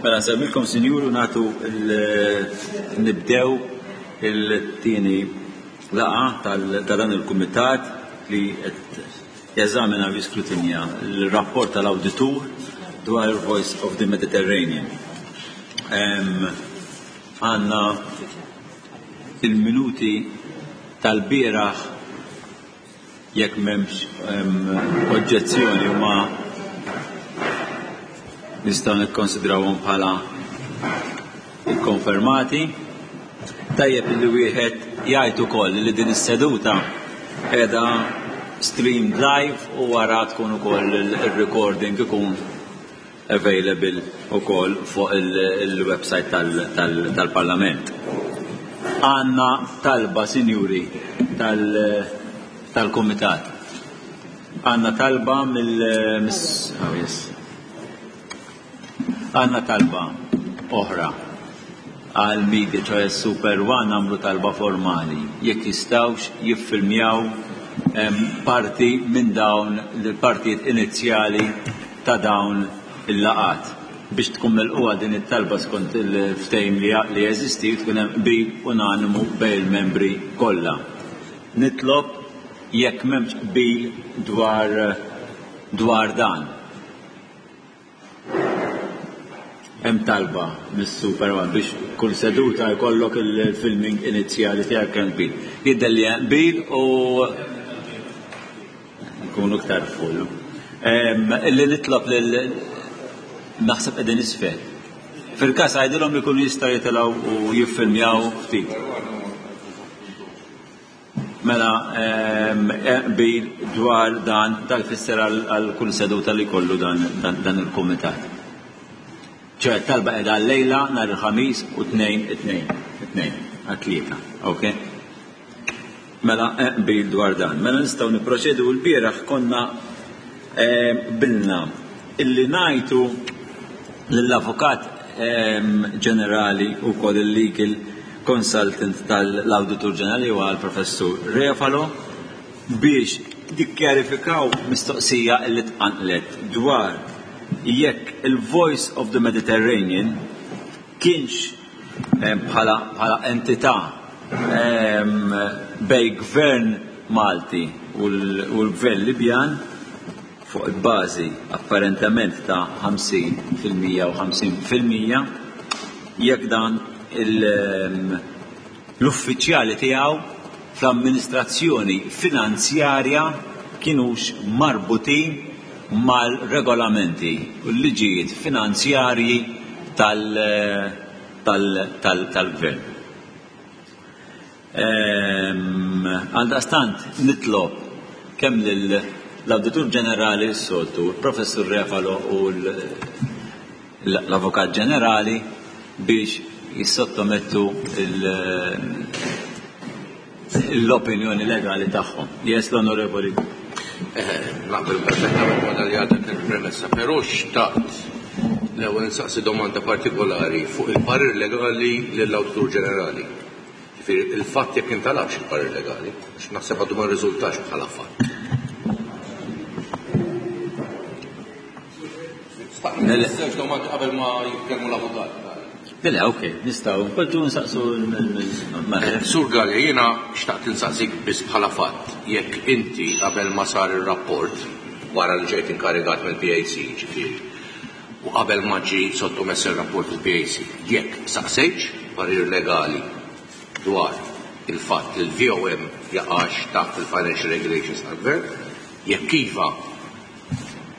Mela nsellmilkom sinjuri u nagħtu nibdew il-tieni laqgħa ta' dan il-kumitat li qed jeżamina u jiskrutinja l-rapport tal-awditur dwar il-Voice of the Mediterranean. Għandna il-minuti tal-bieraħ Jekk m'hemmx oġġezzjoni huma nistgħu nikkonsidrawhom bħala ikkonfermati. Tajjeb li wieħed jgħid ukoll li din is-seduta qiegħda streamed live u wara tkun ukoll ir-recording ikun available ukoll fuq il-website tal-Parlament. Għandna talba, sinjuri, tal-Kumitat. Għandna talba mill oh, yes. Għandna talba oħra għal media ċoħe Super One għamlu talba formali jekk jistawx jiffilmjaw parti minn dawn l-partijiet inizjali ta' dawn il-laqgħat. Biex tkun milqugħa din it-talba skont il-ftehim li jeżisti jrid ikun hemm qbil unanimu bejn il-membri kollha. Nitlob jekk m'hemmx qbil dwar dwar dan. Hemm talba mis-Super One biex kull seduta jkollok il-filming inizjali tiegħek hemm qbil. Jidher li hemm qbil u Nkunu iktar full. Illi nitlob lil naħseb qegħdin isfel. Fil-każ għidilhom li jkunu jistgħu jitilgħu u jiffilmjaw ftit. Mela qbil dwar dan dan jfisser għal kull seduta li jkollu dan il-kumitat. ċe talba qiegħda għal-lejla nhar il-Ħamis u tnejn it-tnejn. It-tnejn għat-tlieta. Okay? Mela qbil dwar dan. Mela nistgħu nipproċedu l-bieraħ konna qbilna illi ngħidu lill-Avukat Ġenerali u wkoll il-Legal Consultant tal-Awditur Ġenerali huwa l-Professur Refalo biex jikkjarifikaw mistoqsija li tqanqlet dwar jekk il-Voice of the Mediterranean kienx bħala bħala entità bejn gvern Malti u l-gvern Libjan fuq il-bażi apparentement ta' 50% u 50% jekk dan l-uffiċjali tiegħu fl-amministrazzjoni finanzjarja kinux marbutin mal-regolamenti u l-liġijiet finanzjarji tal-gvern. Għaldaqstant nitlob kemm lill-Awditur Ġenerali s-soltu, il-Professur Refalo u l-Avukat Ġenerali biex jissottomettu l-opinjoni legali tagħhom. Yes, l-Onorevoli. Naqbel perfettament ma' dak li għadek il-premessa, però xtaqt l-ewwel insaqsi domanda partikolari fuq il-parir legali lill-Awditur Ġenerali. Ġifieri il-fatt jekk intalabx il-parir legali, għax naħseb għadu ma rriżultax bħala fatt. Żewġ domandi qabel ma jitkellmu l-avukat. Le, ok, nistgħu npoġġu nsaqsu l Sur Galea, jiena xtaqt insaqsik biss bħala fatt jekk inti qabel ma sar ir-rapport, wara li ġejt inkarigat mill-PAC, ġifieri, u qabel ma ġie sottomess ir-rapport fil-PAC, jekk saqsejtx parir legali dwar il-fatt li l-VOM jaqax taħt il-financial regulations tal-Gvern, jekk iva,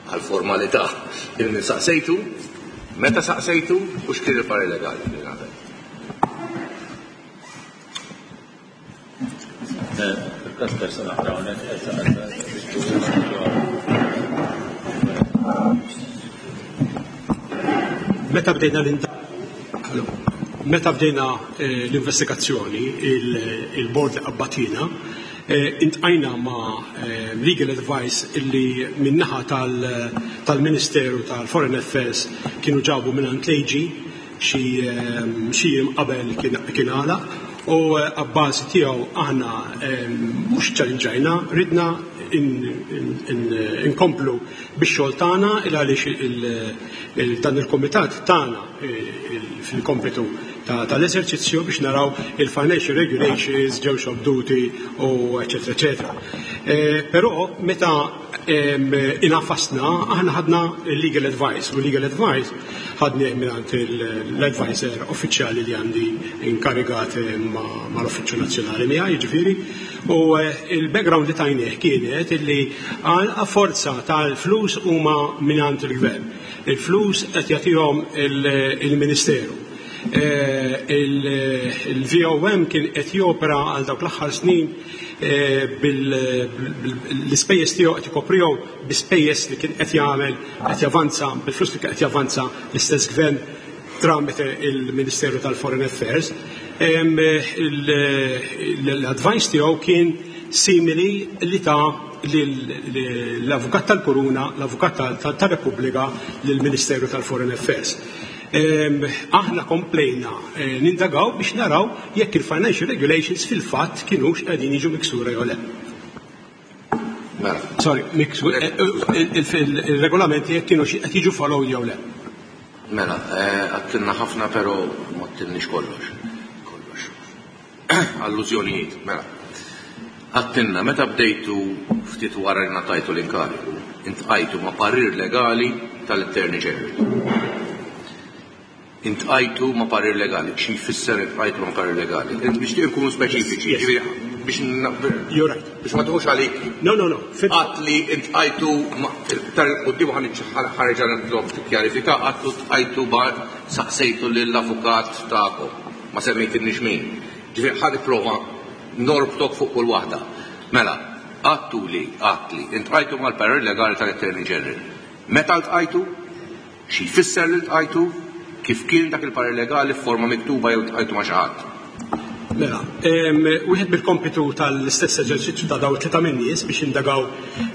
Għal formalità, lil min saqsejtu, meta saqsejtu u x'kien il-parir legali li ngħata. Meta bdejna Meta bdejna l-investigazzjoni, il-bord li qabbatina, Intqajna ma' legal advice illi min-naħa tal-Ministeru tal-Foreign Affairs kienu ġabu mingħand l-AG xi xi jiem qabel kien għalaq u abbażi tiegħu aħna mhux ċċallinġajna, ridna inkomplu bix-xogħol tagħna il għaliex dan il-kumitat tagħna fil-kompitu tal-eżerċizzju biex naraw il-financial regulations ġewx obduti u eċetera eċetera. Però meta inafasna aħna ħadna legal advice u legal advice ħadni mingħand l-advisor uffiċjali li għandi inkarigat mal-Uffiċċju Nazzjonali miegħi, jiġifieri, u il-background li tajnieh kienet illi għal forza tal-flus huma mingħand il-gvern. Il-flus qed jagħtihom il-Ministeru. Il-VOM kien qed jopera għal dawk l-aħħar snin bil-ispejjeż tiegħu qed ikoprihom bi spejjeż li kien qed jagħmel qed javanza bil-flus li qed javanza l-istess gvern tramite il-Ministeru tal-Foreign Affairs. L-advice tiegħu kien simili li ta' l-Avukat tal-Kuruna, l-Avukat tal-Repubblika lill-Ministeru tal-Foreign Affairs. Aħna komplejna nindagaw biex naraw jekk il-financial regulations fil-fatt kienux qegħdin jiġu miksura jew le. Mela. Sorry, il-regolamenti jekk kienu qed jiġu followed jew le. Mela, għattilna ħafna però ma għattilniex kollox. Kollox. Allużjonijiet, mela. Għattilna, meta bdejtu ftit wara li ngħatajtu l-inkarigu, intqajtu ma' parir legali tal-Attorney General. Intqajtu ma' parir legali, xi jfisser intqajtu ma' parir legali? Nixtieq nkunu speċifiċi, ġifieri biex You're right. biex ma tieħux għalik. No, no, no. Għat li intqajtu iktar quddiem ħareġa nitlob tikkjarifika, għattu tqajtu bar saqsejtu lill-avukat tagħkom. Ma semmejtilniex min. Ġifieri ħa nipprova norbtok fuq kull waħda. Mela, għattu li, għat li, intqajtu mal-parir legali tal-Attorney General. Meta ltqajtu? Xi jfisser li ltqajtu? Kif kien dak il-parir legali f'forma miktuba jew ltqajtu ma' xi ħadd? Mela, wieħed mill-kompitu tal-istess eżerċizzju ta' dawn it-tlieta min-nies biex jindagaw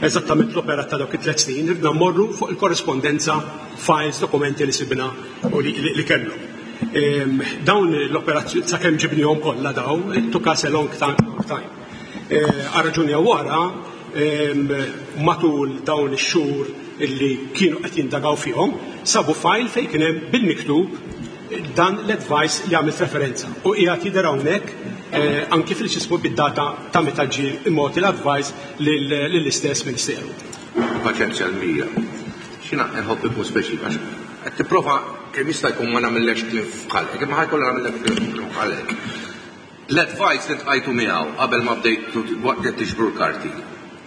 eżattament l-operat ta' dawk it-tliet snin, ridna mmorru fuq il-korrispondenza, files, dokumenti li sibna u li kellhom. Dawn l-operazzjoni, sakemm ġibnihom kollha dawn, it took us a long time. Għal raġuni jew oħra, matul dawn ix-xhur illi kienu qed jindagaw fihom, sabu file fejn kien hemm bil-miktub dan l-advice li għamilt referenza. U qiegħed jidher hawnhekk anki fil-ġismu bid-data ta' meta ġie imgħoti l-advice lill-istess Ministeru. Paċenzja l-mija. X'jiena nħobb ikun speċifika. Qed tipprova kemm jista' jkun ma nagħmillekx kliem f'ħalqek, imma ħajkollha nagħmillek kliem f'ħalqek. L-advice li tqajtu miegħu qabel ma bdejtu waqt li tiġbru l-karti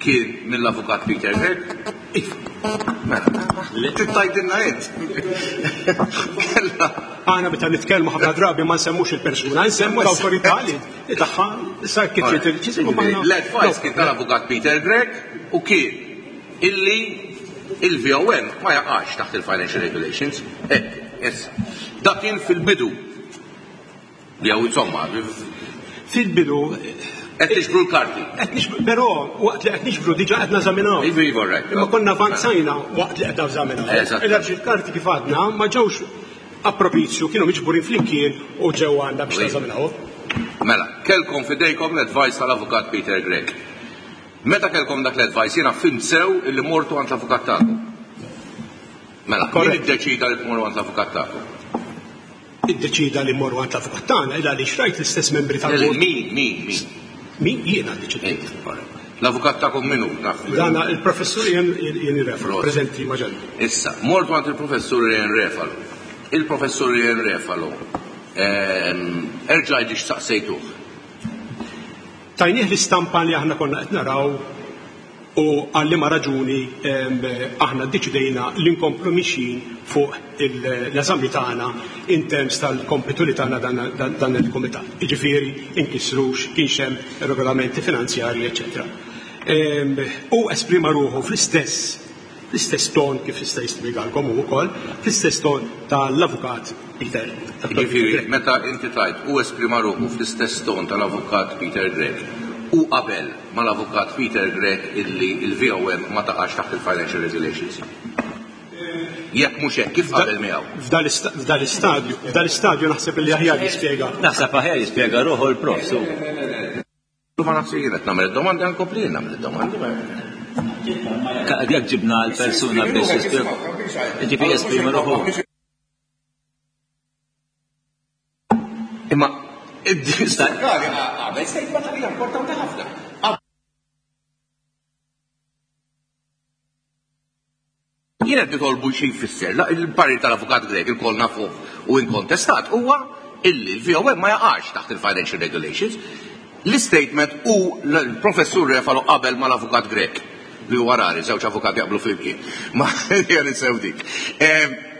kien mill-avukat Peter Grech? Iva. Mela, trid tgħidilna int. Kella. Aħna meta nitkellmu ħafna drabi ma nsemmux il-persuna, nsemmu l-awtorità li tagħha sa kif trid ġisimgħu maħna. L-advice kien tal-avukat Peter Grech u kien illi il-VOM ma jaqax taħt il-Financial Regulations. Hekk, issa. Dak kien fil-bidu. Jew insomma, fil-bidu qed nixbru l-karti. Qed nixbru, però waqt li qed nixbru diġà qed nażaminaw. Iva, iva, right. Imma konna avanzajna waqt li qed nażaminaw. Eżatt. Il-għax il-karti kif għadna ma ġewx appropizju, kienu miġburin flimkien u ġew għandna biex nażaminaw. Mela, kellkom fidejkom l-advice tal-avukat Peter Grech. Meta kellkom dak l-advice jiena fhimt sew illi mortu għand l-avukat tagħkom. Mela, min iddeċida li tmorru għand l-avukat tagħkom? Iddeċida li mmorru għand l-avukat tagħna il għaliex rajt l-istess membri tal-bord. Min, min, min? Min jiena ddeċidejt. L-avukat tagħkom min hu? Naf min hu. Dana il-professur Ian Refalo, preżenti ma' ġenbi. Issa, mortu għand il-professur Ian Refalo. Il-professur Ian Refalo, erġa' għidli x'saqsejtuh. Tajnieh l-istampa li aħna konna qed naraw u għal liema raġuni aħna ddeċidejna li nkomplu mixjin fuq l-eżami tagħna in terms tal-kompitu li tagħna dan il-kumitat. Jiġifieri inkisrux kienx hemm regolamenti finanzjarji, eċċetera. U esprima ruħu fl-istess fl-istess ton kif jista' jispjegalkom hu wkoll, fl-istess ton tal-avukat Peter. Jiġifieri meta inti tgħid u esprima ruħu fl-istess ton tal-avukat Peter Grech u qabel mal-avukat Peter Grech illi l-VOM ma taqax taħt il-Financial Regulations. Jekk mhux hekk, kif qabel miegħu? F'dal-istadju, f'dal-istadju naħseb illi aħjar jispjega. Naħseb aħjar jispjega ruħu l-prof. Ma nafx jien qed nagħmel id-domandi, nkompli jien nagħmel id-domandi. Jekk ġibna l-persuna biex ġifieri jesprimi ruħu. Imma għamel statement li hija importanti ħafna. Jien qed nitolbu xi jfisser il-parir tal-Avukat Grech ilkoll nafuh u inkontestat huwa illi l-VOM ma jaqax taħt il-Financial Regulations. L-istatement u l-Professur Refalo qabel mal-Avukat Grech li huwa rari żewġ avukati jaqblu flimkien. Ma hija ninsew dik.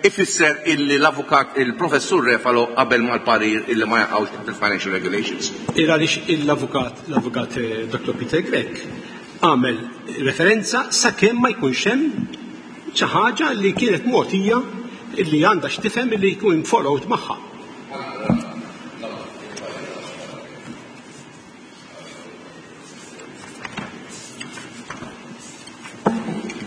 Ifisser illi l-avukat il-Professur Refalo qabel mal-parir illi ma jaqgħux taħt il-Financial Regulations. Il għaliex l-avukat l-avukat eh, Dr. Peter Grech għamel referenza sakemm ma jkunx hemm xi ħaġa li kienet mogħtija li għandha x'tifhem li jkun followed magħha.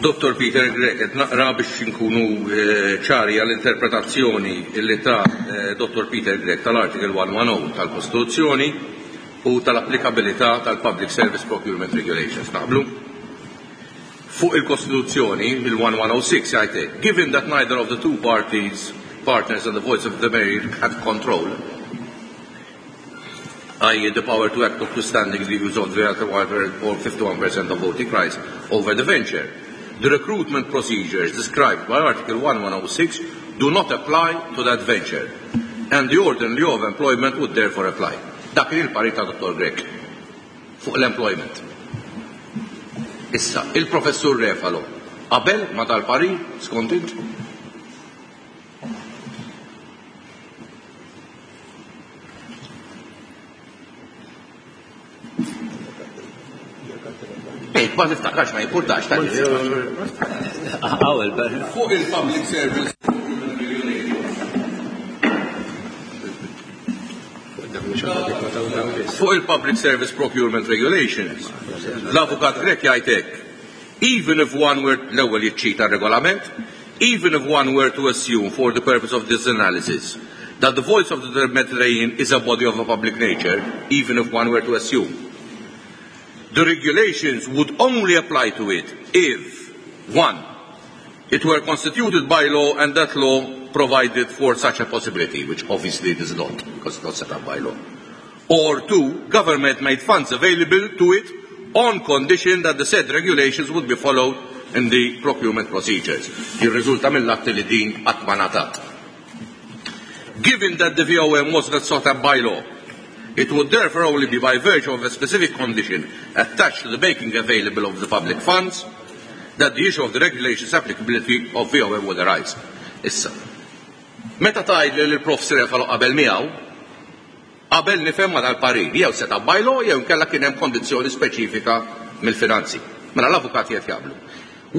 Dottor Peter Grech, qed naqra biex inkunu eh, ċari għall-interpretazzjoni li ta' eh, Dottor Peter Grech tal-Article 110 tal-Kostituzzjoni u tal-applikabilità tal-Public Service Procurement Regulations. Naqblu? Fuq il-Kostituzzjoni, il-1106 jgħid hekk, given that neither of the two parties, partners and the voice of the mayor had control, i.e. the power to act notwithstanding the use of the or 51% of voting rights over the venture. The recruitment procedures described by Article 1106 do not apply to that venture, and the ordinary law of employment would therefore apply. Dak kien il-parir ta' Dottor Grech fuq l-employment. Issa, il-Professur Refalo qabel ma dal-parir skont int? Ej, ma niftakarx ma jimpurtax ta' Fuq il-public service. Fuq il-Public Service Procurement Regulations, l-Avukat Grech jgħid hekk, even if one were, l-ewwel jiċċita r-regolament, even if one were to assume for the purpose of this analysis that the voice of the Mediterranean is a body of a public nature, even if one were to assume. The regulations would only apply to it if, one, it were constituted by law and that law provided for such a possibility, which obviously it is not, because it's not set up by law. Or two, government made funds available to it on condition that the said regulations would be followed in the procurement procedures. Jirriżulta mill-atti li din qatt ma ngħatat. Given that the VOM was not sought up by law, it would therefore only be by virtue of a specific condition attached to the making available of the public funds that the issue of the regulations applicability of VOM would arise. Issa, meta tgħidli li l-Prof. Sirefalo qabel miegħu, qabel nifhem ma dal-parir, jew set up by law jew inkella kien hemm kondizzjoni speċifika mill-finanzi. Mela l-avukati qed jaqblu.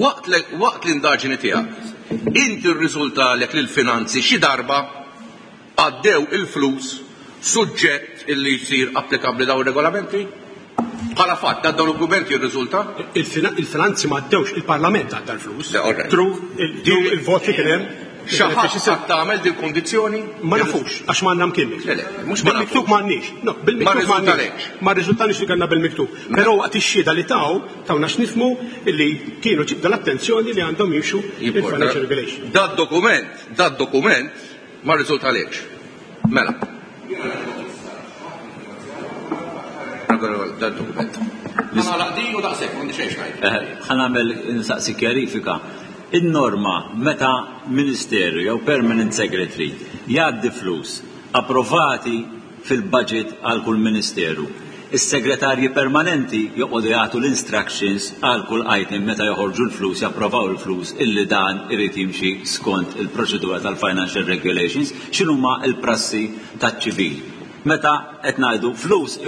Waqt l-indaġini tiegħek, inti rriżultalek li l-finanzi xi darba għaddew il-flus suġġett illi jsir applikabbli dawn ir-regolamenti? Bħala fatt, dan dokument jirriżulta? Il-finanzi ma għaddewx, il-Parlament għadda l-flus. Through il-vot li kien hemm. Xi ħadd qatt tagħmel dil-kundizzjoni? Ma nafux, għax m'għandna mkien miktub. Le, le, mhux ma nafux. Bil-miktub m'għandniex. No, bil-miktub m'għandniex. Ma rriżultalix li kellna bil-miktub. Però waqt ix-xhieda li taw, tawna x'nifhmu li kienu ġibda l-attenzjoni li għandhom jimxu il-financial regulation. Dad-dokument, dad-dokument ma rriżultalekx. Mela. Dan dokument. Nagħlaq din u daqshekk, m'għandi xejn x'ngħid. Ħa nagħmel nsaqsi kjarifika. In-norma meta ministeru jew permanent secretary jgħaddi flus approvati fil-budget għal kull ministeru. Is-segretarji permanenti joqogħdu jagħtu l-instructions għal kull item meta joħorġu l-flus, japprovaw il-flus illi dan irid jimxi skont il-proċedura tal-financial regulations, x'inhuma l-prassi taċ-ċivil. Meta qed ngħidu flus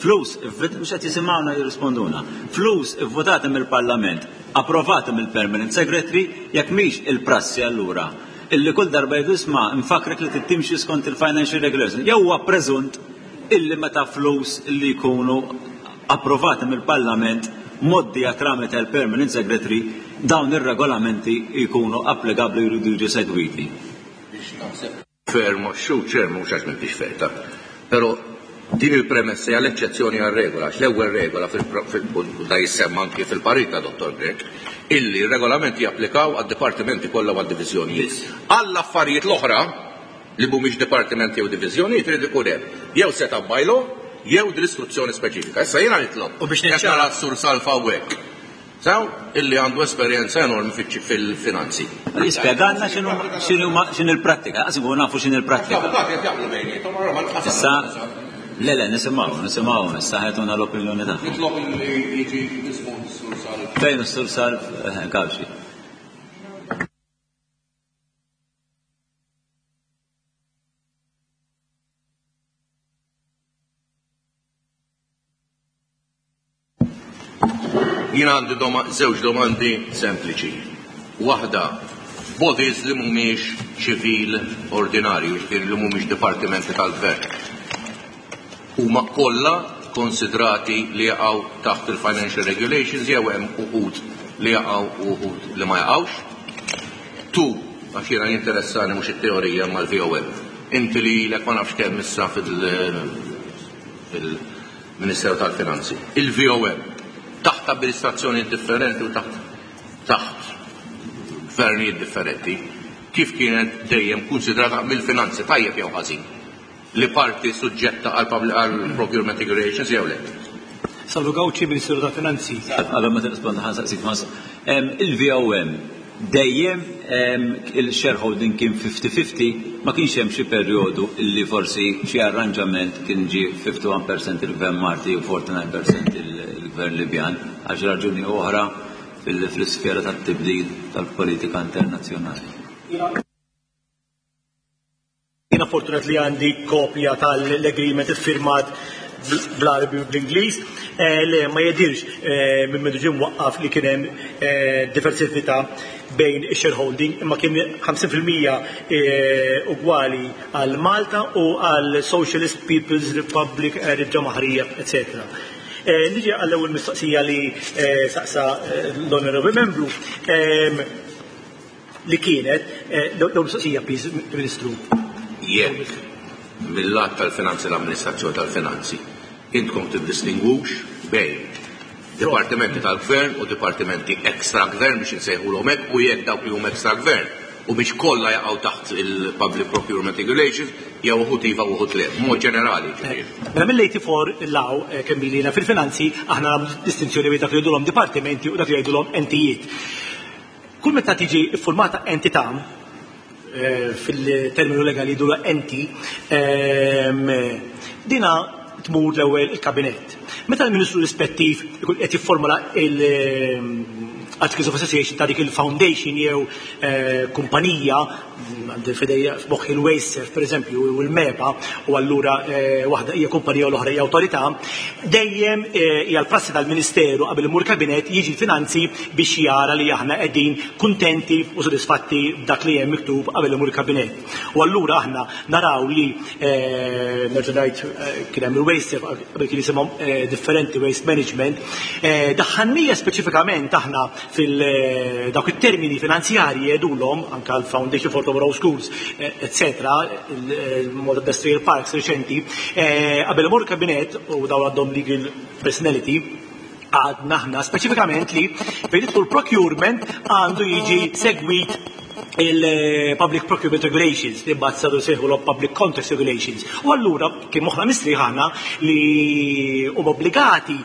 flus mhux qed jisimgħuna jirrisponduna. Flus ivvutati mill-Parlament, approvati mill-Permanent Secretary, jekk mhix il-prassi allura illi kull darba jgħidu isma' nfakkrek li trid timxi skont il-financial regulations. Jew huwa preżunt illi meta flus li jkunu approvati mill-Parlament mgħoddija tramite l-Permanent Secretary dawn ir-regolamenti jkunu applikabbli u jridu jiġu segwiti. Biex naħseb fair ma xu ċer mhux għax m'intix fair ta' però Din il-premessa hija l-eċċezzjoni għar-regola, għax l-ewwel regola u da jissemma anki fil-parir ta' Dottor Grech, illi r-regolamenti japplikaw għad-dipartimenti kollha u għad-diviżjonijiet. Għall-affarijiet l-oħra li mhumiex dipartimenti jew diviżjonijiet irid ikun hemm jew set up by law jew din l-istruzzjoni speċifika. Issa jiena nitlob, qed nara s-Sur Salv hawnhekk, Sew, illi għandu esperjenza enormi fil-finanzi. Jispjegalna x'inhu l-prattika, qas inkunu nafu x'inhi l-prattika. L-avukati qed jaqblu bejniethom, allura ma nqas. Issa, le le, nisimgħu, nisimgħu, issa ħajtuna l-opinjoni tagħhom. Nitlob illi jiġi mismugħ is-Sur Salv. Fejn is-Sur Salv Gauci? Jien għandi żewġ domandi sempliċi. Waħda, bodies li mhumiex ċivil ordinarju, jiġifieri li mhumiex dipartimenti tal-gvern, huma kollha konsidrati li jaqgħu taħt il-financial regulations jew hemm uħud li jaqgħu u uħud li ma jaqgħux? Tu, għax jiena jinteressani mhux it-teorija imma l-VOM. Inti li ilek ma nafx kemm issa fil Ministeru tal-Finanzi. Il-VOM, taħt amministrazzjonijiet differenti u taħt taħt gvernijiet differenti, kif kienet dejjem kunsidrata mill-finanzi, tajjeb jew ħażin, li parti suġġetta għal procurement regulations jew le? Salvu Gauci, Ministeru tal-Finanzi. Qabel ma tirrispondi ħa nsaqsik Il-VOM dejjem il-shareholding kien 50-50, ma kienx hemm xi perjodu illi forsi xi arranġament kien ġie 51% il-Gvern Malti u 49% il-Gvern Libjan għal xi raġuni oħra fl-isfera tat-tibdil tal-politika internazzjonali. Jiena fortunat li għandi kopja tal-agreement iffirmat bl-Għarbi u bl-Ingliż. Le, ma jidhirx minn mindu ġie mwaqqaf li kien hemm diversità bejn ix-shareholding, imma kien 50% ugwali għal Malta u għal Socialist People's Republic Ġamaħrija, eccetera. Niġi għall-ewwel mistoqsija li saqsa l-Honorable Membru. Li kienet, l-ewwel mistoqsija, please, Ministru. Jekk, mil-lat tal-finanzi l-amministrazzjoni tal-finanzi, intkom tiddistingwux bejn dipartimenti tal-gvern u dipartimenti extra-gvern biex insejħulhom hekk u jekk dawk li huma extra-gvern u biex kollha jaqgħu taħt il-Public Procurement Regulations jew uħud iva u uħud le, b'mod ġenerali ġifieri. Mela mill-84 'l hawn kemm ili jiena fil-finanzi aħna nagħmlu distinzjoni bejn dak li jgħidulhom dipartimenti u dak li jgħidulhom entijiet. Kull meta tiġi ffurmata entità, fil-terminu legali jgħidulha enti, dina tmur l-ewwel il-kabinett. Meta l-Ministru rispettiv ikun qed jifformula l-Articles of Association ta' dik il-foundation jew kumpanija, għandi f'idejja f'moħħi l-Wasteserv pereżempju u l-MEPA, u allura waħda hija kumpanija u l-oħra hija awtorità, dejjem hija l-prassi tal-Ministeru qabel imur kabinett jiġi l-finanzi biex jara li aħna qegħdin kuntenti u sodisfatti b'dak li hemm miktub qabel imur il-kabinett. U allura aħna naraw li nerġa' ngħid kien hemm il-waste qabel kien jisimhom differenti waste management, daħħalnija speċifikament aħna fil dawk it-termini finanzjarji jgħidulhom anke l-Foundation for Tomorrow Schools, eccetera, il-Malta Industrial Parks reċenti, qabel imur il-kabinett u dawn għandhom legal personality, għadna aħna speċifikament li fejn jidħol procurement għandu jiġi segwit il-Public Procurement Regulations li mbagħad saru jsejħu l-Public Contracts Regulations. U allura kien moħħna mistrieħ aħna li huma obbligati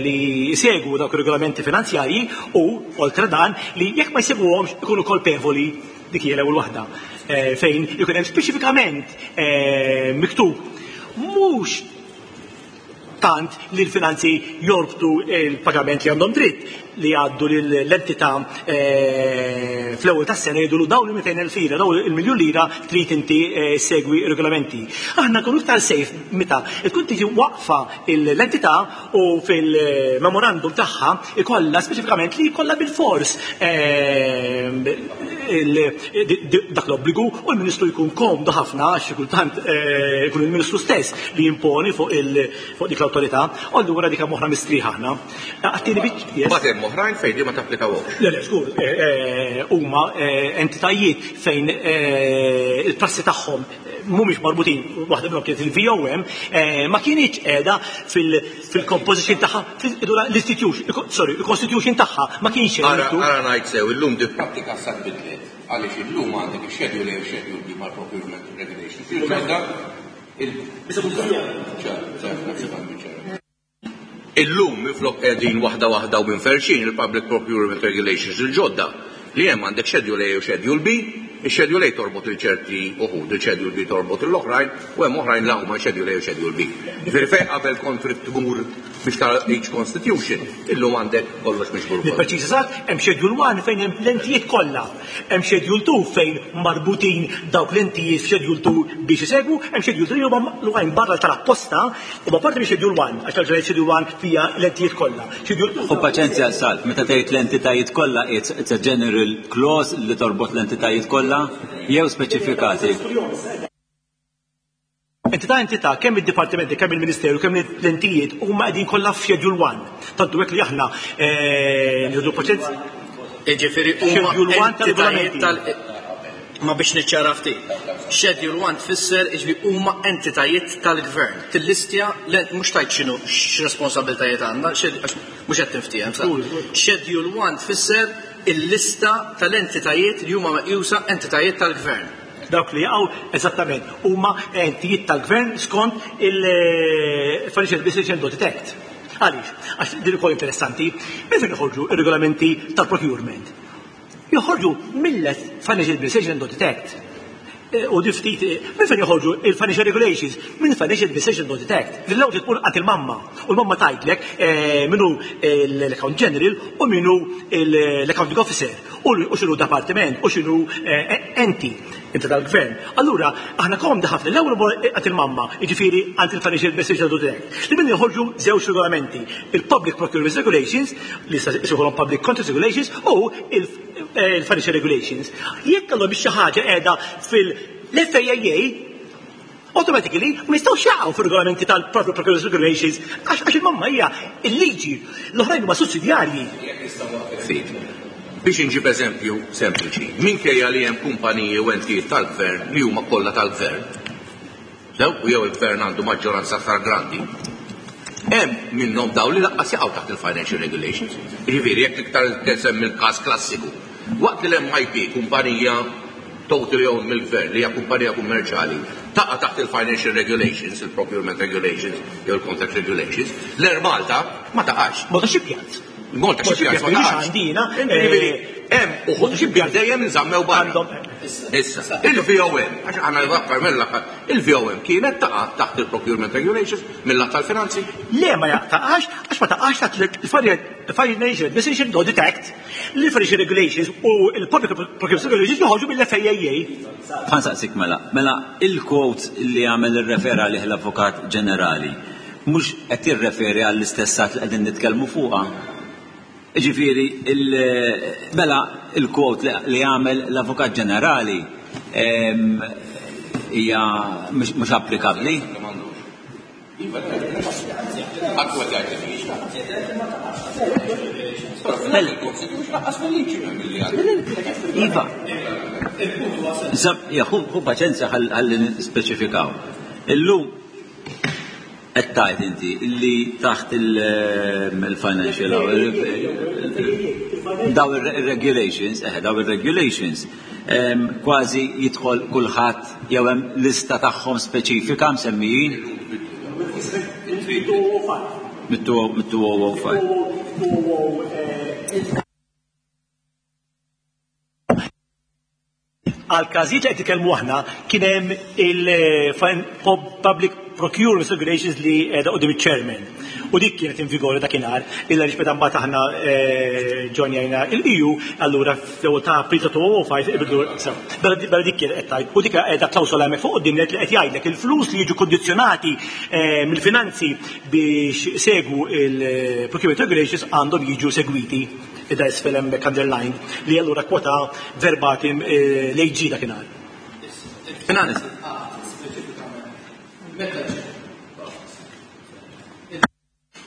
li jsegwu dawk ir-regolamenti finanzjarji u oltre dan li jekk ma jsegwuhomx ikunu kolpevoli. Dik hija l-ewwel waħda fejn ikun hemm speċifikament miktub mhux tant li l-finanzi jorbtu l-pagament li għandhom dritt li jgħaddu l-entità fl-ewwel tas-sena jgħidulu dawn il-200,000 lira, dawn il-miljun lira trid inti segwi regolamenti. Aħna nkunu iktar safe meta tkun tiġi waqfa l-entità u fil-memorandum tagħha ikollha speċifikament li jkollha bil-fors dak l-obbligu u l-Ministru jkun komdu ħafna għax xi kultant ikun il-Ministru stess li jimponi fuq dik l-awtorità, u allura dik hemm oħra mistrieħ aħna. Għattini biċ, yes. Mbagħad hemm oħrajn fejn di ma tapplikawhomx. Le, le, żgur, huma entitajiet fejn il-prassi tagħhom mhumiex marbutin, waħda minnhom kienet il-VOM, ma kinitx qiegħda fil-composition tagħha, l-institution, sorry, il-constitution tagħha ma kienx hemm. Ara, ara ngħid sew, illum di prattika sa tbidlet, għaliex illum għandek ix-schedule A u schedule B mal-procurement regulations. Il-ġodda il Illum minflok qegħdin waħda waħda u minferxin il-Public Procurement Regulations il-ġodda li hemm għandek Schedule A u Schedule B, ix-Schedule A torbot lil ċerti uħud, il-Schedule B torbot lill-oħrajn u hemm oħrajn li huma Schedule A u Schedule B. Jiġifieri fejn qabel kont trid tmur biex tara each constitution, illum għandek kollox miġbur. Nippreċiża eżatt, hemm Schedule 1 fejn hemm l-entijiet kollha. Hemm Schedule 2 fejn marbutin dawk l-entijiet f'Schedule 2 biex isegwu, hemm Schedule 3 huma l-oħrajn barra tal-apposta huma parti minn Schedule 1 għax tal Schedule 1 fija l-entijiet kollha. Schedule 2 U paċenzja Salv, meta tgħid l-entitajiet kollha it's, it's a general clause li torbot l-entitajiet kollha jew speċifikati? Entità entità, kemm id-dipartimenti, kemm il-Ministeru, kemm l-entijiet huma qegħdin kollha f'Schedule 1. Tantu hekk li aħna nieħdu paċenzja. Jiġifieri huma Schedule 1 entitajiet tal-regolamenti. tal Ma biex niċċara ftit. Schedule 1 tfisser jiġifieri huma entitajiet tal-gvern. Tillistja mhux tajt x'inhu x'responsabbiltajiet għandna, għax mhux qed tinftiehem sa. Schedule 1 tfisser il-lista tal-entitajiet li huma meqjusa entitajiet tal-gvern. Dawk li jaqgħu eżattament huma entijiet tal-gvern skont il-Financial Administration Audit Act. Għaliex? Għax din ukoll interessanti, minn fejn joħorġu ir-regolamenti tal-procurement? Joħorġu mill-Financial Administration Audit Act. U di ftit, minn fejn joħorġu il-Financial Regulations? Minn Financial Administration Audit Act. L-ewwel tmur għand il-mamma u l-mamma tgħidlek minnu l-Account General u minnu l-Accounting Officer u x'inhu departiment u x'inhu enti inta tal-gvern. Allura, aħna komdi ħafna l-ewwel mor għand il-mamma, jiġifieri għand il-Financial Administration Audit Act. Li minn joħorġu żewġ regolamenti, il-Public Procurement Regulations, li jsejħulhom Public Contracts Regulations, u il-Financial Regulations. Jekk għandhom xi ħaġa qiegħda fil-FAAA, automatically ma jistgħux jaqgħu fir-regolamenti tal-Public Procurement Regulations għax il-mamma hija il-liġi, l-oħrajn huma sussidjarji. Biex inġib eżempju sempliċi, minkejja li hemm kumpaniji u entijiet tal-gvern li huma kollha tal-gvern, sew u jew il-gvern għandu maġġoranza aktar grandi, hemm minnhom dawn li lanqas jaqgħu taħt il-financial regulations. Jiġifieri jekk iktar semmi l-każ klassiku, waqt li l-MIP kumpanija totally owned mill-gvern li hija kumpanija kummerċjali taqa' taħt il-financial regulations, il-procurement regulations jew il-contract regulations, l-Air Malta ma taqax. Malta Shipyards. Malta Shipyards ma taqax. Għandina, Jiġifieri, hemm uħud Malta Shipyards dejjem inżammew barra. Għandhom Issa, il-VOM, għax aħna l-aktar mill-aħħar, il-VOM kienet taqa' taħt il-procurement regulations mill-att tal-finanzi. Le ma taqax, għax ma taqax taħt il-Financial Administration Audit Act, l-Financial Regulations u il-Public Procurement Regulations joħorġu mill-FAAA. Ħa nsaqsik mela, mela il-quote li għamel ir-refera lih l-Avukat Ġenerali, mhux qed jirreferi għall-istess att li qegħdin nitkellmu fuqha. Ġifieri, mela il-quote li għamel l-Avukat Ġenerali hija mhux applikabbli. Iva, Għakku għed jgħid li mhijiex. Iva. Ħu paċenzja ħalli nispeċifikaw. Illum qed tgħid inti illi taħt il-financial daw ir-regulations, daw ir-regulations kważi jidħol kulħadd jew hemm lista tagħhom speċifika msemmijin. Mit-2005. Għal każijiet li qed nitkellmu aħna kien hemm il-Public Procurement Regulations li qiegħda quddiem iċ-chairman. U dik kienet in vigore dakinhar, illa għaliex meta mbagħad aħna ġonjajna il-EU, allura fl-ewwel ta' April ta' 2005 ibidlu sew. Bella dik kienet qed tgħid, u dik qiegħda klawsola hemmhekk fuq quddiem li qed jgħidlek il-flus li jiġu kondizzjonati mill-finanzi biex segwu il-Procurement Regulations għandhom jiġu segwiti. Ida isfel hemmhekk underlined li allura kwota verbatim l-AG dakinhar. Finanzi.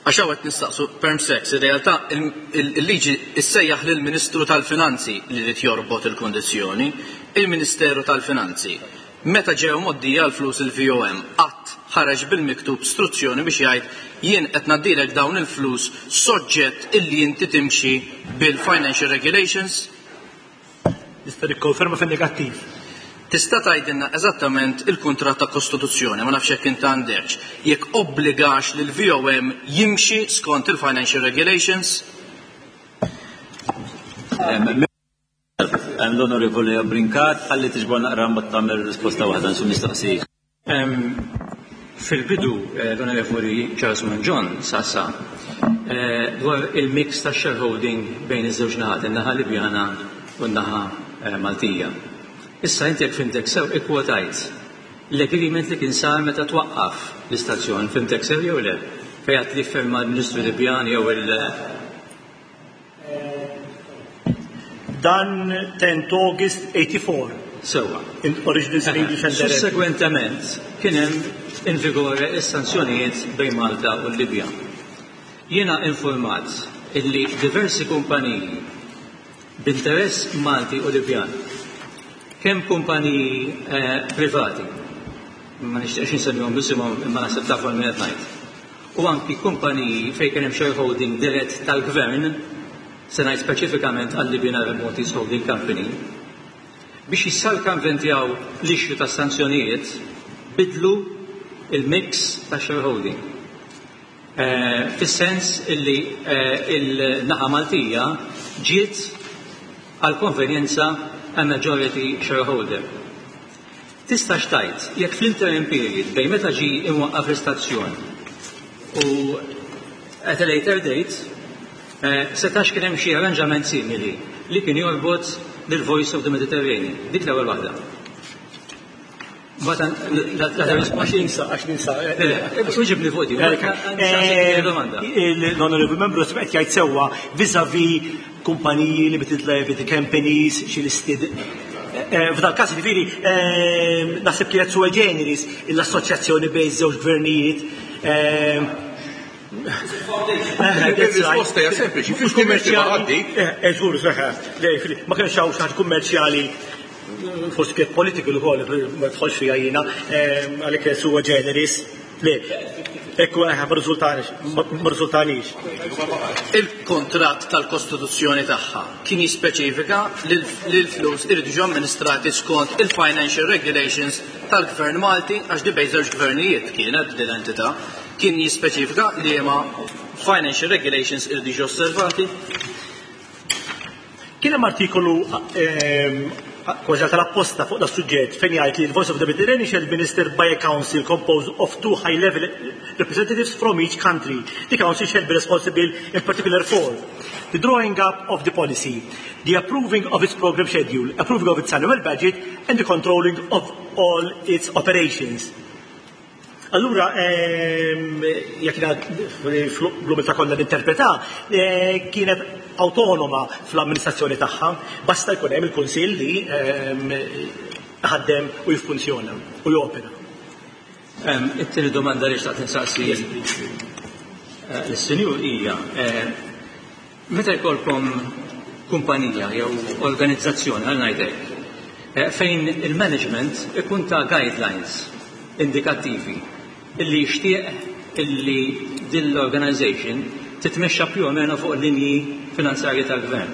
Għax hawn qed nistaqsu perm sex, ir-realtà il-liġi issejjaħ lill-Ministru tal-Finanzi li jrid jorbot il-kundizzjoni, il-Ministeru tal-Finanzi. Meta ġew mgħoddija l-flus il-VOM qatt ħareġ bil-miktub struzzjoni biex jgħid jien qed ngħaddilek dawn il-flus soġġett illi inti timxi bil-financial regulations? Nista' nikkonferma fin-negattiv. Tista' tgħidilna eżattament il-kuntratt ta' kostituzzjoni, ma nafx jekk int għandekx, jekk obbligax lill-VOM jimxi skont il-financial regulations? L-Onorevoli Brincat, ħalli tiġbor naqra mbagħad tagħmel risposta waħda nsu mistoqsija. Fil-bidu l-Onorevoli Charles Mangion saqsa dwar il-mix ta' shareholding bejn iż-żewġ naħat, in-naħa Libjana u n-naħa Maltija. Issa inti jekk fhimtek sew ikkwotajt l-agreement li kien sar meta twaqqaf l-istazzjon, fhimtek sew jew le? Fejn għedt li ffirma l-Ministru Libjan jew il- Dan 10 August 84. Sewwa. In original in English and Arabic. Sussegwentement kien hemm in vigore s-sanzjonijiet bejn Malta u l-Libja. Jiena infurmat illi diversi kumpaniji b'interess Malti u Libjan, kemm kumpaniji privati, ma nixtieqx insemmihom b'isimhom imma naħseb tafu għal min qed ngħid, u anki kumpaniji fejn kien hemm shareholding dirett tal-Gvern, se ngħid speċifikament għal-Libyan Arab Maltese Holding Company, biex jissalkanventjaw l-issue tas-sanzjonijiet, biddlu l-mix tax-shareholding. Fis-sens illi l-naħa Maltija ġiet għall-konvenjenza a majority shareholder. Tistax tgħid jekk fl-interim period bejn meta ġie imwaqqaf l-istazzjon u at a later date setax kien hemm xi arranġament simili li kien jorbot lil Voice of the Mediterranean? Dik l-ewwel waħda. Għax ninsa, għax ninsa. Uġibni fuq di. Domanda. L-Honorable Membru qed jgħid sewwa vis-a-vis kumpaniji, limited liability companies, xi listed. F'dal każ jiġifieri naħseb kienet sui generis l-assoċjazzjoni bejn żewġ gvernijiet. Il-risposta hija sempliċi, mhux kummerċjali. Żgur, ma kienx hawn xi ħaġa kummerċjali, forsi kienet political ukoll, ma tħolx fiha jiena, għalhekk kienet sui generis. Le, ekku ma riżultanix. Il-kuntratt tal-Kostituzzjoni tagħha kien jispeċifika li l-flus iridu jiġu amministrati skont il-financial regulations tal-Gvern Malti, għax di bejn żewġ gvernijiet kienet din l-entità, kien jispeċifika li ma financial regulations iridu jiġu osservati. Kien hemm artikolu kważi tal-apposta fuq da suġġett fejn jgħid li l-Voice of the Mediterranean shall be administered by a council composed of 2 high-level representatives from each country. The council shall be responsible in particular for the drawing up of the policy, the approving of its program schedule, approving of its annual budget, and the controlling of all its operations. Allura, jekk l-umiltà kollha ninterpreta, kienet autonoma fl-amministrazzjoni tagħha, basta jkun hemm il-kunsill li ħaddem u jiffunzjona u jopera. It-tieni domanda li xtaqt insaqsi lis-sinjur hija, meta jkollkom kumpanija jew organizzazzjoni għal ngħidlek, fejn il-management ikun ta' guidelines indikattivi illi jixtieq illi din l-organization titmexxa più o meno fuq linji finanzjarji tal-gvern.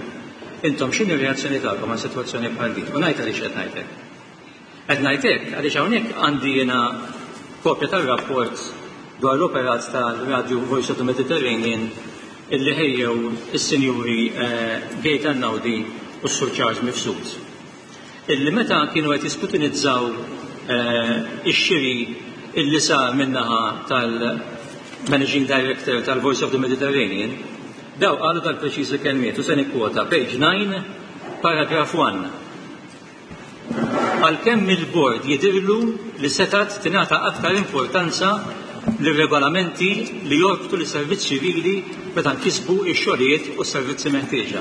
Intom x'inhi r-reazzjoni tagħkom għal sitwazzjoni bħal din? U ngħid għaliex qed ngħidlek. Qed ngħidlek għaliex hawnhekk għandi jiena kopja tar-rapport dwar l-operat tal-Radio Voice of the Mediterranean illi ħejjew is-sinjuri Gaetan Naudi u s-Sur Charles Mifsud. Illi meta kienu qed jiskrutinizzaw ix-xiri illi sar min-naħa tal-Managing Director tal-Voice of the Mediterranean, daw qalu dal-preċiżi kelmiet u se nikkwota page 9, paragraph 1. Għalkemm il-bord jidirlu li setat tingħata aktar importanza lir-regolamenti li jorbtu lis-servizz ċivili meta nkisbu x-xogħlijiet u s-servizzi meħtieġa.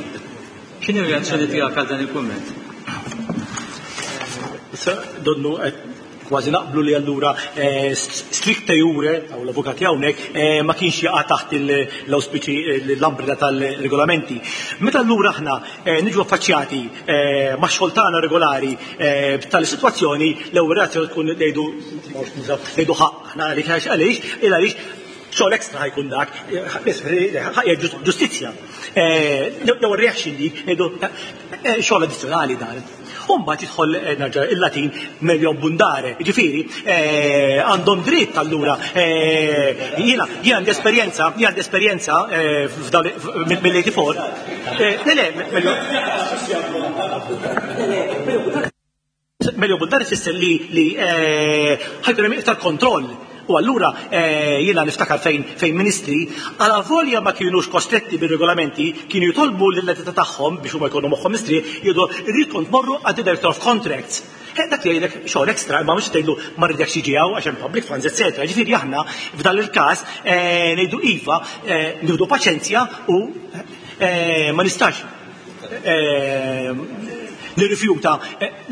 X'inhi r-reazzjoni tiegħek għal dan il-kumment? Issa donnu qed Kważi naqblu li allura stricte jure, għaw l-avukati hawnhekk, ma kienx jaqa' taħt l-auspiċi l-umbrella tal-regolamenti. Meta allura aħna niġu affaċċjati ma' xogħol tagħna regolari b'tali sitwazzjoni, l-ewwel reazzjoni tkun ngħidu ngħidu ħaqq aħna għaliex għaliex għaliex xogħol ekstra ħajkun dak, ġustizzja. L-ewwel reaction dik ngħidu xogħol addizzjonali dan. U mbagħad jidħol nerġa' il-Latin meglio abbundare. Ġifieri għandhom dritt allura jiena jien għandi esperjenza, jien għandi esperjenza mill-84. Le le, meglio Meglio abbundare tfisser li li ħajkun hemm iktar kontroll. U allura jiena niftakar fejn fejn ministri għala volja ma kienux kostretti bir-regolamenti kienu jitolbu lill-entità tagħhom biex huma jkunu moħħhom mistrieħ jgħidu rridkom tmorru għand director of contracts. Dak jgħidlek xogħol ekstra imma mhux tgħidlu ma rridekx jiġi hawn għax hemm public funds eċetera. Ġifieri aħna f'dan il-każ ngħidu iva nieħdu paċenzja u ma nistax nirrifjuta,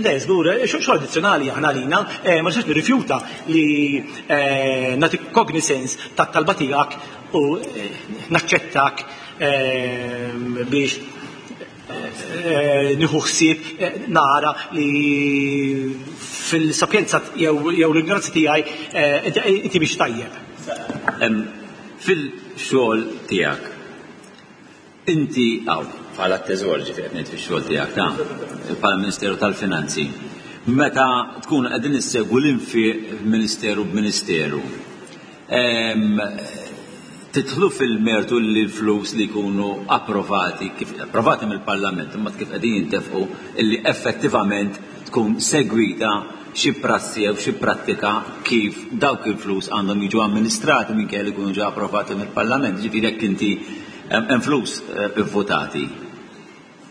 le, żgur, xogħol addizzjonali aħna għalina, ma nistax nirrifjuta li nagħti cognizance tat-talba tiegħek u naċċettak biex nieħu ħsieb nara li fil-sapjenza jew l-ignoranza tiegħi inti biex tajjeb. Fil-xogħol tiegħek, inti hawn bħala t-teżor ġifieri qed ngħid fix-xogħol tiegħek ta' bħala Ministeru tal-Finanzi, meta tkunu qegħdin issegwu l-infiq ministeru b'ministeru, tidħlu fil-mertu li l-flus li jkunu approvati, kif approvati mill-Parlament, imma kif qegħdin jintefqu illi effettivament tkun segwita xi prassi jew xi prattika kif dawk il-flus għandhom jiġu amministrati minkejja li jkunu ġew approvati mill-Parlament. Ġifieri jekk inti hemm flus ivvutati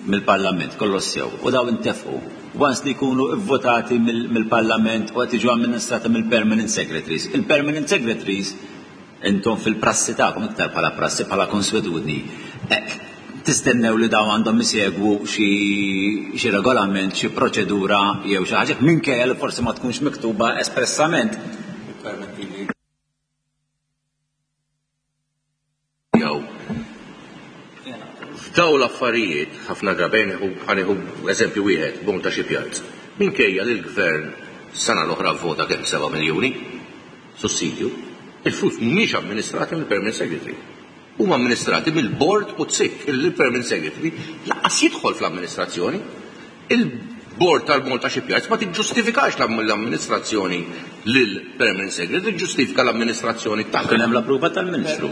mill-Parlament kollox sew u daw intefqu. Once li jkunu ivvutati mill-Parlament u qed jiġu amministrati mill-Permanent Secretaries. Il-Permanent Secretaries intom fil-prassi tagħkom iktar bħala prassi bħala konswetudni tistennew li daw għandhom isegwu xi regolament, xi proċedura jew xi ħaġa minkejja li forsi ma tkunx miktuba espressament. Jew f'daw l-affarijiet ħafna drabi ħa nieħu eżempju wieħed, Malta Shipyards. Minkejja li l-gvern sena l-oħra vvota kemm 7 miljuni sussidju, il-flus mhumiex amministrati mill-Permanent Secretary. Huma amministrati mill-board u tsik il-Permanent Secretary lanqas jidħol fl-amministrazzjoni. Il-board tal-Malta Shipyards ma tiġġustifikax l-amministrazzjoni lill-Permanent Secretary, tiġġustifika l-amministrazzjoni tagħha. Kien hemm l-approva tal-Ministru.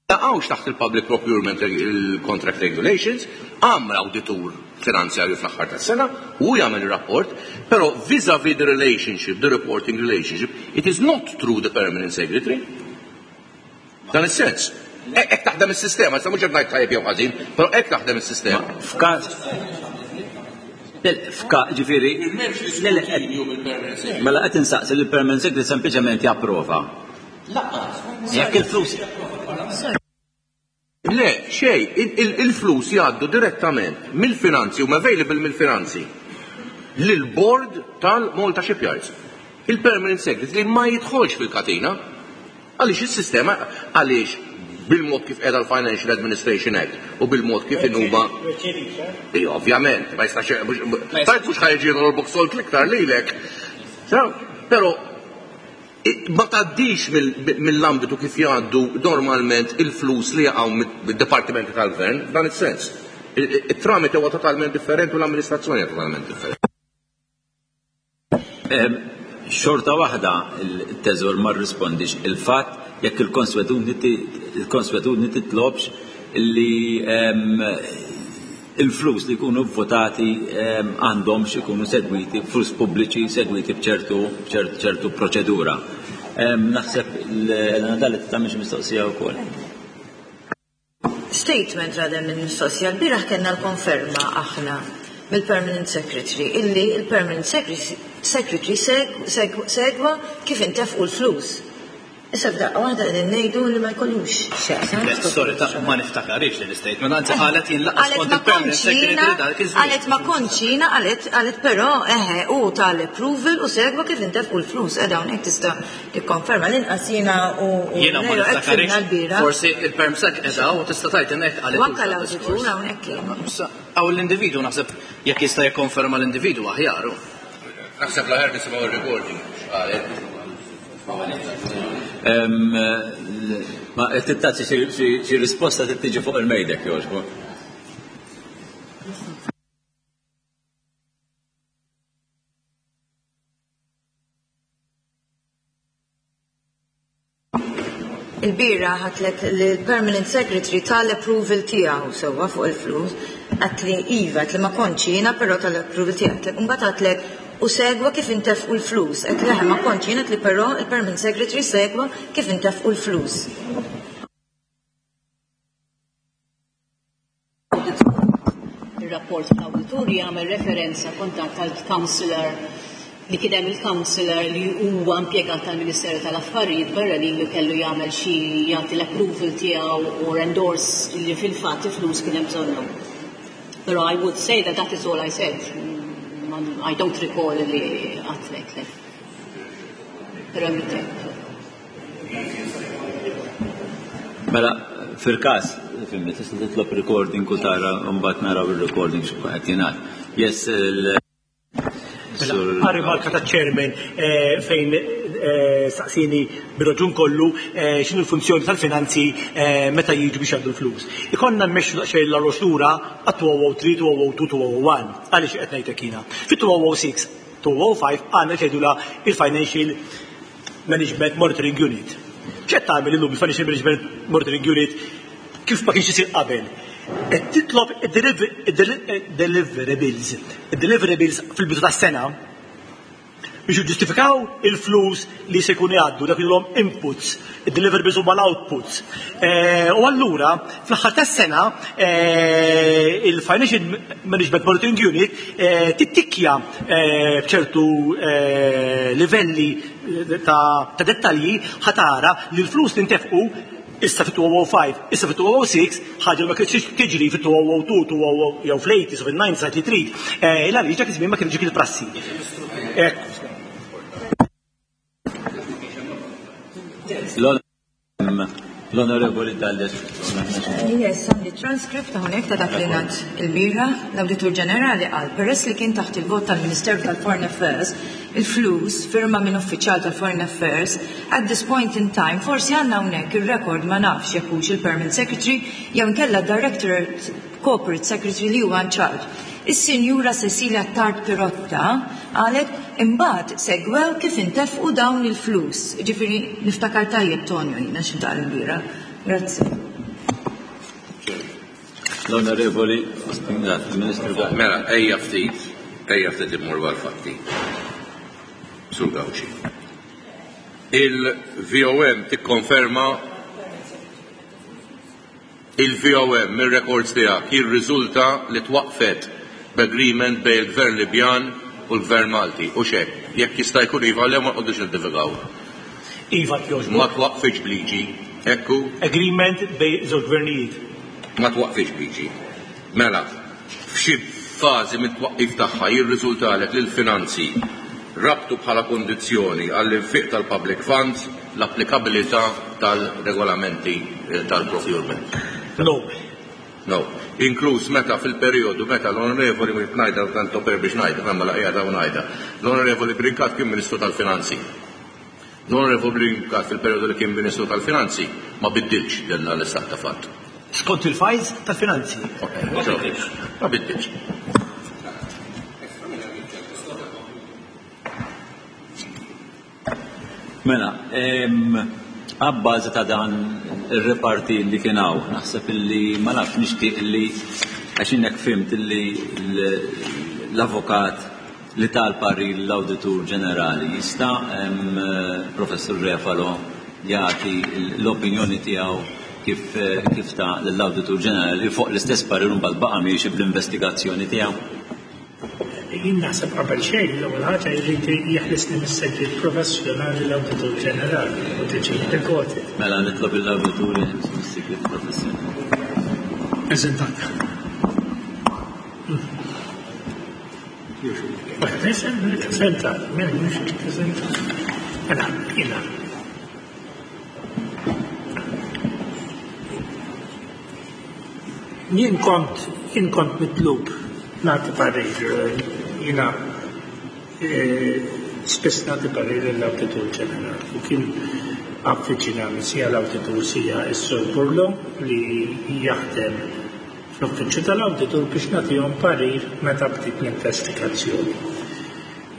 Jaqgħux taħt il-Public Procurement il-Contract Regulations, għamel awditur finanzjarju fl-aħħar tas-sena u jagħmel ir-rapport, però vis-a-vis the relationship, the reporting relationship, it is not through the Permanent Secretary. Dan is-sens. Hekk taħdem is-sistema, sa mhux qed ngħid tajjeb jew ħażin, però hekk taħdem is-sistema. F'każ F'ka, ġifieri, mela qed insaqsi li l-Permanent Secretary sempliċement japprova. Jekk il-flus. Le, xej, il-flus jgħaddu direttament mill-finanzi u available mill-finanzi lil-board tal-Malta Shipyards. Il-Permanent Secretary ma jidħolx fil-katina. Għaliex is-sistema, għaliex bil-mod kif qiegħda l-Financial Administration Act u bil-mod kif inhuma. Ija, ovvjament, ma jistax tajt mhux ħajġi l-box salt l-iktar lilek. Però ma tgħaddix mill-ambitu kif jgħaddu normalment il-flus li jaqgħu mid-dipartimenti tal-gvern, f'dan is-sens. Il-tramite huwa totalment differenti u l-amministrazzjoni hija totalment differenti. Xorta waħda il-teżor ma rrispondix il-fatt jekk il-konswetudni titlobx li il-flus li jkunu votati għandhomx ikunu segwiti, flus pubbliċi segwiti b'ċertu ċertu proċedura. Naħseb l-Elena Dalli tagħmel xi mistoqsija wkoll. Statement rather minn mistoqsija. L-bieraħ kellna l-konferma aħna mill-Permanent Secretary illi il-Permanent Secretary segwa kif intefqu l-flus. Issa f'daqqa waħda qegħdin ngħidu li ma jkollux x'jaqsam. Le, sorry, ta' ma niftakarix din l-istatement, anzi qalet jien laqas Qalet kont ma il-permanent kontx secretary jiena, dak iż-żmien. qalet ma kontx jiena, qalet qalet però eħe hu ta l-approval u segwa kif intefqu l-flus. Qiegħda hawnhekk tista' tikkonferma l-inqas jiena u u Jiena ma Leo hekk niftakarix, fhimna l-bieraħ. forsi il-perm sec qiegħda u tista' tgħid hemmhekk qalet U hux anke dan l-awditur id-diskors. hawnhekk kien. Issa, hawn l-individwu naħseb jekk jista' jikkonferma l-individwu aħjar hu. Naħseb l-aħjar nisimgħu r-recording x'qalet. Ma qed tagħti xi risposta trid tiġi fuq il-mejda jekk jogħġbok. Il-bieraħ għedtlek li l-Permanent Secretary tal-approval tiegħu sewwa fuq il-flus, għedtli iva, għedtli ma kontx jiena però tal-approval tiegħu. Għedtlek imbagħad għedtlek u segwa kif intefqu l-flus. Għedtli eħe ma kontx jiena għedtli però il-Permanent Secretary segwa kif intefqu l-flus. Ir-rapport tal-awditur jagħmel referenza kontat tal-councillor li kien hemm il-councillor li huwa impjegat tal-Ministeru tal-Affarijiet Barranin li kellu jagħmel xi jagħti l-approval tiegħu or endorse li fil-fatt il-flus kien hemm bżonnhom. Però I would say that that is all I said. I don't recall li għedtlek le. Però hemm it-tape. Mela, fil-każ, fimni, tista' titlob recording u tara mbagħad naraw ir-recording x'kun qed jingħad. Yes, il Mela, għar-rimarka taċ-chairman eh, fejn eh, saqsini bir-raġun kollu eh, x'inhu l-funzjoni tal-finanzi meta jiġu biex jgħaddu l-flus. Ikollna mmexxu daqsxejn l-arroz lura għat-2003, 2002, 2001. Għaliex qed ngħidlek jiena? Fit-2006, 2005 għandna ċedula il-Financial Management Monitoring Unit. X'qed tagħmel illum il-Financial Management Monitoring Unit kif ma kienx isir qabel? Qed titlob id-deliverables, id-deliverables fil-bidu tas-sena biex jiġġustifikaw il-flus li se jkunu jgħaddu dak li inputs, id-deliverables huma l-outputs. Eh, u allura fl-aħħar tas-sena eh, il-Financial Management Monitoring Unit eh, tittikkja b'ċertu livelli ta' dettalji ħa tara li l-flus li ntefqu issa fit-2005, issa fit-2006, ħaġa li ma kienx tiġri fit-2002, 2000 jew fl-80s u fil-90s li trid. Eh, il għaliex dak iż-żmien ma kienx dik il-prassi. L-Onorevoli Dalli. Yes, għandi transcript hawnhekk ta' dak li ngħad il-bieraħ. L-Awditur Ġenerali qal peress li kien taħt il-vot tal-Ministeru tal-Foreign Affairs, il-flus firma minn uffiċjal tal-Foreign Affairs, at this point in time forsi għandna hawnhekk ir-rekord ma nafx jekk hux il-Permanent Secretary jew inkella Directorate Corporate Secretary li huwa in charge. Is-Sinjura Cecilia Tard Pirotta qalet imbagħad segwew kif intefqu dawn il-flus. Ġifieri niftakar tajjeb Tonio jiena x'intqal il-bieraħ. Grazzi. L-Onorevoli Ministru Galea. Mela, ejja ftit, ejja ftit immorru għal-fatti. Sur Gauci. Il-VOM tikkonferma il-VOM mir-records tiegħek jirriżulta li twaqfet b'agreement bejn il-Gvern Libjan u l-Gvern Malti. U xek, jekk jista' jkun iva le ma nqogħdux niddivigaw. Iva jogħġbok. Ma twaqfitx bliġi, ekku? Agreement bejn żewġ gvernijiet. Ma twaqfitx bliġi. Mela, f'xi fażi mit-twaqqif tagħha jirriżultalek li l-finanzi rabtu bħala kondizzjoni għall-infiq tal-public funds l-applikabilità tal-regolamenti tal-procurement. No. No. Inkluż meta fil-perjodu meta l-Onorevoli mhux ngħidha tanto per biex ngħidha, imma la qiegħda u ngħidha. L-Onorevoli Brincat kien Ministru tal-Finanzi. L-Onorevoli Brincat fil-perjodu li kien Ministru tal-Finanzi ma biddilx din l-istat ta' fatt. Skont il-files tal-finanzi. Ma biddilx. Mela, abbażi ta' dan ir-reparti li kien hawn, naħseb illi ma nafx nixtieq illi għax hekk fhimt illi l-avukat li tal-parir l-Awditur Ġenerali jista' Professur Refalo jagħti l-opinjoni tiegħu kif kif ta l-Awditur Ġenerali fuq l-istess parir mbagħad baqa' miexi bl-investigazzjoni tiegħu. Jien naħseb qabel xejn l-ewwel ħaġa jrid jeħlisni mis-segret professjonali l-Awditur Ġenerali u tiġi recorded. Mela nitlob lill-Awditur jeħlisni mis-sigriet professjonali. Eżentat. Eżentat, mela mhux eżentat. Mela, jiena. Jien kont jien kont mitlub nagħti parir, jiena spiss nagħti parir lill-Awditur Ġenerali u kien avviċinani sia l-Awditur sia s-Sur Burlo li jaħdem fl-Uffiċċju tal-Awditur biex nagħtihom parir meta bdiet l-investigazzjoni.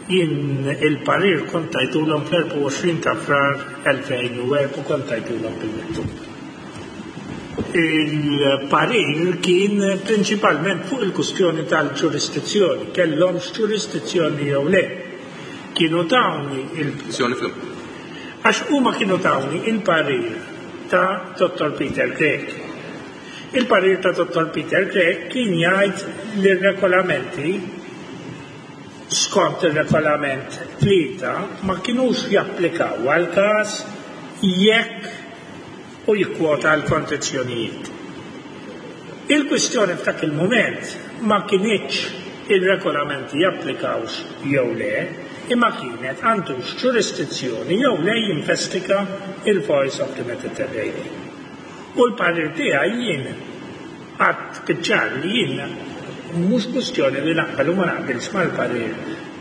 Jien il-parir kont tajtulhom fl-24 ta' Frar 2004 kont tajtulhom bil-miktub. Il-parir kien prinċipalment fuq il-kustjoni tal-ġurisdizzjoni, kellhomx ġurisdizzjoni jew le. Kienu tawni il- Għax huma kienu tawni il-parir ta' Dottor Peter Grech. Il-parir ta' Dottor Peter Grech kien jgħid li r-regolamenti skont ir-regolament 3 ma kinux japplikaw għall-każ jekk u jikkwota l-kondizzjonijiet. Il-kwistjoni f'dak il-mument ma kinitx ir-regolamenti japplikawx jew le, imma kienet għandux ġurisdizzjoni jew le jinvestiga il-Voice of the Mediterranean. U l-parir tiegħi jien Għadt biċ-ċar li jien mhux kwistjoni li naqbel u ma naqbilx mal-parir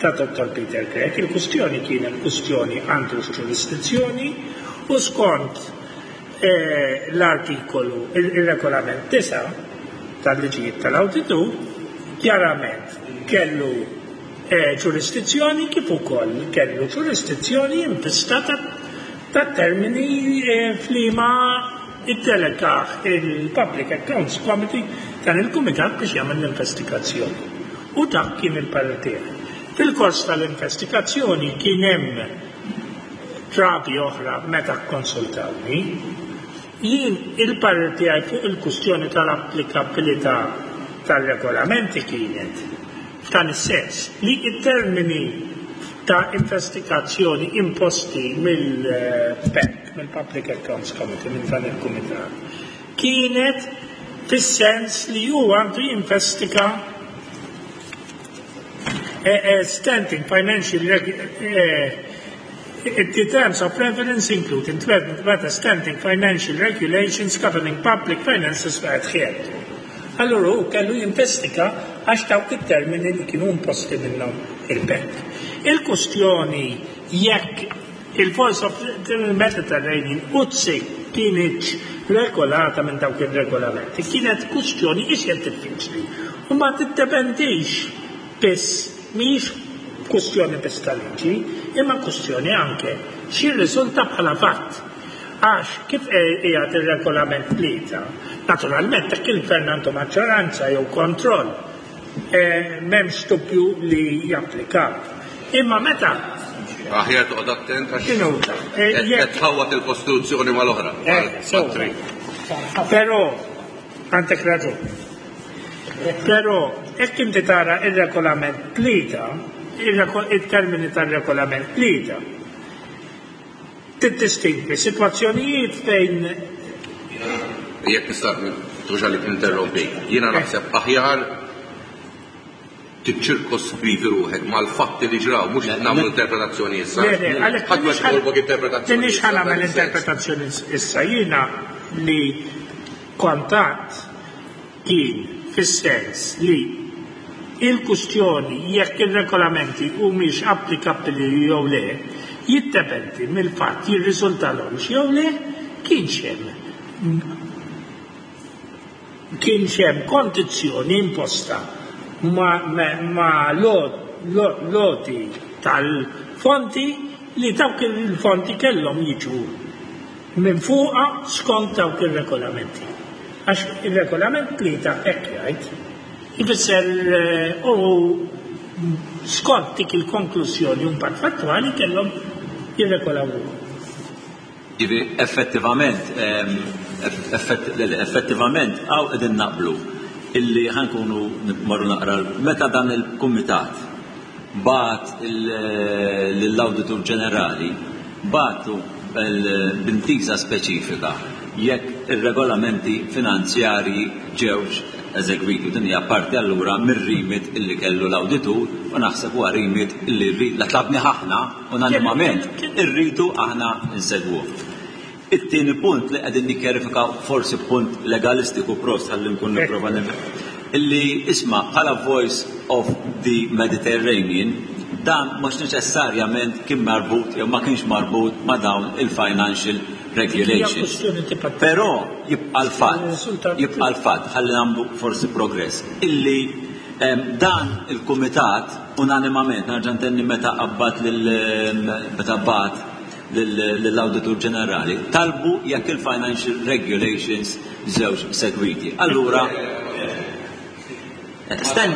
ta' Dottor Peter Grech, il-kwistjoni kienet kwistjoni għandux ġurisdizzjoni u skont l-artikolu, ir-regolament 9 tal-liġijiet tal-awditur, kjarament kellu ġurisdizzjoni kif ukoll kellu ġurisdizzjoni in vista tat-termini f'liema iddelegah il-Public Accounts Committee, dan il-kumitat biex jagħmel l-investigazzjoni. U dak kien il-parir tiegħi. Fil-kors tal-investigazzjoni kien hemm drabi oħra meta kkonsultawni. Jien il-parir tiegħi fuq il-kwistjoni tal-applikabilità tar-regolamenti kienet f'dan is-sens li t-termini ta' investigazzjoni imposti mill-PAC, mill-Public Accounts Committee, minn dan il-kumitat, kienet fis-sens li hu għandu jinvestiga standing financial the terms of reference include in whether standing financial regulations governing public finances were adhered to. Allura hu kellu jinvestiga għax dawk it-termini li kienu imposti minnhom il-PAC. Il-kustjoni jekk il-Voice of the Mediterranean UTSI kinitx regolata minn dawk ir-regolamenti kienet kustjoni iżjed diffiċli u ma tiddependix biss, mhijiex kustjoni biss ta' liġi, imma kustjoni anke x'jirriżulta bħala fatt. Għax kif qiegħed ir-regolament 3, naturalment jekk il-gvern għandu maġġoranza jew kontroll, m'hemmx dubju li japplika. Imma meta Aħjar toqgħod attent għax qed tħawwad il-Kostituzzjoni mal-oħra. Però għandek raġun. Però jekk inti tara ir-regolament 3, il-termini tar-regolament 3, tiddistingwi sitwazzjonijiet fejn Jekk nista' tuġa li tinterrompi, jiena naħseb aħjar tiċċirkoskrivi ruħek mal-fatti li ġraw, mhux nagħmlu interpretazzjoni issa. Ħadd ma jitolbok interpretazzjoni. Minix ħa nagħmel interpretazzjoni issa, jiena li kontat kien fis-sens li il-kustjoni jekk ir-regolamenti humiex applikabbli jew le jiddependi mill-fatt jirriżultalhomx jew le kienx hemm kienx hemm kondizzjoni imposta ma' l-għoti tal-fondi li dawk il-fondi kellhom jiġu minn fuqha skont dawk ir-regolamenti. Għax ir-regolament 3 hekk jgħid. Ifisser u skont dik il-konklużjoni u mbagħad fattwali kellhom jirregolaw ruħhom. Jiġifieri effettivament effettivament hawn qegħdin naqblu illi ħa nkunu mmorru naqra meta dan il-kumitat. bagħat lill-Awditur Ġenerali, bagħtu b'intiża speċifika jekk ir-regolamenti finanzjarji ġewx eżegwiti. Din hija parti allura mir-remit illi kellu l-awditur u naħseb huwa remit illi la tlabnih aħna unanimament irridu aħna nsegwuh. It-tieni punt li qegħdin nikkjarifikaw forsi punt legalistiku prost ħalli nkun nipprova nifhem illi isma' bħala Voice of the Mediterranean dan mhux neċessarjament kien marbut jew ma kienx marbut ma' dawn il-financial regulations. Però jibqa' l-fatt, jibqa' l-fatt ħalli nagħmlu forsi progress illi dan il-kumitat unanimament nerġa' ntenni meta qabbad lil meta bagħat lill-Awditur Ġenerali talbu jekk il-financial regulations żewġ segwiti. Allura, sten,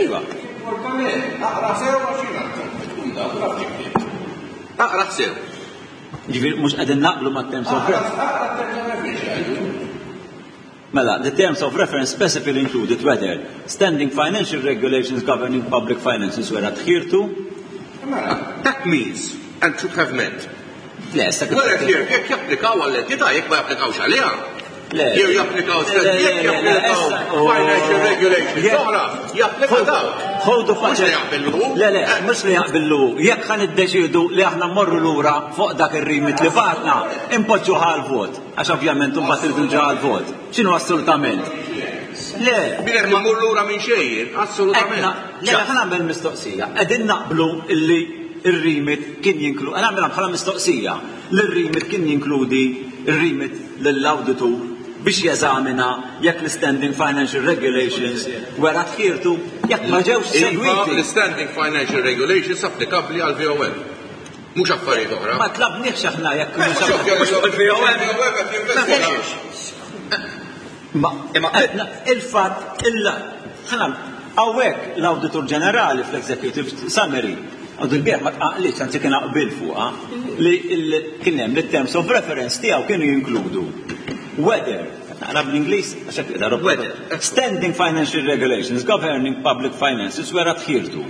iva. Aqra sew għax jiena tkun taf taf xi Aqra sew. Ġifieri mhux qegħdin naqblu mat-terms of reference. Aqra terms of reference jgħidu. Mela, the terms of reference specifically included whether standing financial regulations governing public finances were adhered to. Mela, that means and should have meant. Le, issa Were adhered jekk japplikaw għall-entità jekk ma japplikawx għaliha. Le. Jew japplikaw jekk japplikaw financial regulations oħra, japplika dawk. Ħodu Mhux li jaqbillu. Le, le, mhux li jaqbillu. Jekk ħa niddeċiedu li aħna mmorru lura fuq dak ir-remit li bagħatna, impoġġu għal vot. Għax ovvjament imbagħad irridu nġu għal vot. X'inhu assolutament? Le. Mingħajr ma mmur lura minn xejn, assolutament. Le, ħa nagħmel mistoqsija. Qegħdin naqblu illi ir-remit kien jinklu, ħa nagħmilha bħala mistoqsija, li r-remit kien jinkludi ir-remit lill-awditur biex jeżamina jekk l-standing financial regulations were adhered to jekk ma ġewx Iva, segwiti. l-standing financial regulations applikabbli għal VOM. Mhux affarijiet oħra. Ma tlabniex aħna jekk Mhux mhux Ma il-fatt illa ħana hawnhekk l-Awditur Ġenerali fl-Executive Summary għadu l-bieħ ma tqaqlitx anzi kien qbil fuqha li kien hemm li terms of reference tiegħu kienu jinkludu whether naqra bl-Ingliż għax hekk qiegħda Whether. standing financial regulations governing public finances were adhered to.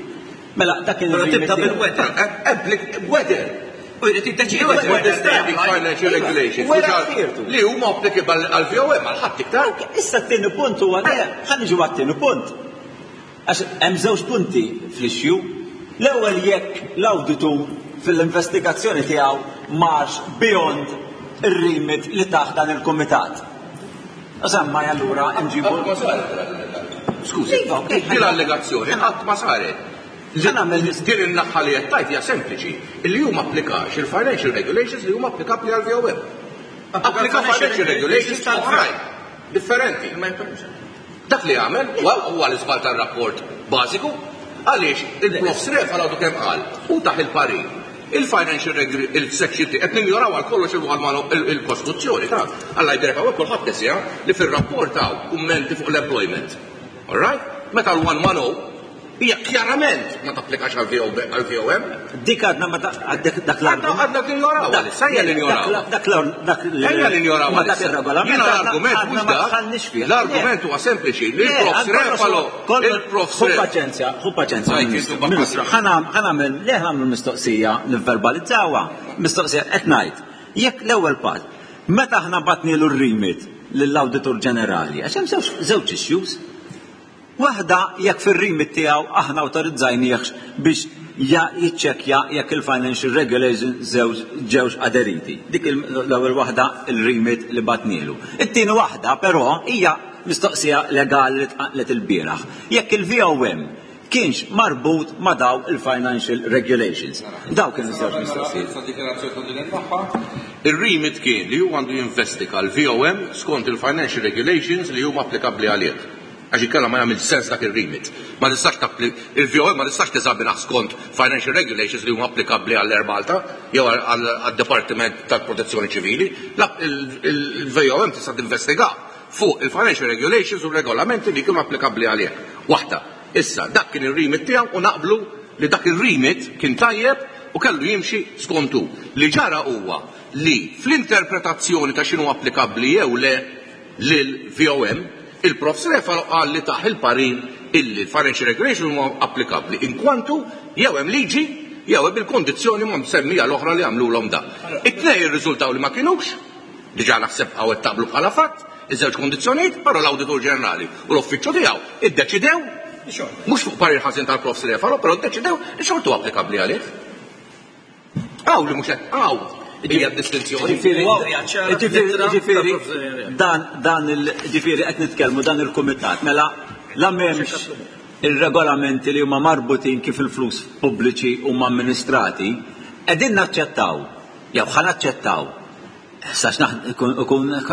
Mela dak kien Mela il-remit tibda tiegħu. bil-whether. Whether. U jrid jiddeċiedi Whether standing financial regulations Whether which are- adhered to. li huma applicable għal VOM għal ħadd iktar. Issa t-tieni punt huwa le, ħa niġu għat-tieni punt. Għax hemm żewġ punti fl-issue. L-ewwel jekk l-awditur fil-investigazzjoni tiegħu marx beyond ir-remit li taħt dan il-kumitat. Semma allura nġibu. Qatt ma saret. Skużi, Iva, ok. din l-allegazzjoni qatt ma saret. Ħa nagħmel Din in-naħa li qed tajt hija sempliċi, illi huma applikax il-financial regulations li huma applikabbli għal VOM. Applika financial regulations oħrajn, differenti. Dak li għamel huwa huwa l-iżbal tar-rapport bażiku għaliex il-Profs Refalo għadu kemm qal u taħ il-parir. Il-financial il-section qed ninjoraw għal kollox il-Kostituzzjoni ta' Alla jberek hawnhekk kulħadd nesija li fir-rapport hawn kummenti fuq l-employment. All right? Meta l-110 hija kjarament ma tapplikax għal VOM. Dik għadna ma dak dak l-argument. Għadna ninjoraw għalissa, ejja ninjoraw. Dak dak Ejja ninjoraw Ma dak għalissa. ir-regolament. Jiena l-argument għadna mhux ma dak. dħalniex fih. L-argument huwa sempliċi li Le, l-Profs għal kollox Refalo, il-Profs Ħu Refalo. paċenzja, ħu paċenzja. Għajt, Ministru, intu Ministru, ħa nagħmel le ħa nagħmlu mistoqsija nivverbalizzawha. Mistoqsija qed ngħid. Jekk l-ewwel pass, meta aħna bagħatnielu r-remit lill-Awditur Ġenerali, għax hemm żewġ issues. Waħda jekk fir-remit tiegħu aħna awtorizzajniehx biex jiċċekkja jekk il-financial regulations ġewx aderiti. Dik l-ewwel waħda il-remit li bagħatnielu. It-tieni waħda però hija mistoqsija legali li tqaqlet il-bieraħ. Jekk il-VOM kienx marbut ma' daw il-financial regulations. Daw kienu żewġ mistoqsijiet. Sa dikjarazzjoni ta' din il-naħa. Ir-remit kien li huwa għandu jinvestiga l-VOM skont il-financial regulations li huma applikabbli għalih. Għax inkella ma jagħmel sens dak ir-remit. Ma tistax tappli il-VOM ma tistax teżaminah skont financial regulations li huma applikabbli għall-Air Malta jew għad-Dipartiment tal-Protezzjoni Ċivili. Il-VOM tista' tinvestiga fuq il-financial regulations u regolamenti li kienu applikabbli għalih. Waħda. Issa, dak kien ir-remit tiegħu u naqblu li dak ir-remit kien tajjeb u kellu jimxi skontu. Li ġara huwa li fl-interpretazzjoni ta' x'inhu applikabbli jew le lil VOM, il-Profs Refalo qal li taħ il-parir illi l-financial regulation huma applikabbli inkwantu Jew hemm liġi, jew hemm il-kondizzjoni ma msemmija l-oħra li għamlulhom da. It-tnejn irriżultaw li ma kinux, diġà naħseb hawn qed taqblu bħala fatt, iż-żewġ kondizzjonijiet, però l-Awditur Ġenerali u l-uffiċċju tiegħu iddeċidew, mhux fuq parir ħażin tal-Profs Refalo, però ddeċidew li xorta hu applikabbli għalih. Hawn li mhux qed hawn hija d-distinzjoni. Ġifieri dan dan il ġifieri qed nitkellmu dan il-kumitat mela la m'hemmx ir-regolamenti li huma marbutin kif il-flus pubbliċi huma amministrati, qegħdin naċċettaw jew ħa naċċettaw Sax ikun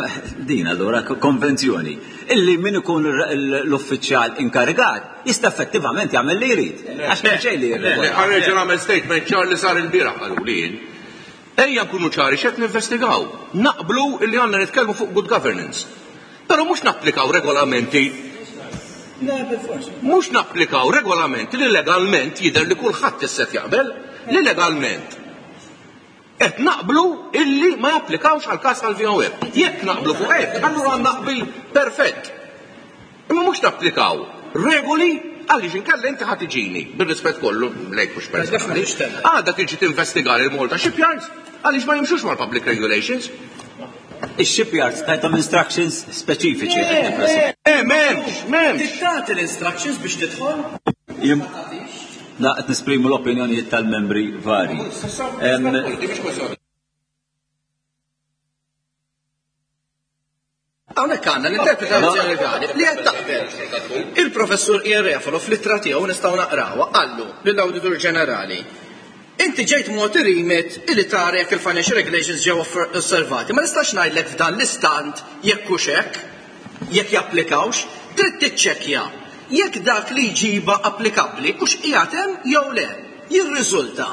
din allura konvenzjoni illi min ikun l-uffiċjal inkarigat jista' effettivament jagħmel li jrid. Għax m'hemm xejn li jirregola. Ħa nerġa' nagħmel statement ċar li sar ilbieraħ qaluli jien. Ejja nkunu ċari x'qed ninvestigaw. Naqblu illi għandna nitkellmu fuq good governance. Però mhux napplikaw regolamenti mhux napplikaw regolamenti li legalment jidher li kulħadd issa qed jaqbel li legalment Qed naqblu illi ma japplikawx għall-każ tal-VOM. Jekk naqblu fuq hekk, allura għandna qbil perfett. Imma mhux napplikaw regoli għaliex inkella inti ħa tiġini, bir-rispett kollu lejk mhux personali, għada tiġi tinvestiga lil Malta Shipyards għaliex ma jimxux mal-public regulations. Ix-shipyards tajthom instructions speċifiċi. Le, m'hemmx, m'hemmx. Tagħti l-instructions biex tidħol? Da qed nesprimu l-opinjonijiet tal-membri vari. Hawnhekk għandna l-interpretazzjoni legali li qed taqbel. Il-professur Ian Refalo fl-ittra tiegħu nistgħu naqrawha qallu lill-Awditur Ġenerali. Inti ġejt mogħti remit illi tara jekk il-financial regulations ġew osservati. Ma nistax ngħidlek f'dan l-istant jekk hux hekk, jekk japplikawx, trid tiċċekkja jekk dak li jġibha applikabbli hux qiegħed hemm jew le. Jirriżulta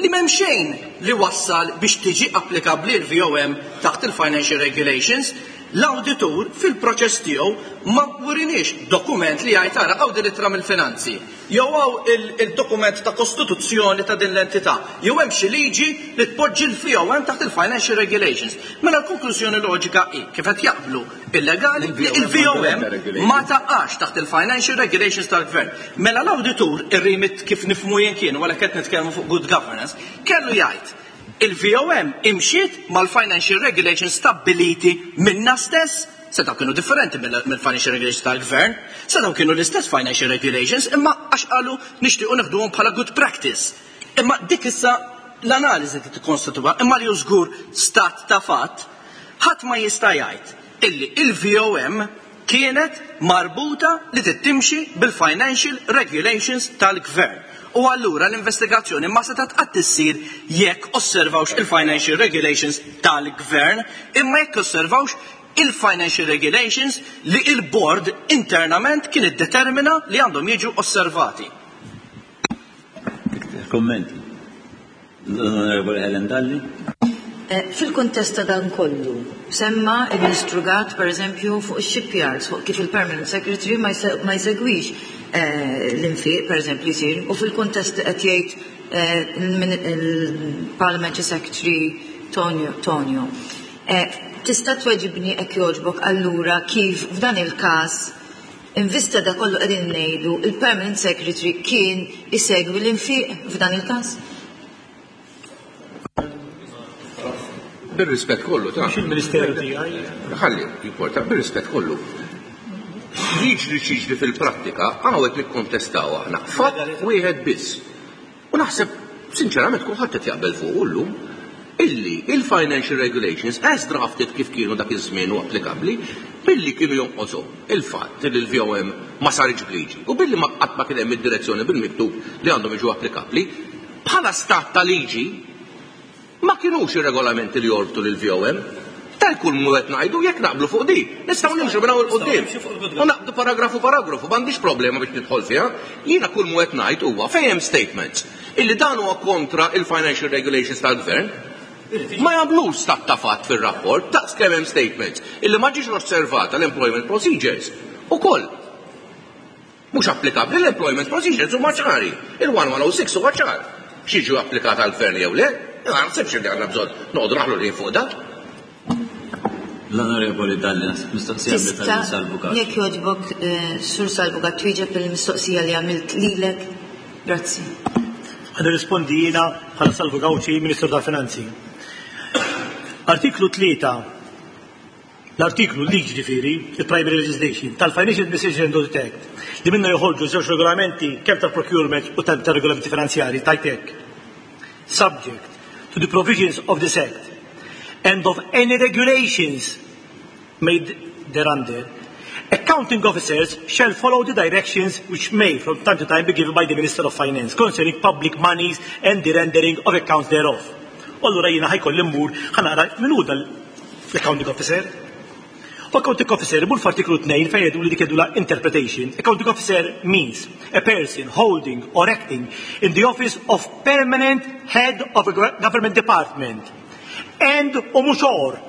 li m'hemm xejn li wassal biex tiġi applikabbli l-VOM taħt il-Financial Regulations. L-awditur fil-proċess tiegħu ma wriniex dokument li jgħid ara hawn din l-ittra mill-finanzi, jew hawn il-dokument ta' kostituzzjoni ta' din l-entità, jew hemm xi liġi li tpoġġi l-VOM taħt il-Financial Regulations. Mela l-konklużjoni loġika hi, kif qed jaqblu il-legali, li il-VOM ma taqax taħt il-Financial Regulations tal-Gvern. Mela l-awditur, ir-remit kif nifhmu jien kien, u għalhekk qed nitkellmu fuq good governance, kellu jgħid il-VOM imxiet mal-Financial Regulations stabbiliti minna stess, setgħu kienu differenti mill-Financial Regulations tal-Gvern, setgħu kienu l-istess Financial Regulations, imma għax qalu nixtiequ neħduhom bħala good practice. Imma dik issa l-analiżi li tikkonstituwa, imma li hu żgur stat ta' fatt, ħadd ma jista' jgħid illi il-VOM kienet marbuta li tittimxi bil-Financial Regulations tal-Gvern. U allura l-investigazzjoni ma setgħet qatt issir jekk osservawx il-Financial Regulations tal-Gvern, imma jekk osservawx il-Financial Regulations li il-Board internament kien iddetermina li għandhom jiġu osservati. Kommenti. L-Onorevoli Helen Dalli. Fil-kuntest ta' dan kollu, semma il-Ministru Gatt, per eżempju, fuq il-shipyards, fuq kif il-Permanent Secretary ma jsegwix l-infiq, per eżempju, jisir, u fil-kuntest qed jgħid il-Parliamentary Secretary Tonio. Tista' tweġibni hekk jogħġbok allura kif f'dan il-każ in vista da kollu qegħdin ngħidu il-Permanent Secretary kien isegwi l-infiq f'dan il-każ? Bir-rispett kollu ta' Mhux il-Ministeru tiegħi. Ħalli, jipporta, bir-rispett kollu. Jiġri x'jiġri fil-prattika, hawn qed nikkontestaw aħna. Fatt wieħed biss. U naħseb, sinċerament, kulħadd qed jaqbel fuq llum illi il-financial regulations as drafted kif kienu dak iż-żmien u applikabbli, billi kienu jonqoshom il-fatt li l-VOM ma saritx b'liġi u billi ma qatt ma kien hemm id-direzzjoni bil-miktub li għandhom jiġu applikabbli, bħala stat ta' liġi ma kienux ir-regolamenti li jorbtu lil VOM. Ta' kull mu qed ngħidu jekk naqblu fuq di, nistgħu nimxu minn hawn 'il quddiem. U naqbdu paragrafu paragrafu, m'għandix problema biex nidħol fiha. Jiena kull mu qed ngħid huwa fejn hemm statements illi dan huwa kontra il-financial regulations tal-gvern. Ma jagħmlux stat ta' fatt fir-rapport daqs kemm hemm statements illi ma ġiex osservata l-employment procedures. Ukoll mhux applikabbli l-employment procedures huma ċari. Il-1106 huwa ċar. X'jiġu applikat għall-gvern jew le? Ma naħsibx li għandna bżonn noqogħdu naħlu li fuq dan. L-Onorevoli Dalli, mistoqsija Tista' Salvu Gatt. Jekk jogħġbok, Sur Salvu Gatt, twieġeb il-mistoqsija li għamilt lilek. Grazzi. Ħa nirrispondi jiena bħala Salvu Gauci, Ministru tal-Finanzi. Artiklu 3 l-artiklu liġi ġifieri, il-Primary Legislation, tal-Financial Administration and Audit Act, li minna joħorġu żewġ regolamenti kemm tal-procurement u tal-regolamenti finanzjari, tajt hekk. Subject to the provisions of this Act and of any regulations made thereunder, accounting officers shall follow the directions which may from time to time be given by the Minister of Finance concerning public monies and the rendering of accounts thereof. U allura jiena ħa jkolli mmur ħa nara min hu l-accounting officer. U accounting officer imur f'artiklu 2 fejn jgħidu li dik jgħidulha interpretation. Accounting officer means a person holding or acting in the office of permanent head of a government department and u mhux or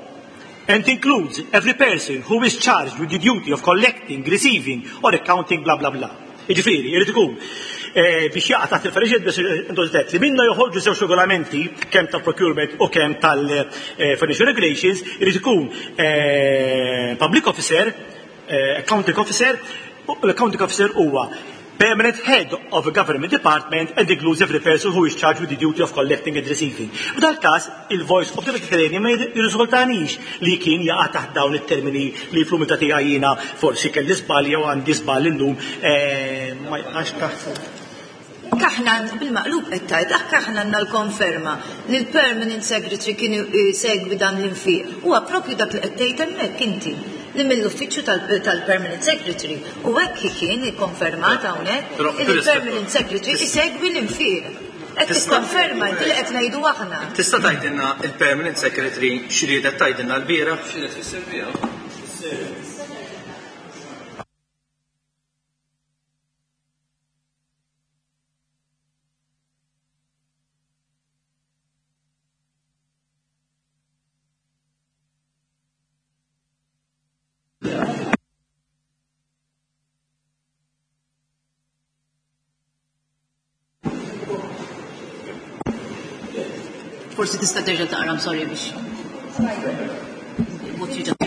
and includes every person who is charged with the duty of collecting, receiving or accounting bla bla bla. Jiġifieri, irid ikun eh, biex jaqa' taħt il-Financial li minna joħorġu żewġ regolamenti kemm tal-procurement u kemm tal-Financial Regulations, irid ikun eh, public officer, eh, accounting officer, u l-accounting officer huwa permanent head of a government department and includes every person who is charged with the duty of collecting and receiving. F'dal każ, il-Voice of the Mediterranean ma jirriżultanix li kien jaqa' taħt dawn it-termini li fl-umiltà tiegħi jiena forsi kelli żball jew għandi żball illum eh, ma jaqax taħt. Aħna bil-maqlub qed tgħid, anke aħna għandna l-konferma li l-permanent secretary kien segwi dan l-infiq. Huwa propju dak li qed tgħid hemmhekk inti li mill-uffiċċju tal-permanent secretary u hekk kien ikkonfermat hawnhekk li l-permanent secretary isegwi l-infiq. Qed tikkonferma inti li qed ngħidu aħna. Tista' tgħidilna il-permanent secretary x'riedet tgħidilna lbieraħ? X'riedet tfisser biha? Forsi tista' terġa' taqra, I'm sorry biex. What you just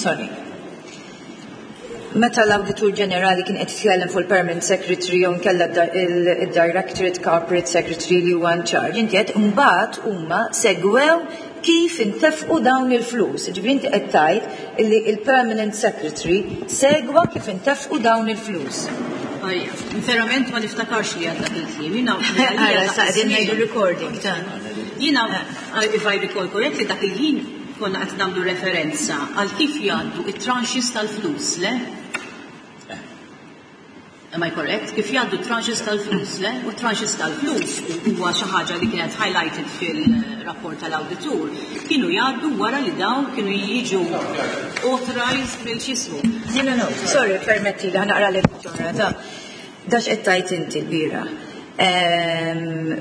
Sorry. Meta l-Awditur Ġenerali kien qed jitkellem fuq il-Permanent Secretary jew inkella il-Directorate Corporate Secretary li huwa in charge, inti qed imbagħad huma segwew kif intefqu dawn il-flus. Ġifieri inti qed tgħid illi il-Permanent Secretary segwa kif intefqu dawn il-flus. Verament ma niftakarx li għadda il-kliem. Jiena Ara, sa qegħdin ngħidu recording ta' Jiena, if I recall correctly, dak il-ħin konna qed nagħmlu referenza għal kif jgħaddu it-tranches tal-flus, le? Am I correct? Kif jgħaddu tranches tal-flus, le? U tranches tal-flus huwa xi ħaġa li kienet highlighted fil-rapport tal-awditur, kienu jgħaddu wara li dawn kienu jiġu authorized mill x'ismu. No, no, no, sorry, permetti li ħa naqra l ta' Dax qed tgħid inti lbieraħ.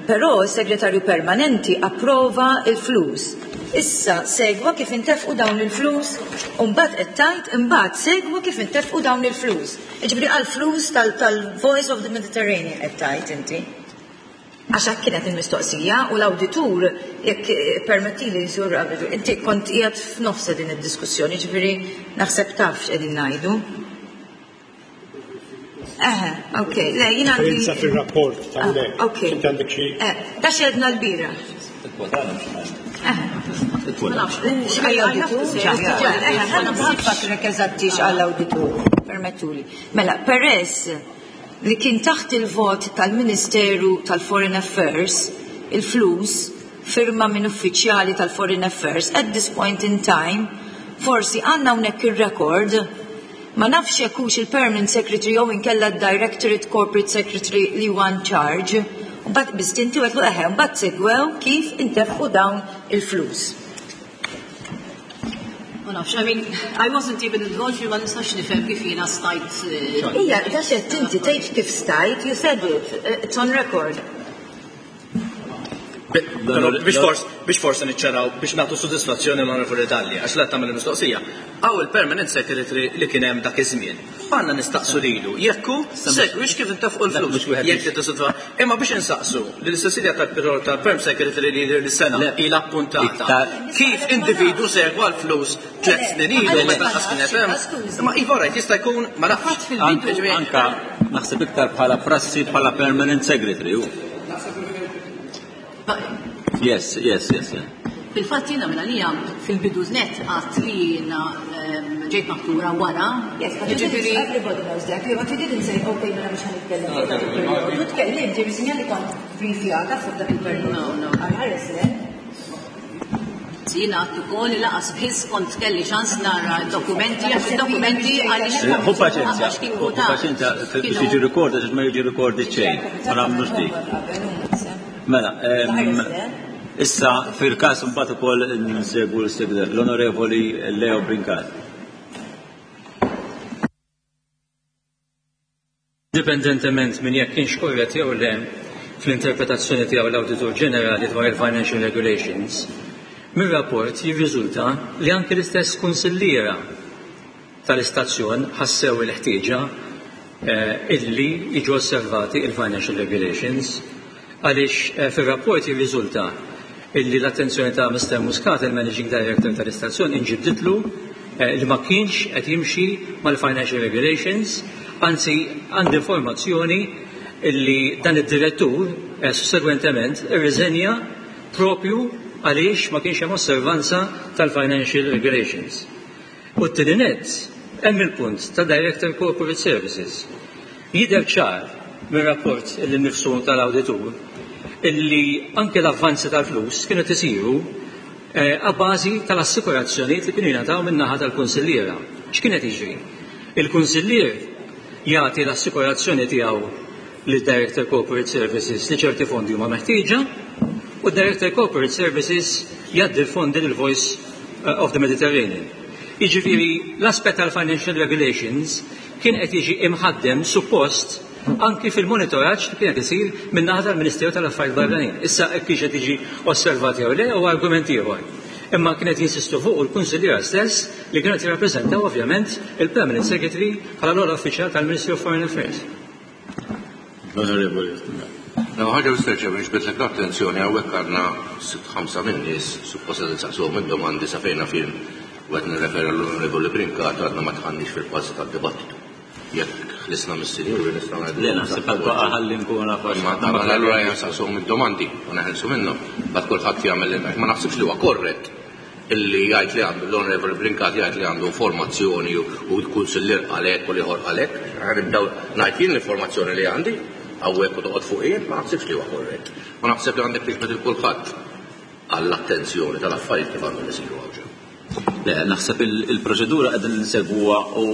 Però s-segretarju permanenti approva il-flus. Issa segwa kif intefqu dawn il-flus u mbagħad qed tgħid imbagħad segwa kif intefqu dawn il-flus. Jiġifieri għall-flus tal-Voice of the Mediterranean qed tgħid inti. Għax hekk kienet il-mistoqsija u l-awditur, jekk permettili Sur Awditur, inti kont qiegħed f'nofsa din id-diskussjoni, ġifieri naħseb taf x'qegħdin ngħidu. Eħe, ok, le, jien għandi. Referenza fil-rapport tal-lek. Ok. Inti għandek xi. Da xedna l-bieraħ. X'għall-awditur? Nfakrek eżatti x'għall-awditur, permettuli. Mela, peress li kien taħt il-vot tal-Ministeru tal-Foreign Affairs, il-flus firma minn uffiċjali tal-Foreign Affairs at this point in time, forsi għandna hawnhekk ir-rekord ma nafx jekk hux il-Permanent Secretary jew inkella d-Directorate Corporate Secretary li huwa in charge. Mbagħad biss inti għedtlu eħe, mbagħad segwew kif intefqu dawn il-flus. Ma nafx, I mean, I wasn't even involved, ma nistax nifhem kif jiena stajt. Ija, da xed inti tgħid kif stajt, you said it, it's on record. Però biex forsi biex forsi niċċaraw biex nagħtu sodisfazzjoni l-Onorevoli Dalli għax la tagħmel il-mistoqsija. Hawn il-permanent secretary li kien hemm dak iż-żmien. Għandna nistaqsu lilu jekk hu segwix kif intefqu l-flus. Jekk li tisodfa. Imma biex insaqsu lil Cecilia tal-perm secretary li jidher li sena ilha appuntata. Kif individwu segwa l-flus tlett snin ilu meta lanqas kien qed hemm. Imma iva rajt jista' jkun ma nafx. Anka naħseb iktar bħala prassi bħala permanent secretary hu. Yes, yes, yes. Fil-fatt jiena minn għalija fil-bidu net għadt li jiena ġejt maħtura wara. Yes, but ġifieri everybody knows that. But you didn't say okay mela mhux ħanitkellem fuq dak il-perjodu. Tkellimt, ġifieri sinjal li kont briefjata fuq dak il-perjodu. No, no. Għal-ħares le. Jiena għadt ukoll li laqas biss kont kelli ċans nara d-dokumenti għax id-dokumenti għaliex Ħu paċenzja, ħu paċenzja biex jiġi rekord għax ma jiġi rekord xejn. Ma nagħmlux dik. Mela, issa fil-każ imbagħad ukoll nsegwu l-Onorevoli Leo Brincat. Indipendentement minn jekk kienx korrett jew le fl-interpretazzjoni tiegħu l-Awditur Ġenerali dwar il-Financial Regulations, mir-rapport jirriżulta li anki l-istess kunsilliera tal-istazzjon ħassew il-ħtieġa illi jiġu osservati il-Financial Regulations għaliex fir-rapport jirriżulta illi l-attenzjoni ta' Mister Muscat, il-Managing Director tal-istazzjon, inġibditlu li ma kienx qed jimxi mal-Financial Regulations, anzi għandi informazzjoni illi dan id-direttur sussegwentement irriżenja propju għaliex ma kienx hemm osservanza tal-Financial Regulations. U t-tieni nett, hemm il-punt ta' Director Corporate Services. Jidher ċar mir-rapport li nnifsu tal-awditur illi anke l-avvanzi tal-flus kienu qed isiru a bażi tal-assikurazzjonijiet li kienu jingħataw min-naħa tal-kunsilliera. X'kien qed jiġri? Il-kunsillier jagħti l-assikurazzjoni tiegħu lid-Director Corporate Services li ċerti fondi huma meħtieġa u d-Director Corporate Services jgħaddi l-fondi lil Voice of the Mediterranean. Jiġifieri l-aspett tal-financial regulations kien qed jiġi imħaddem suppost anki fil-monitoraġġ li kien qed isir min-naħa tal-Ministeru tal-Affarijiet Barranin. Issa hekk kienx qed jiġi osservat jew le huwa argument ieħor. Imma kien qed jinsistu fuqu l-kunsilliera stess li kienu qed jirrappreżentaw ovvjament il-Permanent Secretary bħala l-ogħla uffiċjal tal-Ministry of Foreign Affairs. L-Onorevoli L-ewwel ħaġa Mr. Chairman nixbidlek l-attenzjoni hawnhekk għandna sitt ħamsa min-nies suppost qed insaqsuhom id-domandi sa fejn naf jien u qed nirreferi għall-Onorevoli Brincat għadna ma dħalniex fil-fażi tad-dibattitu. Jekk ħlisna mis-sinjuri nistgħu ngħidu. Le naħseb għad baqa' ħalli nkun naf għax. Ma allura ejja nsaqsuhom id-domandi u neħilsu minnhom. Mbagħad kulħadd jagħmel li ma naħsibx li huwa korrett illi jgħid li għandu l-Onorevoli Brincat jgħid li għandu informazzjoni u l-kunsillier qal hekk u l-ieħor qal hekk. Nibdew ngħid jien l-informazzjoni li għandi hawnhekk u toqgħod fuq jien, ma naħsibx li huwa korrett. U naħseb li għandek tiġbed il kulħadd għall-attenzjoni tal-affarijiet kif għandhom isiru hawn ġew. Le, naħseb il-proċedura qegħdin insegwuha u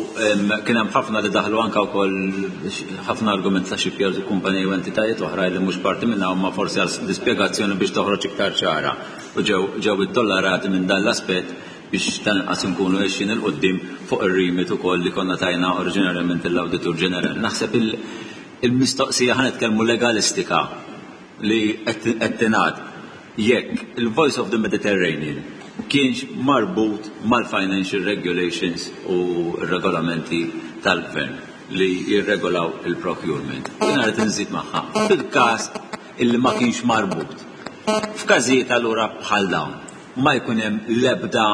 kien hemm ħafna li daħlu anke wkoll ħafna argument ta' shipyards u kumpaniji u entitajiet oħra li mhux parti minnha huma forsi għal l-ispjegazzjoni biex toħroġ iktar ċara u ġew ġew ittollerati minn dan l-aspett biex tal-inqas inkunu għexin 'il quddiem fuq ir-remit ukoll li konna tajna oriġinarjament lill-Awditur Ġenerali. Naħseb il-mistoqsija ħa nitkellmu legalistika li qed tingħad jekk il-Voice of the Mediterranean kienx marbut mal-financial regulations u r-regolamenti tal-gvern li jirregolaw il-procurement. Jiena rrid inżid magħha fil-każ illi ma kienx marbut. F'każijiet allura bħal dawn ma jkun hemm l-ebda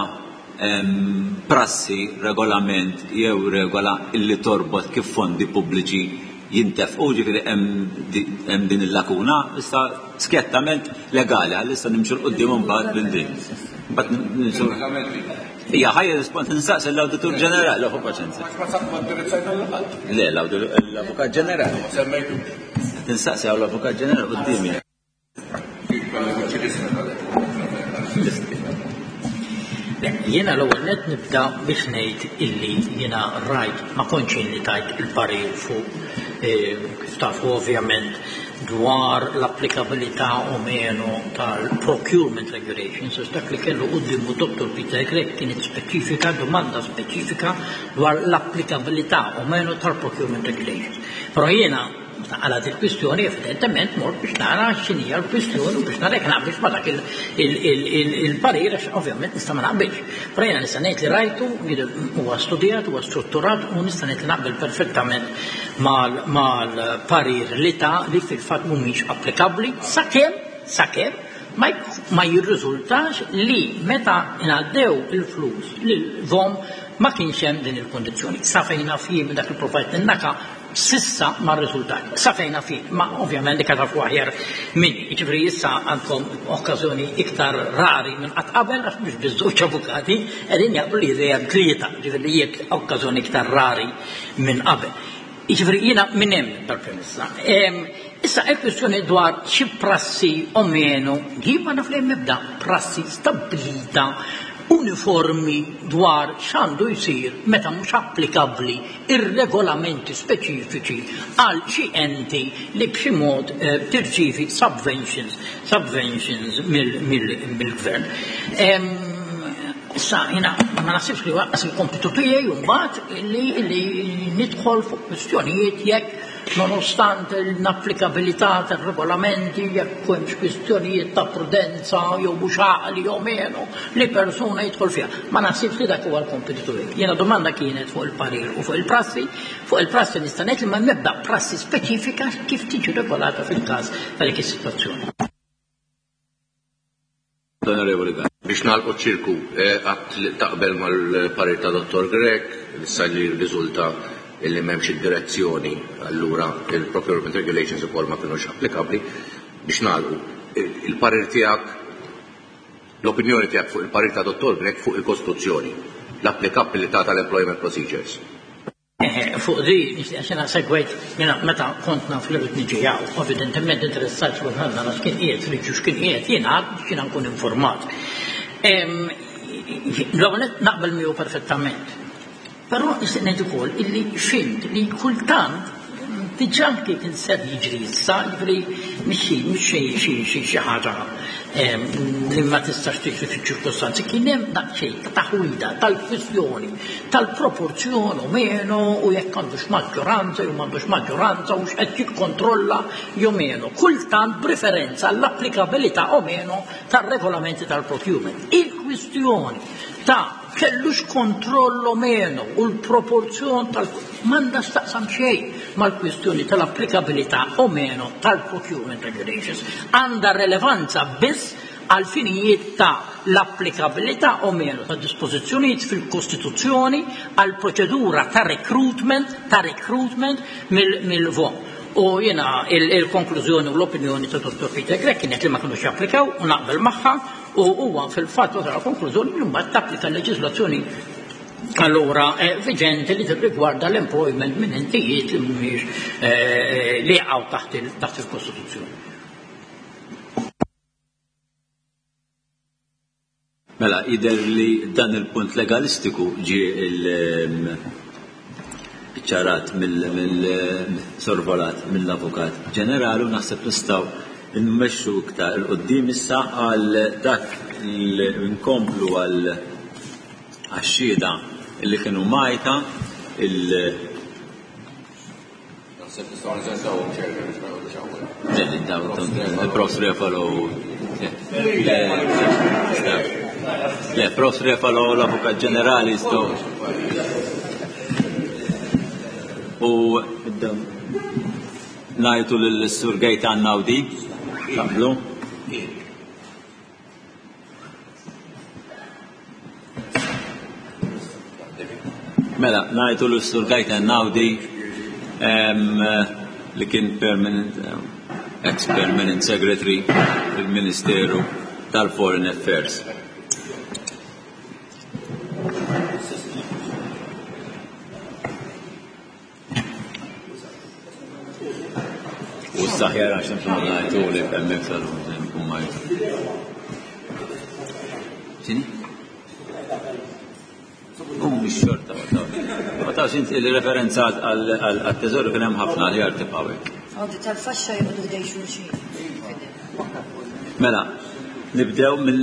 prassi, regolament jew regola illi torbot kif fondi pubbliċi jintefqu, ġifieri hemm din il-lakuna, issa skjettament legali, għal issa nimxu 'l quddiem imbagħad minn din. Mbagħad nimxu. Ija, ħaj rispond insaqsi l-Awditur Ġenerali, ħu paċenzja. Le, l-Avukat Ġenerali. Tinsaqsi għaw l-Avukat Ġenerali quddiemi. Jiena l-ewwel nett nibda biex ngħid illi jiena rajt ma kontx jien li tajt il-parir fuq kif tafu ovvjament dwar l-applikabilità o meno tal-procurement regulations għax dak li kellu quddiemu Dottor Peter Grech kienet speċifika domanda speċifika dwar l-applikabilità o meno tal-procurement regulations. Però jiena. Meta qalgħet il-kwistjoni, evidentement mort biex nara x'inhija l-kwistjoni u biex nara jekk naqbilx ma' dak il-parir għax ovvjament nista' ma naqbilx. Però jiena nista' ngħid li rajtu, huwa studjat, huwa strutturat u nista' ngħid li naqbel perfettament mal-parir li ta li fil-fatt mhumiex applikabbli sakemm sakemm ma jirriżultax li meta ngħaddew il-flus lil-VOM ma kienx hemm din il-kundizzjoni. Sa fejn naf jien minn dak li provajt ninnaka s'issa ma rriżultax. Sa fejn naf jien, ma ovvjament dik tafu aħjar minni. Jiġifieri issa għandkom okkażjoni iktar rari minn qatt qabel għax mhux biss żewġ avukati qegħdin jaqblu li jidher hemm tlieta, jiġifieri li hija okkażjoni iktar rari minn qabel. Jiġifieri jiena minn hemm dal-premessa. Issa il-kwistjoni dwar xi prassi o meno, jien ma naf li hemm ebda prassi stabbilita uniformi dwar x'għandu jsir meta mhux applikabbli ir-regolamenti speċifiċi għal xi enti li b'xi mod eh, tirċievi subventions, subventions mill-gvern. Issa jiena ma naħsibx li waqqas il-kompitu tiegħi mbagħad li nidħol fuq kwistjonijiet jekk nonostante l-inapplikabilità tar-regolamenti jekk hemmx kwistjonijiet ta' prudenza jew mhux għaqli jew menu li persuna jidħol fiha. Ma naħsibx li dak huwa l-kompitu tiegħi. Jiena domanda kienet fuq il-parir u fuq il-prassi. Fuq il-prassi nista' ngħid li ma hemm ebda prassi speċifika kif tiġi regolata fil-każ ta' dik is-sitwazzjoni. L-Onorevoli Gatt. Biex nagħlqu ċ-ċirku, għadt li taqbel mal-parir ta' Dottor Grech, issa li rriżulta li m'hemmx id-direzzjoni, allura il-Procurement Regulations ukoll ma kinux applikabbli. Biex nagħlqu, il-parir tiegħek, l-opinjoni tiegħek fuq il-parir ta' Dottor Grech fuq il-Kostituzzjoni, l-applikabbilità tal-Employment Procedures. Eħe, fuq di, nixtieq għax jiena segwejt, jiena meta kont naf li rrid niġi hawn, evidentement interessajt ruħi nara x'kien qiegħed Riċċu x'kien qiegħed jingħad biex jiena nkun informat. L-ewwel nett naqbel miegħu perfettament. Però nixtieq ngħid ukoll illi fhimt li kultant diġà kif ser jiġri issa, jiġifieri mhix xi xi xi ħaġa li ma tistax tiġri fiċ-ċirkostanzi, kien hemm daqsxejn ta' taħwida tal-kwistjoni tal-proporzjon u meno u jekk għandux maġġoranza jew m'għandux maġġoranza u x'qed jikkontrolla jew meno, kultant b'riferenza għall-applikabilità o meno tar-regolamenti tal-procurement. Il-kwistjoni ta' kellux kontroll o meno u l-proporzjon tal m'għandha x'taqsam xejn mal-kwistjoni tal-applikabilità o meno tal-procurement regulations. Għandha relevanza biss għal finijiet ta' l-applikabilità o meno ta' dispożizzjonijiet fil-Kostituzzjoni għal proċedura ta' recruitment ta' recruitment mill-VOM. U jiena il-konklużjoni u l-opinjoni ta' Dr. Peter Grech kienet li ma kinux japplikaw u naqbel magħha u huwa fil-fatt wasal konklużjoni li mbagħad tapplika l-leġiżlazzjoni allura eh, viġenti li tirrigwarda l-employment minn entijiet li mhumiex eh, li jaqgħu taħt il-Kostituzzjoni. Mela, jidher li dan il-punt legalistiku ġie ċarat mill-sorvolat mill-Avukat Ġenerali u naħseb nistgħu nmexxu iktar 'il quddiem issa għal dak li nkomplu għal għax-xhieda li kienu mgħajta il Naħseb nistgħu neżentawhom Chairman biex ma joqogħdux hawnhekk. Il-Profs Refalo Le, Profs Refalo l-Avukat Ġenerali jistgħu. U ngħidu lill-Sur Gaetan Naudi, taqblu? Mela, ngħidu l Sur Gaetan Naudi li kien permanent ex-permanent secretary fil-Ministeru tal-Foreign Affairs. U s-saħjar għax nifhmu ngħidu li hemmhekk sal-nkun ma X'inhi? U mhux xorta ma tafx inti il-referenza għat-teżoru kien hemm ħafna li għal tibqa' hekk. Għodi tal-faxxa joqogħdu ħdej xulxin. Mela, nibdew minn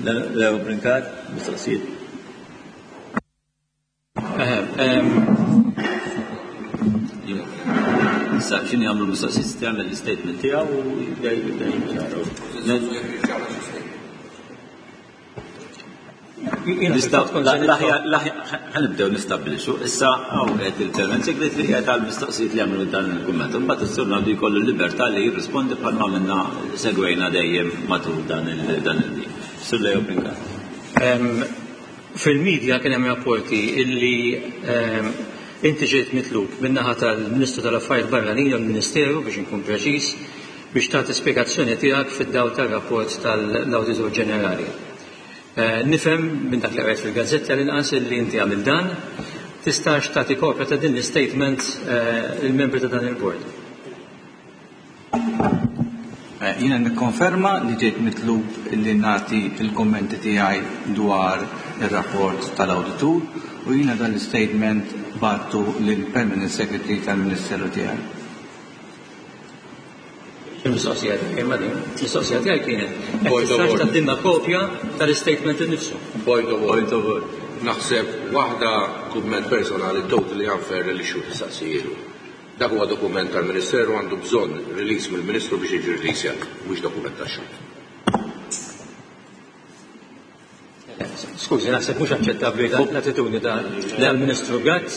Leo Brincat, mistoqsijiet. issa x'inhi jagħmlu mistoqsijiet jagħmel l-istatement tiegħu u jibda jibda Ħanibdew nistabbilixxu. Issa hawn qed il-Permanent Secretary qiegħed għal mistoqsijiet li għamlu dan il-kumment. Imbagħad is-Sur Naldi jkollu l-libertà li jirrispondi bħalma għamilna segwejna dejjem matul dan il-din. Sur Leo Brincat. Fil-media kien hemm rapporti illi inti ġejt mitlub min-naħa tal-Ministru tal-Affarijiet Barranin jew il-Ministeru biex inkun preċiż biex tagħti spjegazzjoni tiegħek fid-dawl tar-rapport tal-Awditur Ġenerali. Nifhem minn dak li qrajt fil-gazzetta l-inqas illi inti għamilt dan. Tistax tagħti kopja ta' din l-istatement lill-membri ta' dan il-bord? Jiena nikkonferma li ġejt mitlub li nagħti l-kummenti tiegħi dwar ir-rapport tal-awditur u jiena dan l-istatement bgħattu lill-Permanent Secretary tal-Ministeru tiegħi. Il-mistoqsija tiegħi ma din, il-mistoqsija tiegħi kienet jekk tistax tgħaddilna kopja tal-istatement innifsu. Point of order. Naħseb waħda kumment personali totally unfair li x-xhud tistaqsijielu. Dak huwa dokument tal-Ministeru għandu bżonn release mill-Ministru biex jiġi releasjat, mhux dokument tax-xhud. Skużi, naħseb mhux aċċettabbli l-attitudni tal-Ministru Gatt.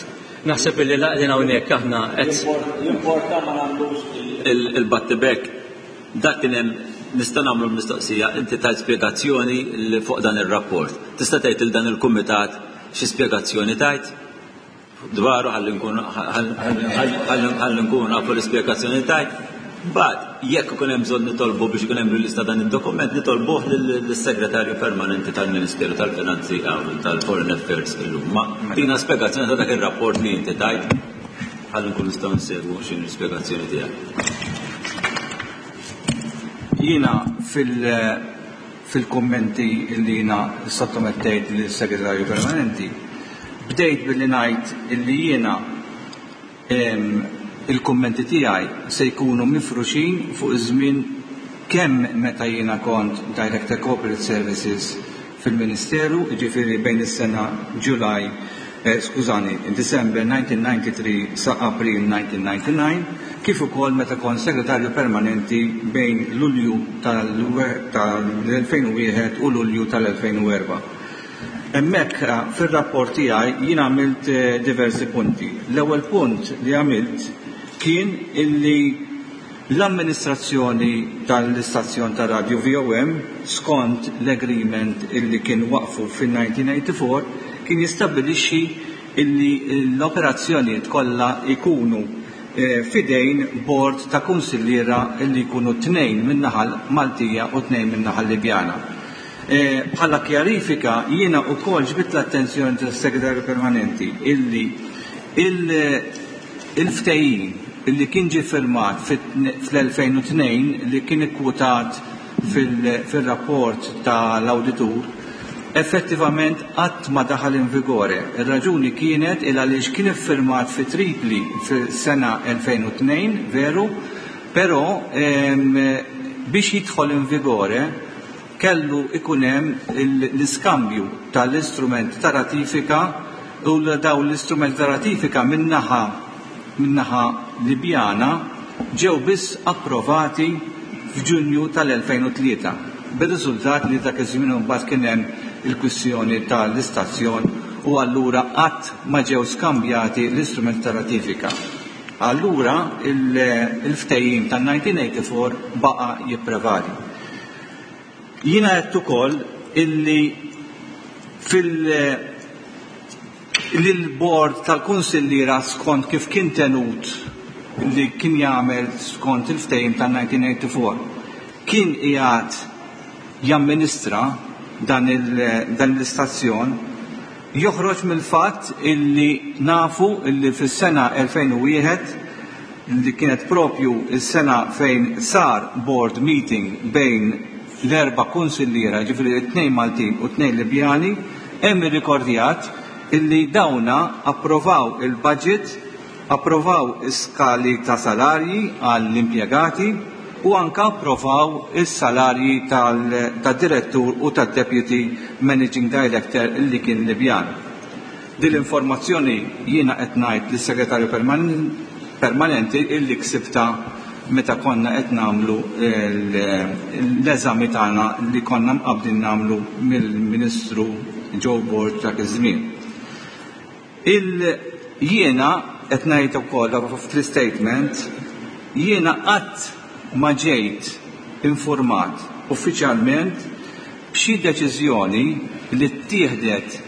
Naħseb illi laqdin hawnhekk aħna qed. Jimporta ma nagħmlux il-battibek. Dak kien hemm nista' nagħmlu l-mistoqsija, inti tajt spjegazzjoni fuq dan ir-rapport. Tista' tgħid lil dan il-kumitat xi spjegazzjoni tajt? dwaru ħalli nkunu nafu l-ispjegazzjoni tajt. Mbagħad jekk ikun hemm bżonn nitolbu biex ikun hemm release ta' dan id-dokument nitolbuh lis-Segretarju Permanenti tal-Ministeru tal-Finanzi tal-Foreign Affairs illum. Ma tina spjegazzjoni ta' dak ir-rapport li inti tajt ħalli nkunu nistgħu nsegwu x'inhi l-ispjegazzjoni tiegħek. Jiena fil- Fil-kummenti li jiena ssottomettejt lis-Segretarju Permanenti, bdejt billi ngħid illi jiena il-kummenti tiegħi se jkunu mifruxin fuq iż-żmien kemm meta jiena kont Director Corporate Services fil-Ministeru, jiġifieri bejn is-sena July, skużani, December 1993 sa April 1999, kif ukoll meta kont Segretarju Permanenti bejn Lulju tal-2001 u Lulju tal-2004. Hemmhekk fir-rapport tiegħi jien għamilt diversi punti. L-ewwel punt li għamilt kien illi l-amministrazzjoni tal-istazzjon tar-radju VOM skont l-agreement illi kien waqqfu fin-1984 kien jistabbilixxi illi l-operazzjonijiet kollha jkunu f'idejn bord ta' kunsilliera li jkunu tnejn min-naħa Maltija u tnejn min-naħa Libjana. Bħala kjarifika jiena wkoll ġbidt l-attenzjoni tas-Segretarju Permanenti illi il-ftehim illi kien ġie firmat fl-2002 li kien ikkwotat fir-rapport ta' l-awditur effettivament qatt ma daħal in vigore. Ir-raġuni kienet il għaliex kien iffirmat fi Tripli fis-sena 2002, veru, però biex jidħol in vigore kellu ikun hemm l-iskambju ta' l-istrumenti ta' ratifika u dawn l-istrumenti ta' ratifika min-naħa min-naħa Libjana ġew biss approvati f'Ġunju tal-2003, bir-riżultat li dak iż-żmien imbagħad kien hemm il-kwistjoni ta' l-istazzjon u allura qatt ma ġew skambjati l-istrumenti ta' ratifika. Allura il-ftehim tan-1984 baqa' jipprevali. Jiena għedt ukoll illi fil li l-bord tal-kunsilliera skont kif kien tenut li kien jagħmel skont il-ftehim tan-1984 kien qiegħed jamministra dan l-istazzjon joħroġ mill-fatt illi nafu illi fis-sena 2001 li kienet propju s-sena fejn sar board meeting bejn l-erba' kunsilliera, jiġifieri t-tnejn Maltin u t-tnejn Libjani, hemm irrikordjat illi dawna approvaw il-budget, approvaw is-skali ta' salarji għall-impjegati u anke approvaw is-salarji tad-direttur u tad-deputy managing director illi kien Libjan. Din l-informazzjoni jiena qed ngħid lis-Segretarju permanenti illi ksibta meta konna qed nagħmlu l-eżami tagħna li konna mqabbdin nagħmlu mill-Ministru Joe Borg dak iż-żmien. Il jiena qed ngħid ukoll fl-istatement jiena qatt ma ġejt infurmat uffiċjalment b'xi deċiżjoni li ttieħdet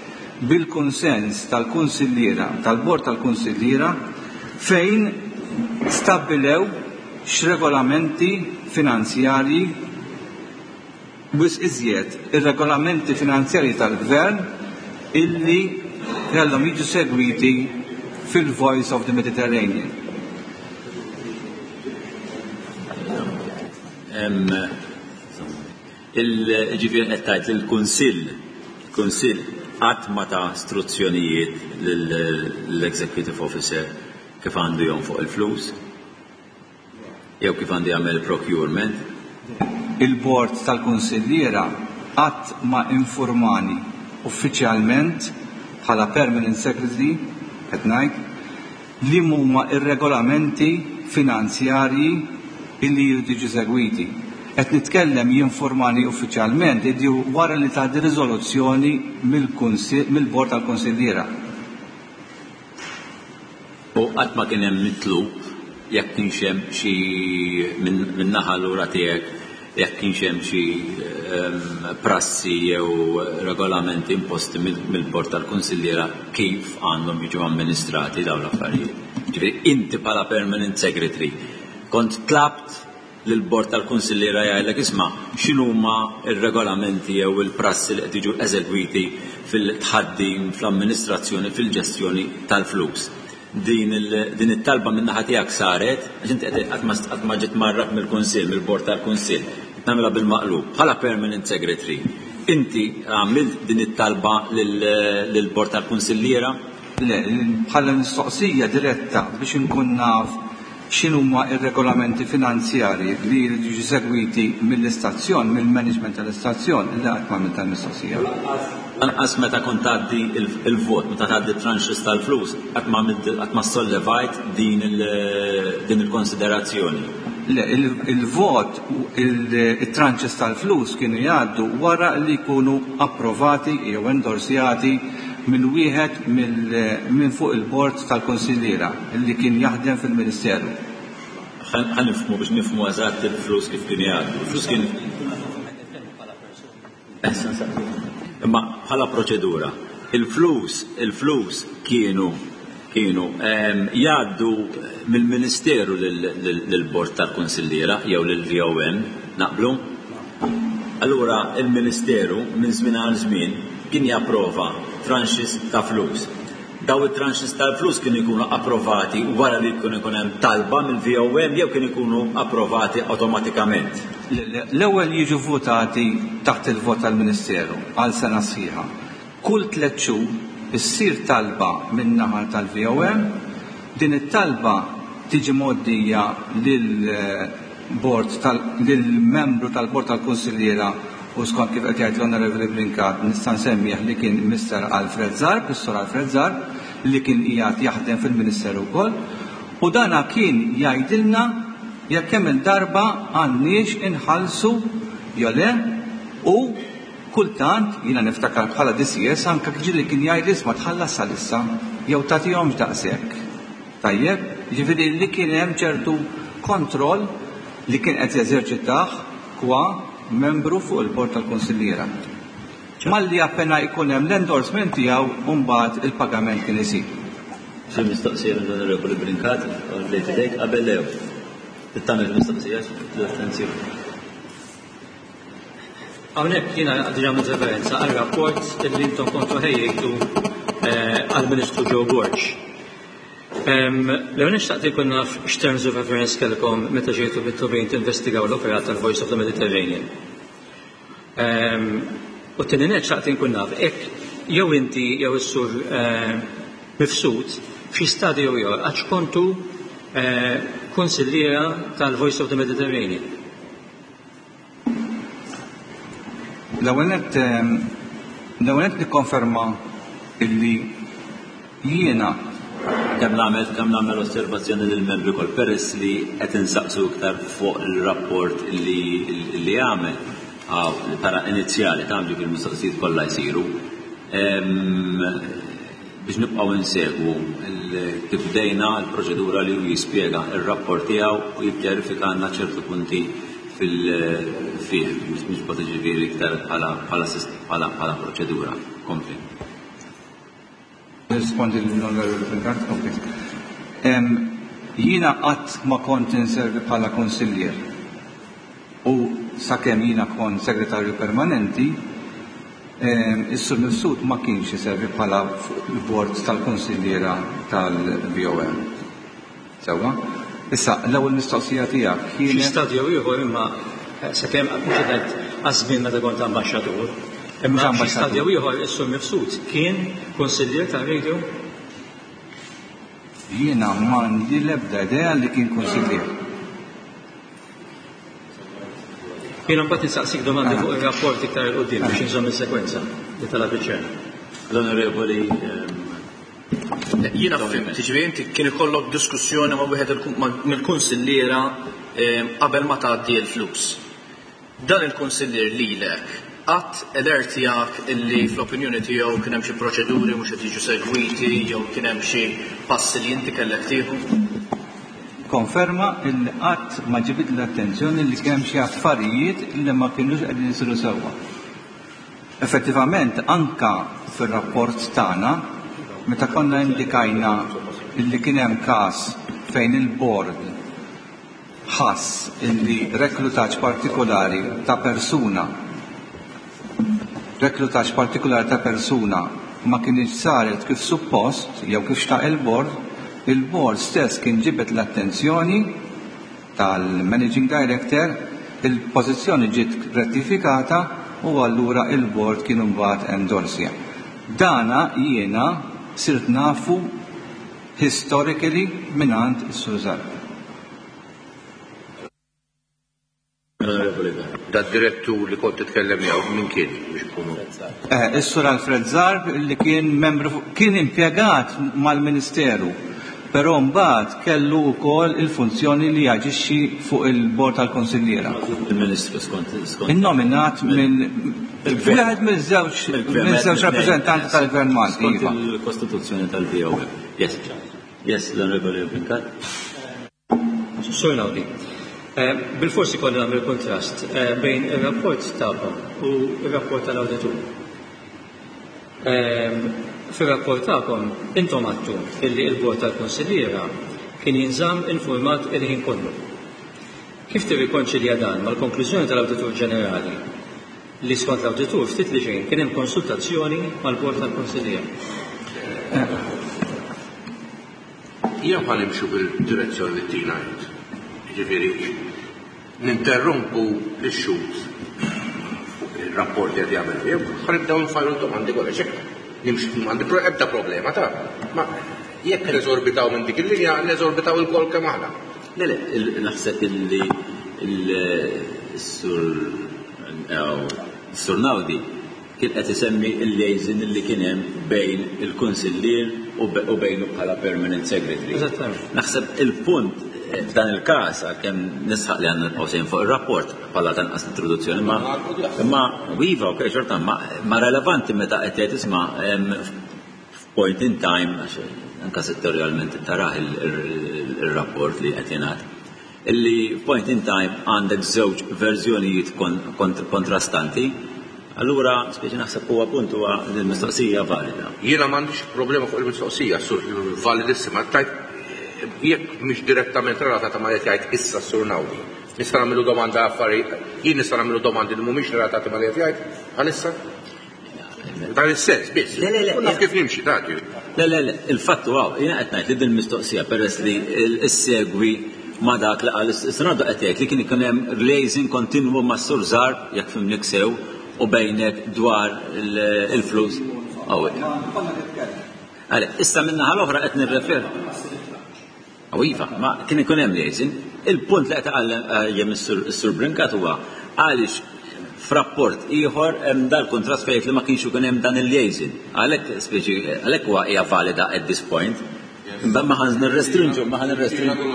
bil-kunsens tal-kunsilliera, tal-bord tal-kunsilliera fejn stabbilew x'regolamenti finanzjarji wisq iżjed ir-regolamenti finanzjarji tal-Gvern illi kellhom jiġu segwiti fil-Voice of the Mediterranean. Ġifieri qed tgħid li l-Kunsill, il-Kunsill qatt ma ta struzzjonijiet lill-Executive Officer kif għandu jonfoq il-flus? Jew kif għandu jagħmel procurement? Il-Bord tal-Kunsilliera qatt ma infurmani uffiċjalment bħala Permanent Secretary, qed ngħid, liem huma r-regolamenti finanzjarji illi jridu jiġu segwiti. Qed nitkellem jinfurmani uffiċjalment illi wara li tgħaddi riżoluzzjoni mill-Bord tal-Kunsilliera. U qatt ma kien hemm mitlub jekk kienx hemm xi min-naħa lura tiegħek jekk kienx hemm xi prassi jew regolamenti imposti mill-Bord tal-Kunsilliera kif għandhom jiġu amministrati dawn l-affarijiet. Ġifieri inti bħala Permanent Secretary kont tlabt lill-Bord tal-Kunsilliera jgħidlek isma' x'inhuma r-regolamenti jew il-prassi li qed jiġu eżegwiti fil-tħaddim, fl-amministrazzjoni, fil-ġestjoni tal-flus. Din din it-talba min-naħa tiegħek saret, għax inti qed qatt ma qatt ma ġiet mgħarraf mill-Kunsill, mill-Bord tal-Kunsill. Qed nagħmilha bil-maqlub. Bħala Permanent Secretary, inti għamilt din it-talba lill-Bord tal-Kunsilliera? Le, bħala mistoqsija diretta biex inkun naf x'inhuma r-regolamenti finanzjarji li jridu jiġu segwiti mill-istazzjon, mill-management tal-istazzjon, le qatt ma għamiltha l-mistoqsija. Lanqas meta kont tgħaddi l-vot, meta tgħaddi t-tranches tal-flus, qatt ma għamilt, qatt ma ssollevajt din din il-konsiderazzjoni. Le, il-vot, it-tranches tal-flus kienu jgħaddu wara li jkunu approvati jew endorsjati minn wieħed minn fuq il-bord tal-kunsilliera li kien jaħdem fil-Ministeru. Ħa nifhmu biex nifhmu eżatt il-flus kif kienu jgħaddu. Il-flus kien Imma bħala proċedura, il-flus, il-flus kienu kienu jgħaddu mill-Ministeru lill-Bord tal-Kunsilliera jew lill-VOM, naqblu? Allura il-Ministeru minn żmien għal żmien kien japprova tranches ta' flus. Dawn it-tranches tal-flus kienu jkunu approvati wara li jkun ikun hemm talba mill-VOM jew kienu jkunu approvati awtomatikament? L-ewwel jiġu vvutati taħt il-vot tal-Ministeru għal sena sħiħa. Kull tlett xhur issir talba min-naħa tal-VOM. Din it-talba tiġi mgħoddija lill-bord tal lill-membru tal-bord tal-kunsilliera u skont kif qed jgħid l-Onorevoli Brincat nista' nsemmih li kien Mister Alfred Zarb, is-Sur Alfred Zarb, li kien qiegħed jaħdem fil-Ministeru wkoll, u dana kien jgħidilna jekk kemm-il darba għandniex inħallsu jew le u Kultant, jiena niftakar bħala DCS anke ġieli kien jgħidli isma' tħallas għalissa jew tagħtihomx daqshekk. Tajjeb? Jiġifieri li kien hemm ċertu kontroll li kien qed jeżerċitah qua membru fuq il-Bord tal-Kunsilliera. Malli appena jkun hemm l-endorsement tiegħu mbagħad il-pagament kien isir. Xi mistoqsija mill-Onorevoli Brincat, għollejt idejk qabel Leo. Trid tagħmel mistoqsija l-attenzjoni. Hawnhekk jiena diġà għamilt referenza għal rapport li intom kontu ħejjejtu eh, għall-Ministru Joe Borg. L-ewwel nixtaqt ikun naf x'terms of reference kellkom meta ġejtu mitlubin tinvestigaw l-operat tal-Voice of the Mediterranean. U t-tieni nett xtaqt inkun naf hekk jew inti jew is-sur eh, mifsud f'xi stadju jew ieħor għax kontu eh, konsilliera tal-Voice of the Mediterranean. L-ewwel nett l-ewwel nett nikkonferma illi jiena Kemm nagħmel kemm nagħmel osservazzjoni lill-membri koll peress li qed insaqsu iktar fuq il-rapport li li għamel bħala inizjali ta' ġifieri mistoqsijiet kollha jsiru. Biex nibqgħu insegwu kif bdejna l-proċedura li hu jispjega r-rapport tiegħu u jikkjarifika għandna ċertu punti fil-fih biex niġbod ġifieri iktar bħala proċedura. Kompli. Nirrispondi lill-Onorevoli Brincat, kompli. Jiena qatt ma kont inservi bħala kunsillier u sakemm jiena kont segretarju permanenti, Is-Sur Mifsud ma kienx iservi bħala fuq il-bord tal-kunsilliera tal-BOM. Sewwa? Issa, l-ewwel mistoqsija tiegħek kienet. Xi stadju ieħor imma sakemm mhux qed ngħid għaż-żmien meta kont ambaxxatur, imma xi stadju ieħor is-Sur Mifsud kien kunsillier tar-radio? Jiena m'għandi l-ebda idea li kien kunsillier. Jiena mbagħad insaqsik domandi fuq ir-rapport iktar 'il quddiem biex inżomm is-sekwenza li talab iċ-Chair. L-Onorevoli Jiena fhimt, jiġifieri inti kien ikollok diskussjoni ma' wieħed mill-kunsilliera qabel ma tgħaddi l-flus. Dan il-kunsillier lilek qatt alertjak illi fl-opinjoni tiegħu kien hemm xi proċeduri mhux qed jiġu segwiti jew kien hemm xi passi li inti kellek tieħu? Konferma illi qatt ma ġibidli l-attenzjoni li kien hemm xi affarijiet li ma kinux qegħdin isiru sewwa. Effettivament anka fir-rapport tagħna meta konna indikajna illi kien hemm każ fejn il-bord ħass illi reklutaġġ partikolari ta' persuna reklutaġġ partikolari ta' persuna ma kinitx saret kif suppost jew kif xtaq il-bord, il-bord stess kien ġibed l-attenzjoni tal-Managing Director, il-pożizzjoni ġiet rettifikata u allura il-bord kien imbagħad endorsja. Dana jiena sirt nafu historically mingħand is-Sur Zarb. Dat-direttur li kont titkellem miegħu min kien biex inkunu? Eh, is-Sur Alfred Zarb li kien membru kien impjegat mal-Ministeru, però mbagħad kellu wkoll il-funzjoni li jaġixxi fuq il-bord tal-konsilliera. Il-Ministru skont skont. Innominat minn wieħed mill-żewġ mill-żewġ rappreżentanti tal-Gvern Malti. Skont iva. il-Kostituzzjoni tal-BOM. Yes, yes, l-Onorevoli Brincat. Sur Naudi, eh, bil-forsi kolli nagħmel kontrast eh, bejn ir-rapport tagħkom u r-rapport tal-awditur. Ehm, fir-rapport tagħkom intom għattu illi il-bord tal-konsilliera kien jinżamm informat il-ħin kollu. Kif tirrikonċilja dan mal-konklużjoni tal-Awditur Ġenerali li skont l-Awditur ftit li xejn kien hemm konsultazzjoni mal-Bord tal-Kunsilliera? Jew ħa nimxu bil-direzzjoni li ttina int. Jiġifieri ninterrompu lix-xhud fuq ir-rapport li qed jagħmel jew ħa nibdew nfajru d-domandi kollha x'hekk nimxu m'għandi ebda problema ta' ma jekk neżorbitaw minn dik il-linja neżorbitaw ilkoll kemm aħna. Le le, naħseb illi s-sur s-sur Naudi Kien qed isemmi l-liaison li kien hemm bejn il-kunsillier u bejnu bħala permanent secretary. Eżattament. Naħseb il-punt f'dan il-każ, għalkemm nisħaq li għandna nibqgħu sejrin fuq ir-rapport bħala tanqas introduzzjoni, ma imma iva, ok, xorta, ma relevanti meta qed tgħid isma' f'point in time, għax anke settorjalment tarah ir-rapport li qed jingħad, Illi f'point in time għandek żewġ verżjonijiet kontrastanti, allura speċi naħseb huwa punt huwa li l-mistoqsija valida. Jiena m'għandix problema fuq il-mistoqsija, Sur, validissima. Tajt jekk mhix direttament relatata ma' li qed jgħid issa s-Sur Naudi. Nista' nagħmillu domanda affarijiet, jien nista' nagħmillu domandi li mhumiex relatati ma' li qed jgħid bħalissa? Dan is-sens biss. Le, le, le. Naf kif nimxi, ta' Le, le, le, il-fatt huwa, jiena qed ngħid li din mistoqsija peress li issegwi ma' dak li qal is-Senado qed jgħid li kien ikun hemm liaison kontinwu ma' Sur Zarb, jekk fimnik sew, u bejnek dwar il-flus. Għalhekk, issa min-naħa l-oħra qed nirrefer. U iva, ma kien ikun hemm liaison. Il-punt li qed iqajjem is-Sur Brincat huwa għaliex f'rapport ieħor hemm dal-kuntrast fejn jgħid li ma kienx ikun hemm dan il-liaison. Għalhekk speċi għalhekk huwa hija valida at this point. Ma ħa nirrestrinġu, ma ħa nirrestrinġu.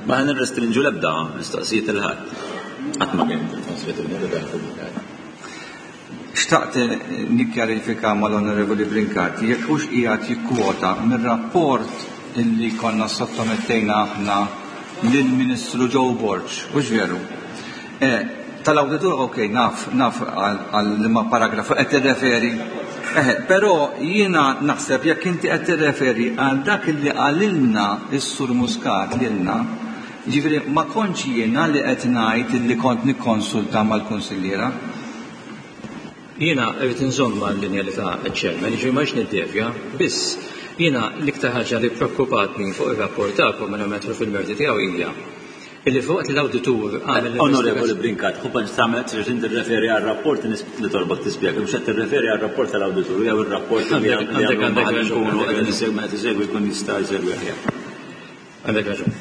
Ma ħa nirrestrinġu l-ebda mistoqsijiet il-ħadd. Qatt ma kien il-konswetudni li dan pubblikat. Xtaqt nikkjarifika mal-Onorevoli Brincat jekk hux qiegħed jikkwota mir-rapport illi konna ssottomettejna aħna lill-Ministru Joe Borg, hux veru? Eh, tal-awditur ok, naf, naf għal liema paragrafu qed tirreferi. Eh, però jiena naħseb jekk inti qed tirreferi għal dak illi qalilna s-Sur Muscat lilna, Jiġifieri ma kontx jiena li qed ngħid illi kont nikkonsulta mal-kunsilliera. Jiena rrid inżomm mal-linja li ta ċ-Chairman, jiġifieri ma rridx niddevja, biss jiena l-iktar ħaġa li ppreokkupatni fuq ir-rapport tagħkom mingħajr ma nidħlu fil-merti tiegħu hija illi filwaqt li l-awditur għamel Onorevoli Brincat, ħu paċ tagħmel trid inti tirreferi għar-rapport li torbot tispjega, mhux qed tirreferi għar-rapport tal-awditur jew ir-rapport li għandek nkunu qegħdin insegwu meta tisegwi jkun jista' jsegwi aħjar. Għandek raġun.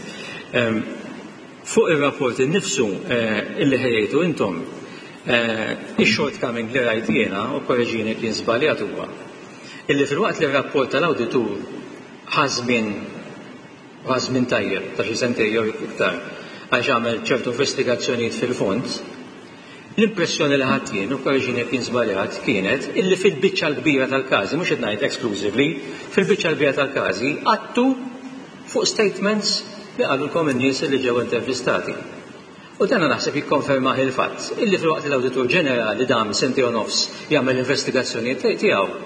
Fuq ir-rapport innifsu illi ħejjejtu intom, ix-shortcoming li rajt jiena, u kkoreġini jekk jien żbaljat huwa, illi filwaqt li r-rapport tal-awditur ħa żmien, u ħa żmien tajjeb ta' xi sentejn jew iktar għax għamel ċertu investigazzjonijiet fil-fond, L-impressjoni li ħadt jien, u kkoreġini jekk jien żbaljat, kienet illi fil-biċċa l-kbira tal-każi, mhux qed ngħid exclusively, fil-biċċa l-kbira tal-każi qgħadtu fuq statements li qalulkom in-nies li ġew intervistati. U dana naħseb jikkonfermah il-fatt illi filwaqt li l-Awditur Ġenerali dam sentejn u nofs jagħmel l-investigazzjonijiet tiegħu,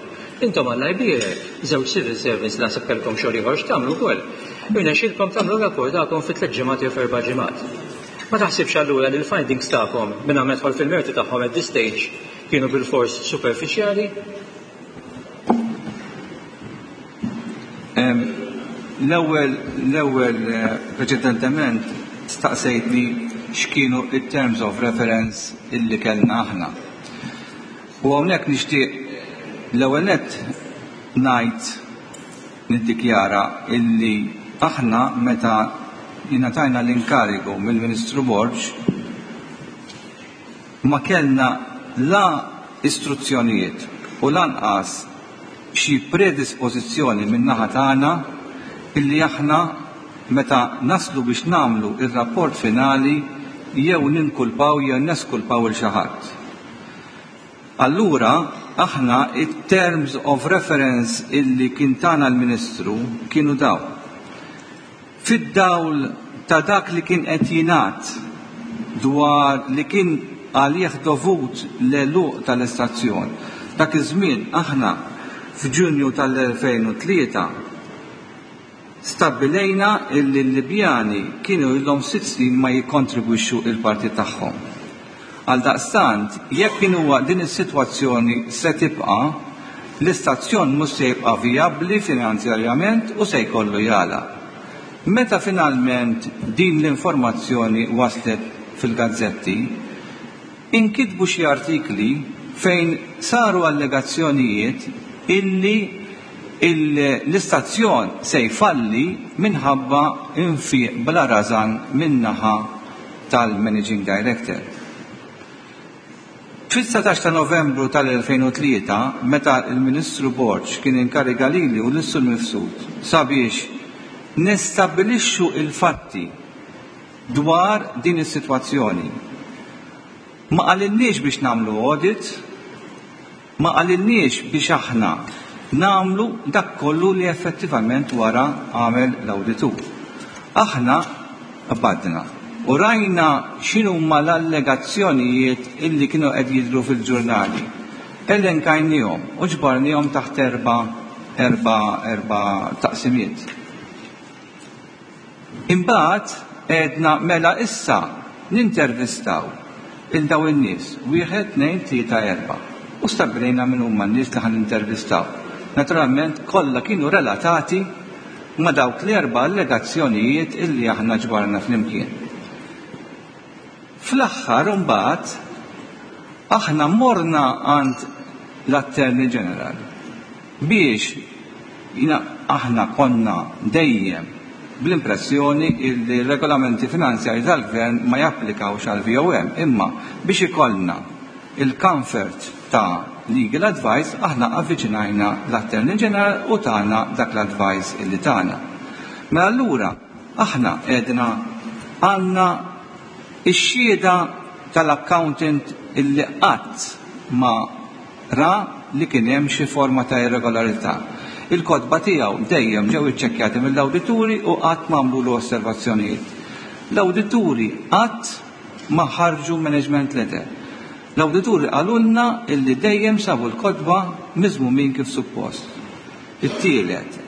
intom Alla jbierek, żewġ civil servants li naħseb kellkom xogħol ieħor x'tagħmlu wkoll, irnexxielkom tagħmlu r-rapport tagħkom fi tliet ġimgħat jew f'erba' ġimgħat. Ma taħsibx allura li l-findings tagħkom, mingħajr ma nidħol fil-merti tagħhom at this stage, kienu bilfors superfiċjali? L-ewwel l-ewwel preċedentement staqsejtni x'kienu t-terms of reference illi kellna aħna. U hawnhekk nixtieq l-ewwel nett ngħid Niddikjara illi aħna meta ingħatajna l-inkarigu mill-Ministru Borg ma kellna la istruzzjonijiet u lanqas xi predispożizzjoni min-naħa tagħna illi aħna meta naslu biex nagħmlu r-rapport finali jew ninkulpaw jew neskulpaw 'il xi ħadd. Allura aħna it-terms of reference illi kien tana l-Ministru kienu dawn. Fid-dawl ta' dak li kien qed jingħad dwar li kien għalih dovut l-għeluq tal-istazzjon, dak iż-żmien aħna f'Ġunju tal-2003, Stabbilejna illi l-Libjani kienu ilhom sitt snin ma jikkontribwixxu il-parti tagħhom. Għaldaqstant, jekk inhuwa din is-sitwazzjoni se tibqa', l-istazzjon mhux se jibqa' vijabbli finanzjarjament u se jkollu jagħlaq. Meta finalment din l-informazzjoni waslet fil-gazzetti, Inkitbu xi artikli fejn saru allegazzjonijiet illi l-istazzjon se jfalli minħabba nfiq bla rażan min-naħa tal-Managing Director. Fis-19 ta' Novembru tal-2003, meta l-Ministru Borg kien inkariga lili u lis-Sur Mifsud sabiex nistabbilixxu l-fatti dwar din is-sitwazzjoni. Ma qalilniex biex nagħmlu audit, ma qalilniex biex aħna nagħmlu dak kollu li effettivament wara għamel l-awditur. Aħna qbadna u rajna x'inhuma l-allegazzjonijiet illi kienu qed jidhru fil-ġurnali. Elenkajniehom u ġbarniehom taħt erba' erba' erba' taqsimiet. Imbagħad għedna mela issa nintervistaw 'il dawn in-nies, wieħed, tnejn, tlieta, erbgħa. U stabbilejna min huma n-nies li ħa nintervistaw. Naturalment kollha kienu relatati ma' dawk l-erba' allegazzjonijiet illi aħna ġbarna flimkien. Fl-aħħar imbagħad aħna morna għand l-Attorney General biex jiena aħna konna dejjem bl-impressjoni li r-regolamenti finanzjarji tal-Gvern ma japplikawx għall-VOM imma biex ikollna. il-comfort ta' legal advice aħna avviċinajna l-Attorney General u tana dak l-advice illi tana. Mela allura aħna għedna għandna ix-xhieda tal-accountant illi qatt ma ra li kien hemm xi forma ta' irregolarità. Il-kotba tiegħu dejjem ġew iċċekkjati mill-awdituri u qatt ma għamlulu osservazzjonijiet. L-awdituri qatt ma ħarġu management letter. L-awdituri qalulna illi dejjem sabu l-kotba miżmumin kif suppost. It-tielet,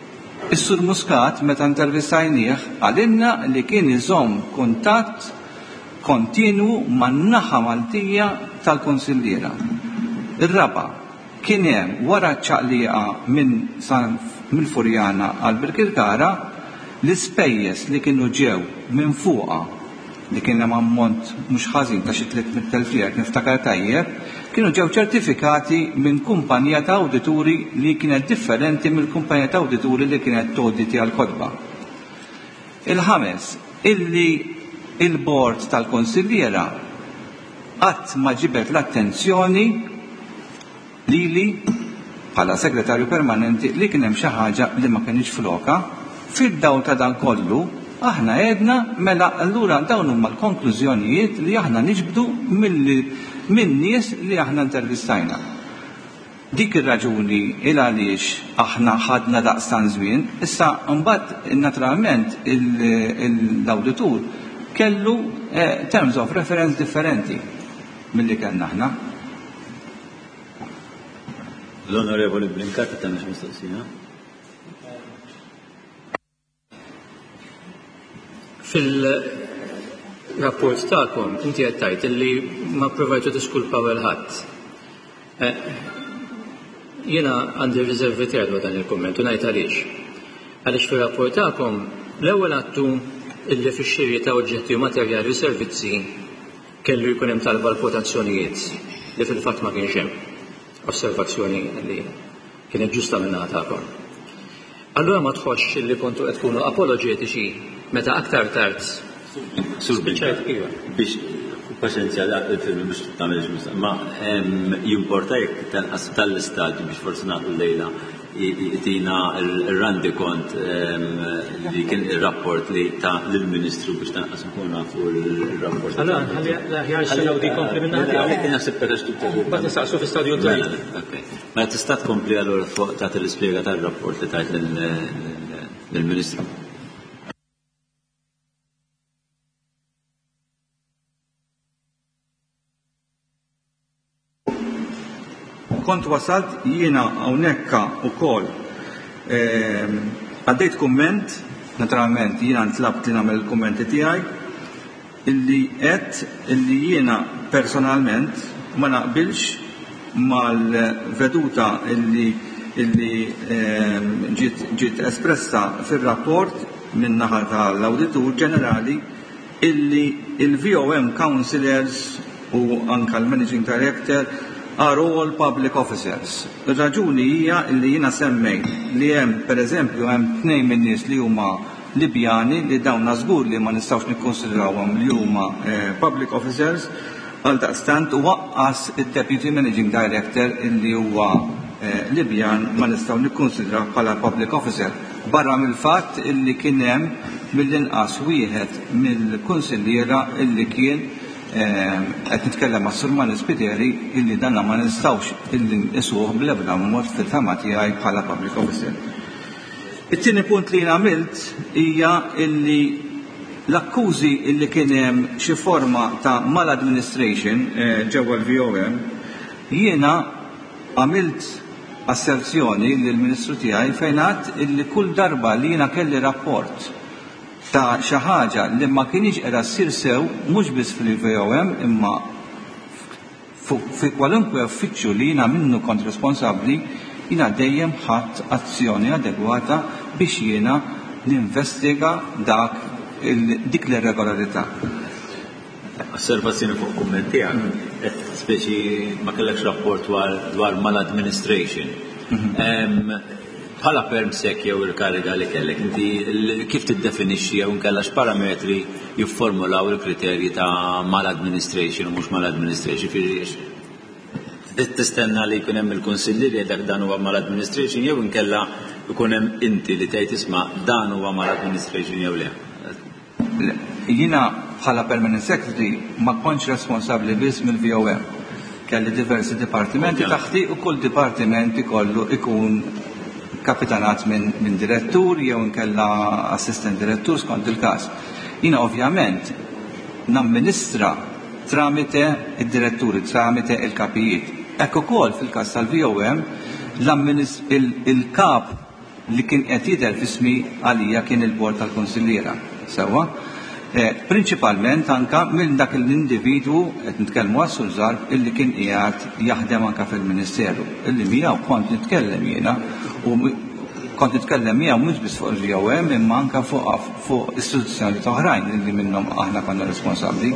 is-Sur Muscat meta intervistajnieh qalilna li kien iżomm kuntatt kontinwu man-naħa Maltija tal-kunsilliera. Ir-raba', kien hemm wara ċ-ċaqliqa minn San mill-Furjana għal Birkirkara, l-ispejjeż li kienu ġew minn fuqha, li kien hemm ammont mhux ħażin ta' xi 300,000 lira jekk niftakar tajjeb, kienu ġew ċertifikati minn kumpanija ta' awdituri li kienet differenti mill-kumpanija ta' awdituri li kienet tawditja l-kotba. Il-ħames, illi il-Bord tal-Kunsilliera qatt ma ġibed l-attenzjoni lili bħala Segretarju Permanenti li kien hemm xi ħaġa li ma kinitx flokha. Fid-dawl ta' dan kollu, aħna għedna mela allura dawn huma l-konklużjonijiet li aħna niġbdu min-nies li aħna intervistajna. Dik ir-raġuni il għaliex aħna ħadna daqstant żmien. Issa mbagħad naturalment l-awditur kellu terms of reference differenti milli kellna aħna. L-Onorevoli Brincat qed tagħmel xi mistoqsija. Fil-rapport tagħkom inti qed tgħid illi ma provajtu tiskulpaw il ħadd. Eh, jiena għandi riservi tiegħi dwar dan il-kumment u ngħid għaliex. Għaliex fir-rapport tagħkom l-ewwel għattu illi fix-xiri ta' oġġetti u materjali u servizzi kellu jkun hemm talba l-kwotazzjonijiet li fil-fatt ma kienx hemm. Osservazzjoni li kienet ġusta minn tagħkom. Allura ma tħossx li kontu qed tkunu apoloġetiċi meta aktar tard Sur spiċċajt iva. Biex paċenzja il-film biex tagħmel ma jimporta jekk tanqas tal-istadju biex forsi nagħtu lejla jtina il-randi kont li kien il-rapport li ta' lill-Ministru biex tanqas nkun nafu il-rapport. Allora, ħalli aħjar s-sena di kompli minna. Għalhekk naħseb peress Mbagħad nistaqsu fi stadju mela, Mela tista' tkompli allura fuq tagħti l-ispjega tar-rapport li tajt lill-Ministru. Kont wasalt jiena hawnhekk ukoll ehm, għaddejt kumment, naturalment jiena ntlabt li nagħmel il-kummenti tiegħi, illi għedt illi jiena personalment ma naqbilx mal-veduta illi illi ehm, ġiet ġiet espressa fir-rapport min-naħa tal-Awditur Ġenerali illi il-VOM Councillors u anka l-Managing Director are all public officers. Ir-raġuni hija illi jiena semmejt li hemm pereżempju hemm tnejn min-nies li huma Libjani li dawna żgur li ma nistgħux nikkonsidrawhom li huma public officers, għaldaqstant u aqqas id-Deputy Managing Director illi huwa Libjan ma nistgħu nikkonsidrawh bħala public officer. Barra mill-fatt illi kien hemm mill-inqas wieħed mill-kunsilliera illi kien qed nitkellem għas-Sur Manis Spiteri illi danna ma nistgħux illi nqisuh bl-ebda mod fil-fehma tiegħi bħala public officer. It-tieni punt li jien għamilt hija illi l-akkużi illi kien hemm xi forma ta' maladministration ġewwa l-VOM, jiena għamilt asserzjoni lill-Ministru tiegħi fejn għedt illi kull darba li jiena kelli rapport ta' xi ħaġa li ma kinitx qiegħda ssir sew mhux biss fil-VOM imma Fi kwalunkwe uffiċċju li jiena minnu kont responsabbli, jiena dejjem ħadt azzjoni adegwata biex jiena ninvestiga dak dik l-irregolarità. Osservazzjoni fuq kumment tiegħek, qed speċi ma kellekx rapport dwar mal-administration. Bħala perm sec jew il-kariga li kellek, inti kif tiddefinixxi jew inkella x'parametri jifformulaw il-kriterji ta' maladministration u mhux maladministration, jiġifieri? Tistenna li jkun hemm il-kunsillier jgħidlek dan huwa mal-administration jew inkella jkun hemm inti li tgħid isma' dan huwa mal-administration jew le? Le. Jiena bħala Permanent Secretary ma kontx responsabbli biss mill-VOM. Kelli diversi dipartimenti taħti u kull dipartiment ikollu ikun kapitanat minn direttur jew inkella assistent direttur skont il-każ. Jiena ovvjament namministra tramite id-diretturi, tramite il-kapijiet. Hekk ukoll fil-każ tal-VOM il-kap li kien qed jidher f'ismi għalija kien il-Bord tal-Kunsilliera. Sewwa? Prinċipalment anka minn dak l-individwu, qed nitkellmu għas-Sur Zarb, illi kien qiegħed jaħdem anka fil-Ministeru, illi miegħu kont nitkellem jiena u kont nitkellem miegħu mhux biss fuq il-VOM imma anka fuq fuq istituzzjonijiet oħrajn illi minnhom aħna konna responsabbli.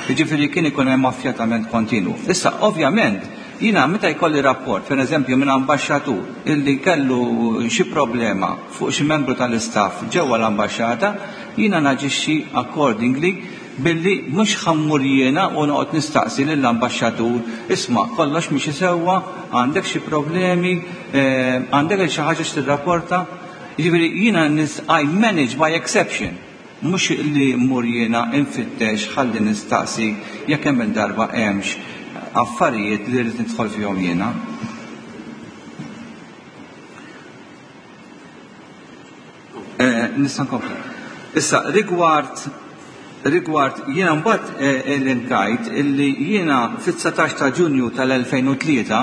Jiġifieri kien ikun hemm affjatament kontinwu. Issa, ovvjament, Jiena meta jkolli rapport, per eżempju, minn ambaxxatur illi kellu xi problema fuq xi membru tal-istaff ġewwa l-ambaxxata, jiena naġixxi accordingly billi mhux ħa mmur jiena u noqgħod nistaqsi lill-ambaxxatur, isma' kollox miexi sewwa, għandek xi problemi, għandek xi ħaġa x'tirrapporta? Jiġifieri jiena I manage by exception. Mhux li mmur jiena nfittex ħalli nistaqsi jekk kemm-il darba hemmx affarijiet li rrid nidħol fihom jiena. Eh, nista' nkompli. Issa, rigward rigward jiena mbagħad eh, l-inkajt illi jiena fit-19 ta' Ġunju tal-2003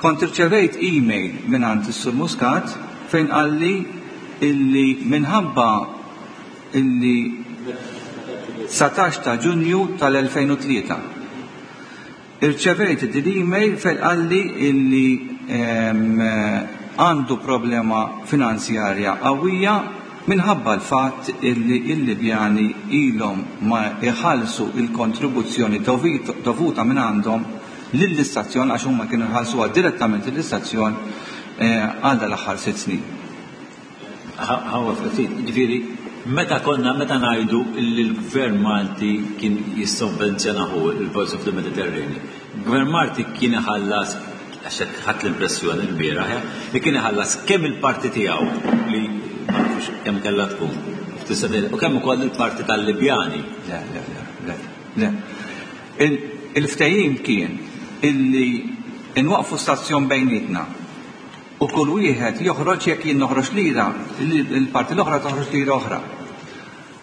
kont irċevejt email mingħand is-Sur Muscat fejn qalli illi minħabba illi 19 ta' Ġunju tal-2003 irċevejt din l-email fejn qalli illi għandu problema finanzjarja qawwija minħabba l-fatt illi l-Libjani ilhom ma jħallsu l-kontribuzzjoni dovuta minn għandhom lill-istazzjon għax huma kienu jħallsuha direttament lill-istazzjon għal dal-aħħar sitt snin. Ħawa ftit, ġifieri meta konna meta ngħidu li l-Gvern Malti kien jissovvenzjona hu il-Voice of the Mediterranean. Gvern Malti kien iħallas għax hekk ħadt l-impressjoni l-bieraħ, eh, li kien iħallas kemm il-parti tiegħu li ma nafux kemm kellha tkun, u kemm ukoll il-parti tal-Libjani. Le, le, le, le, le. Il-ftehim kien illi nwaqqfu stazzjon bejnietna u kull wieħed joħroġ jekk jien noħroġ lira, il-parti l-oħra toħroġ lira oħra.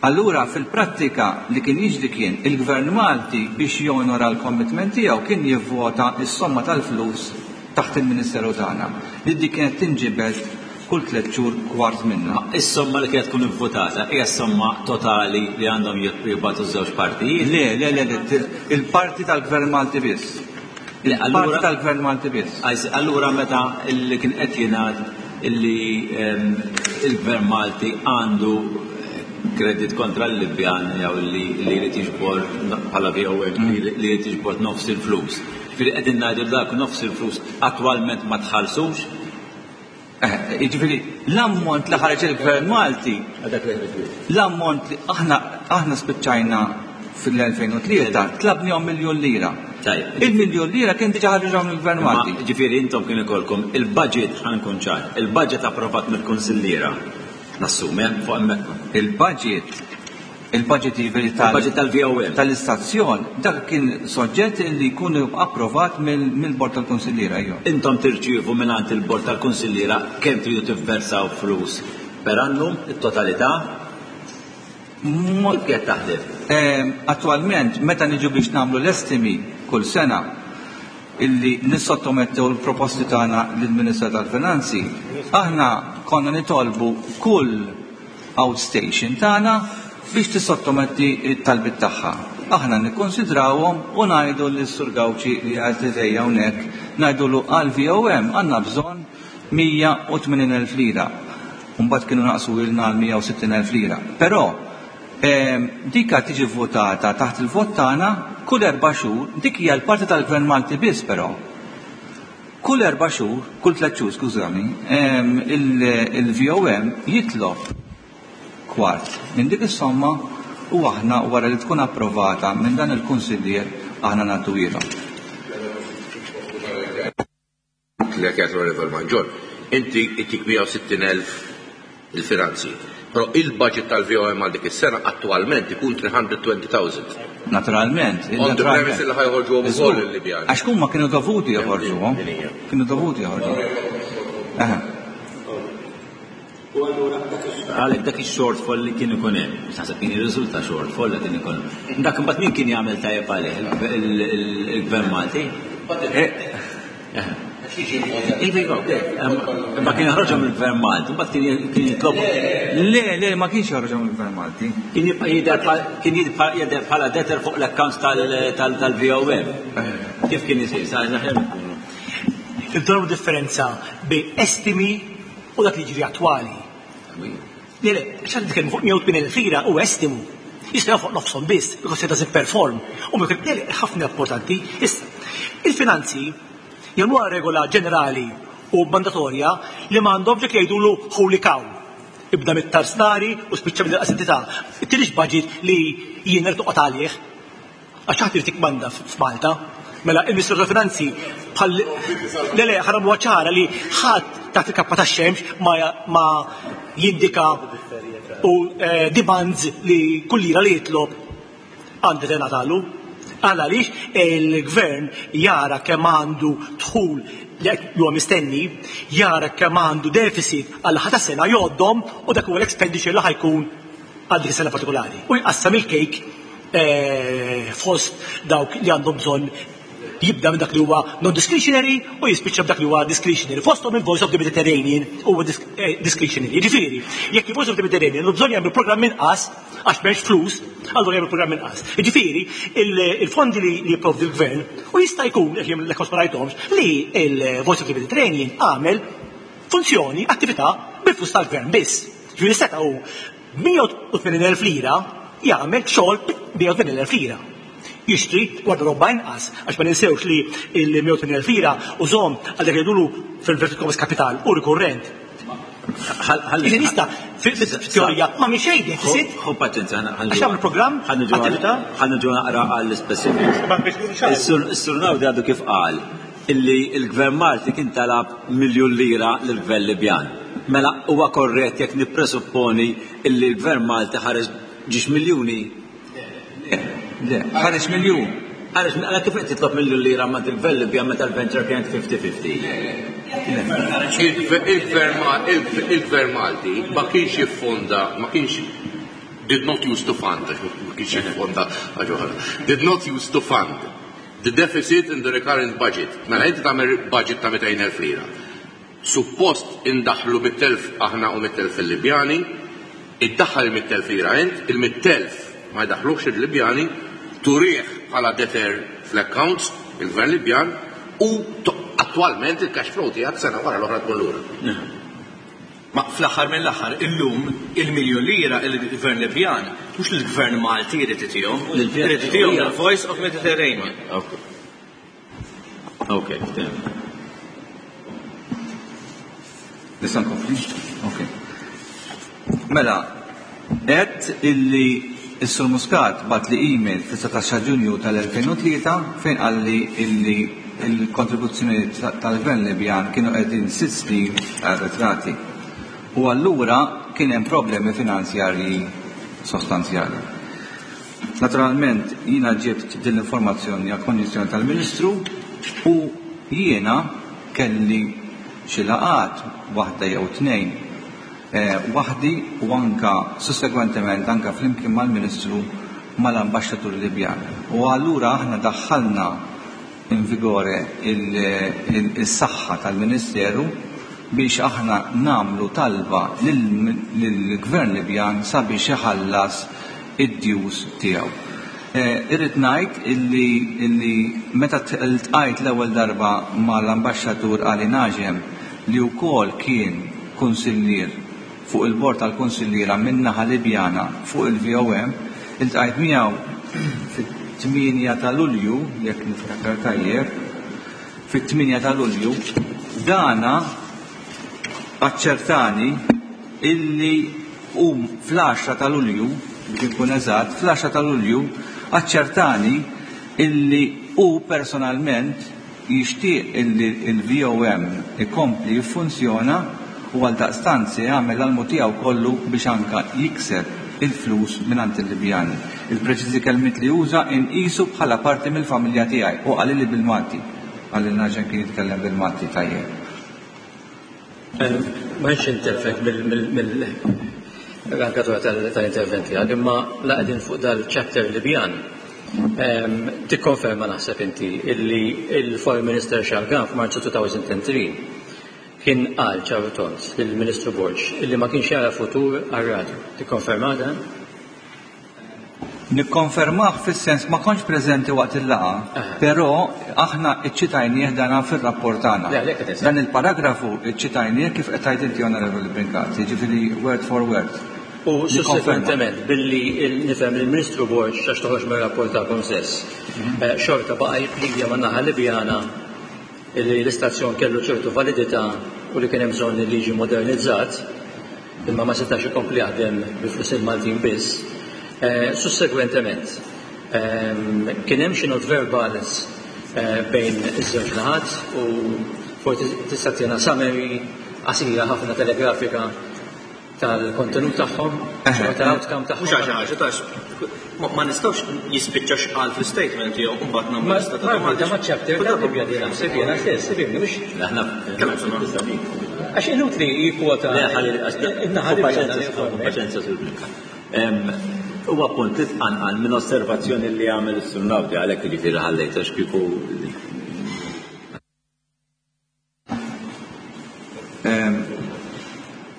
Allura fil-prattika li kien jiġri kien il-Gvern Malti biex jonora l-commitment tiegħu kien jivvota s-somma tal-flus taħt il-Ministeru tagħna li dik kienet tinġibed kull tlett xhur kwart minnha. Is-somma li kienet tkun ivvutata hija s-somma totali li għandhom jibgħatu ż-żewġ partijiet? Le, le, le, le, il-parti tal-Gvern Malti biss. Il-parti tal-Gvern Malti biss. Allura meta li kien qed jingħad illi ehm, il-Gvern Malti għandu kredit kontra l-Libjan jew li jrid jiġbor bħala VOA mm. li jrid jiġbor nofs il-flus. Ġifieri qegħdin ngħidu dak nofs il-flus attwalment ma tħallsux Eh, jiġifieri l-ammont li ħareġ il-Gvern Malti, l-ammont li aħna aħna spiċċajna fil-2003 tlabnihom miljun lira. Il-miljun lira kien diġà ħarġuhom il-Gvern Malti. Ġifieri intom kien ikolkom il-budget ħa nkun ċar, il-budget approvat mill-Kunsilliera. Nassumi, eh, fuq hemmhekk. Il-budget Il-budget jiġifieri tal- Il-budget tal-VOM. Tal-istazzjon, dak kien soġġett li jkun approvat mill-Bord tal-Kunsilliera, ejja. Intom tirċievu mingħand il-Bord tal-Kunsilliera kemm tridu tivversaw flus per annum, it-totalità? Kif qed taħdem? Attwalment, meta niġu biex nagħmlu l-estimi kull sena, illi nissottomettew l-proposti tagħna lill-Ministru tal-Finanzi, aħna konna nitolbu kull outstation tagħna biex tissottometti t-talbiet tagħha. Aħna nikkunsidrawhom u ngħidu lis-Sur Gauci li qiegħed ħdejja hawnhekk, ngħidulu għall-VOM għandna bżonn 180,000 lira. U mbagħad kienu naqsuilna għal 160,000 lira. Però dika tiġi vvotata taħt il-vot tagħna kull erba' xhur, dik hija l-parti tal-Gvern Malti biss però. Kull erba' xhur, kull tlett xhur skużani, il-VOM jitlob kwart minn dik is-somma u aħna wara li tkun approvata minn dan il-kunsillier aħna ngħadduhielhom. kif qed jgħid l-Onorevole Mangion, inti jtik 160,000 il-finanzi. Però il-budget tal-VOM għal dik is-sena attwalment ikun 320,000. Naturalment. On the premise li ħa joħorġuhom ukoll il-Libjani. Għax huma kienu dovuti joħorġuhom. Kienu dovuti joħorġuhom. U allura għalhekk dak ix-shortfall li kien ikun hemm, biex naħseb kien jirriżulta shortfall li kien ikun. Dak imbagħad min kien jagħmel tajjeb għalih il-Gvern Malti? Iva, ma kien joħroġhom il-Gvern Malti, mbagħad kien jitlob. Le, le, ma kienx joħroġhom il-Gvern Malti. Kien jibqa' jidher kien jidher bħala debtor fuq l-accounts tal-VOM. Kif kien isir? Sa aħjar nkunu. Irridu differenza bejn estimi u dak li jiġri attwali. Le, le, għax qed nitkellmu fuq 180,000 lira u estimu. Jista' fuq nofshom biss, because it doesn't perform. U le, le, ħafna importanti. Issa, il-finanzi jagħmluha regola ġenerali u mandatorja li m'għandhom dik li jgħidulu holy cow. Ibda mit-tarsnari u spiċċa mill entità. Ittinix budget li jien irid noqgħod għalih. Għax ħadd irid jikkmanda f'Malta. Mela il-Ministru tal-Finanzi bħal le le ħa nagħmluha ċara li ħadd taħt il-kappa tax-xemx ma jindika u demands li kull lira li jitlob għandi tingħatalu. Għal għaliex il-gvern jara kemm għandu dħul li huwa mistenni, jara kemm għandu deficit għal ħata sena jgħoddhom u dak huwa l-expenditure li ħa jkun għal dik is-sena partikolari. U jqassam il-kejk fost dawk li għandhom bżonn jibda minn dak li huwa non-discretionary u jispiċċa b'dak li huwa discretionary. Fosthom il-Voice of the Mediterranean huwa discretionary. Jiġifieri, jekk il-Voice of the Mediterranean għandu bżonn jagħmlu programm inqas għax m'hemmx flus, allura jagħmlu programm inqas. Jiġifieri, il-fondi li jipprovdi l-gvern u jista' jkun, jekk jien l-accounts ma rajthomx, li il-Voice of the Mediterranean għamel funzjoni, attività bil-flus tal-gvern biss. Ġifieri seta' hu 180,000 lira jagħmel xogħol 180,000 lira. Jixtri gwardarobba inqas, għax ma ninsewx li il-180,000 lira użhom għal dak li jgħidulu fil-inverted commas capital u rikurrent. Ħalli nista' fil-teorija ma minn xejn deficit. Ħu paċenzja, Għax tagħmel programm, attività. Ħa niġu naqra għall-specifics. Is-Sur Naudi għadu kif qal illi il-Gvern Malti kien talab 1 miljun lira lill-Gvern Libjan. Mela huwa korrett jekk nippresupponi illi l-Gvern Malti ħareġ ġiex miljuni? Le, ħareġ miljun. Ħareġ, mela kif qed titlob miljun lira ma' il-Gvern Libjan meta l-venture kienet 50-50? Il-Gvern Malti ma kienx jiffonda, ma kienx did not use to fund, ma kienx jiffonda did not use to fund the deficit in the recurrent budget. Mela inti tagħmel budget ta' 200,000 lira. Suppost indaħlu 100,000 aħna u 100,000 fil-Libjani, iddaħħal il-100,000 lira int, il-100,000 ma jdaħħlux il-Libjani, turih bħala debtor fl-accounts, il-Gvern Libjan, u attualment il-cash flow tiegħek sena wara l-oħra tkun lura. Ma fl-aħħar mill-aħħar illum il-miljun lira il-Gvern Libjan mhux il-Gvern Malti jrid itihom, irid itihom il-Voice of Mediterranean. Ok, Nista' nkompli? Ok. Mela, għedt illi s-Sur Muscat bagħatli email fis-19 Ġunju tal-2003 fejn qalli illi il-kontribuzzjoni tal-Gvern Libjan kienu qegħdin 6 snin arretrati. U allura kien hemm problemi finanzjarji sostanzjali. Naturalment, jiena ġibt din l-informazzjoni għal konjizzjoni tal-Ministru u jiena kelli xi laqgħat waħda jew tnejn waħdi u anka sussegwentement anka flimkien mal-Ministru mal-Ambaxxatur Libjan. U allura aħna daħħalna in vigore il-saħħa tal-Ministeru biex aħna nagħmlu talba lill-Gvern Libjan sabiex iħallas id-dues tiegħu. Irrid ngħid illi meta ltqajt l-ewwel darba mal-Ambaxxatur Ali Najem li wkoll kien kunsillier fuq il-bord tal-kunsilliera min-naħa Libjana fuq il-VOM, iltqajt miegħu fit-8 ta' Lulju, jekk niftakar tajjeb, fit-8 ta' Lulju, dana aċċertani illi u fl-10 ta' Lulju, biex inkun eżatt, fl-10 ta' Lulju aċċertani illi hu personalment jixtieq illi l-VOM ikompli jiffunzjona u għaldaqstant se jagħmel l-almu tiegħu kollu biex anka jikseb il-flus mingħand il-Libjani. Il-preċiżi kelmiet li uża inqisu bħala parti mill-familja tiegħi u qalili bil-Malti. Qalilna għax kien jitkellem bil-Malti tajjeb. Ma nix interfek mill-rankatura tal-intervent tiegħek, imma la qegħdin fuq dal-chapter Libjan. Tikkonferma naħseb inti illi il-Foreign Minister Shalgam f'Marzu 2003 kien qal ċar u tond lill-Ministru Borg illi ma kienx jara futur għar-radju. Tikkonferma dan? Nikkonfermah fis-sens ma kontx preżenti waqt il-laqgħa, però aħna ċċitajnieh dana fir-rapport tagħna. Dan il-paragrafu ċċitajnieh kif qed tgħid inti Onorevoli Brincat, jiġifieri word for word. U sussekwentement billi nifhem li l-Ministru Borg għax toħroġ mir-rapport tagħkom stess, xorta baqa' jipplidja man-naħa Libjana li l-istazzjon kellu ċertu validità u li kien hemm bżonn li jiġi modernizzat, imma ma setax ikompli jaħdem bi flus il-Maltin biss. Sussegwentement, kien hemm xi not verbals bejn iż-żewġ naħat u forsi tista' ttina summary qasira ħafna telegrafika tal-kontenut tagħhom, tal-outcome tagħhom. Mhux għax ħaġa tax ma nistgħux jispiċċa x'qal fl-statement tiegħu u mbagħad nagħmlu lista ta' domandi. Ma chapter ta' Libja di naħseb jiena stess, ifhimni mhux. Aħna Għax inutli jikkwota. Paċenzja sur Brincat. Huwa punt li tqanqal minn osservazzjoni li għamel is-Sur Naudi għalhekk jiġifieri ħallejt għax kieku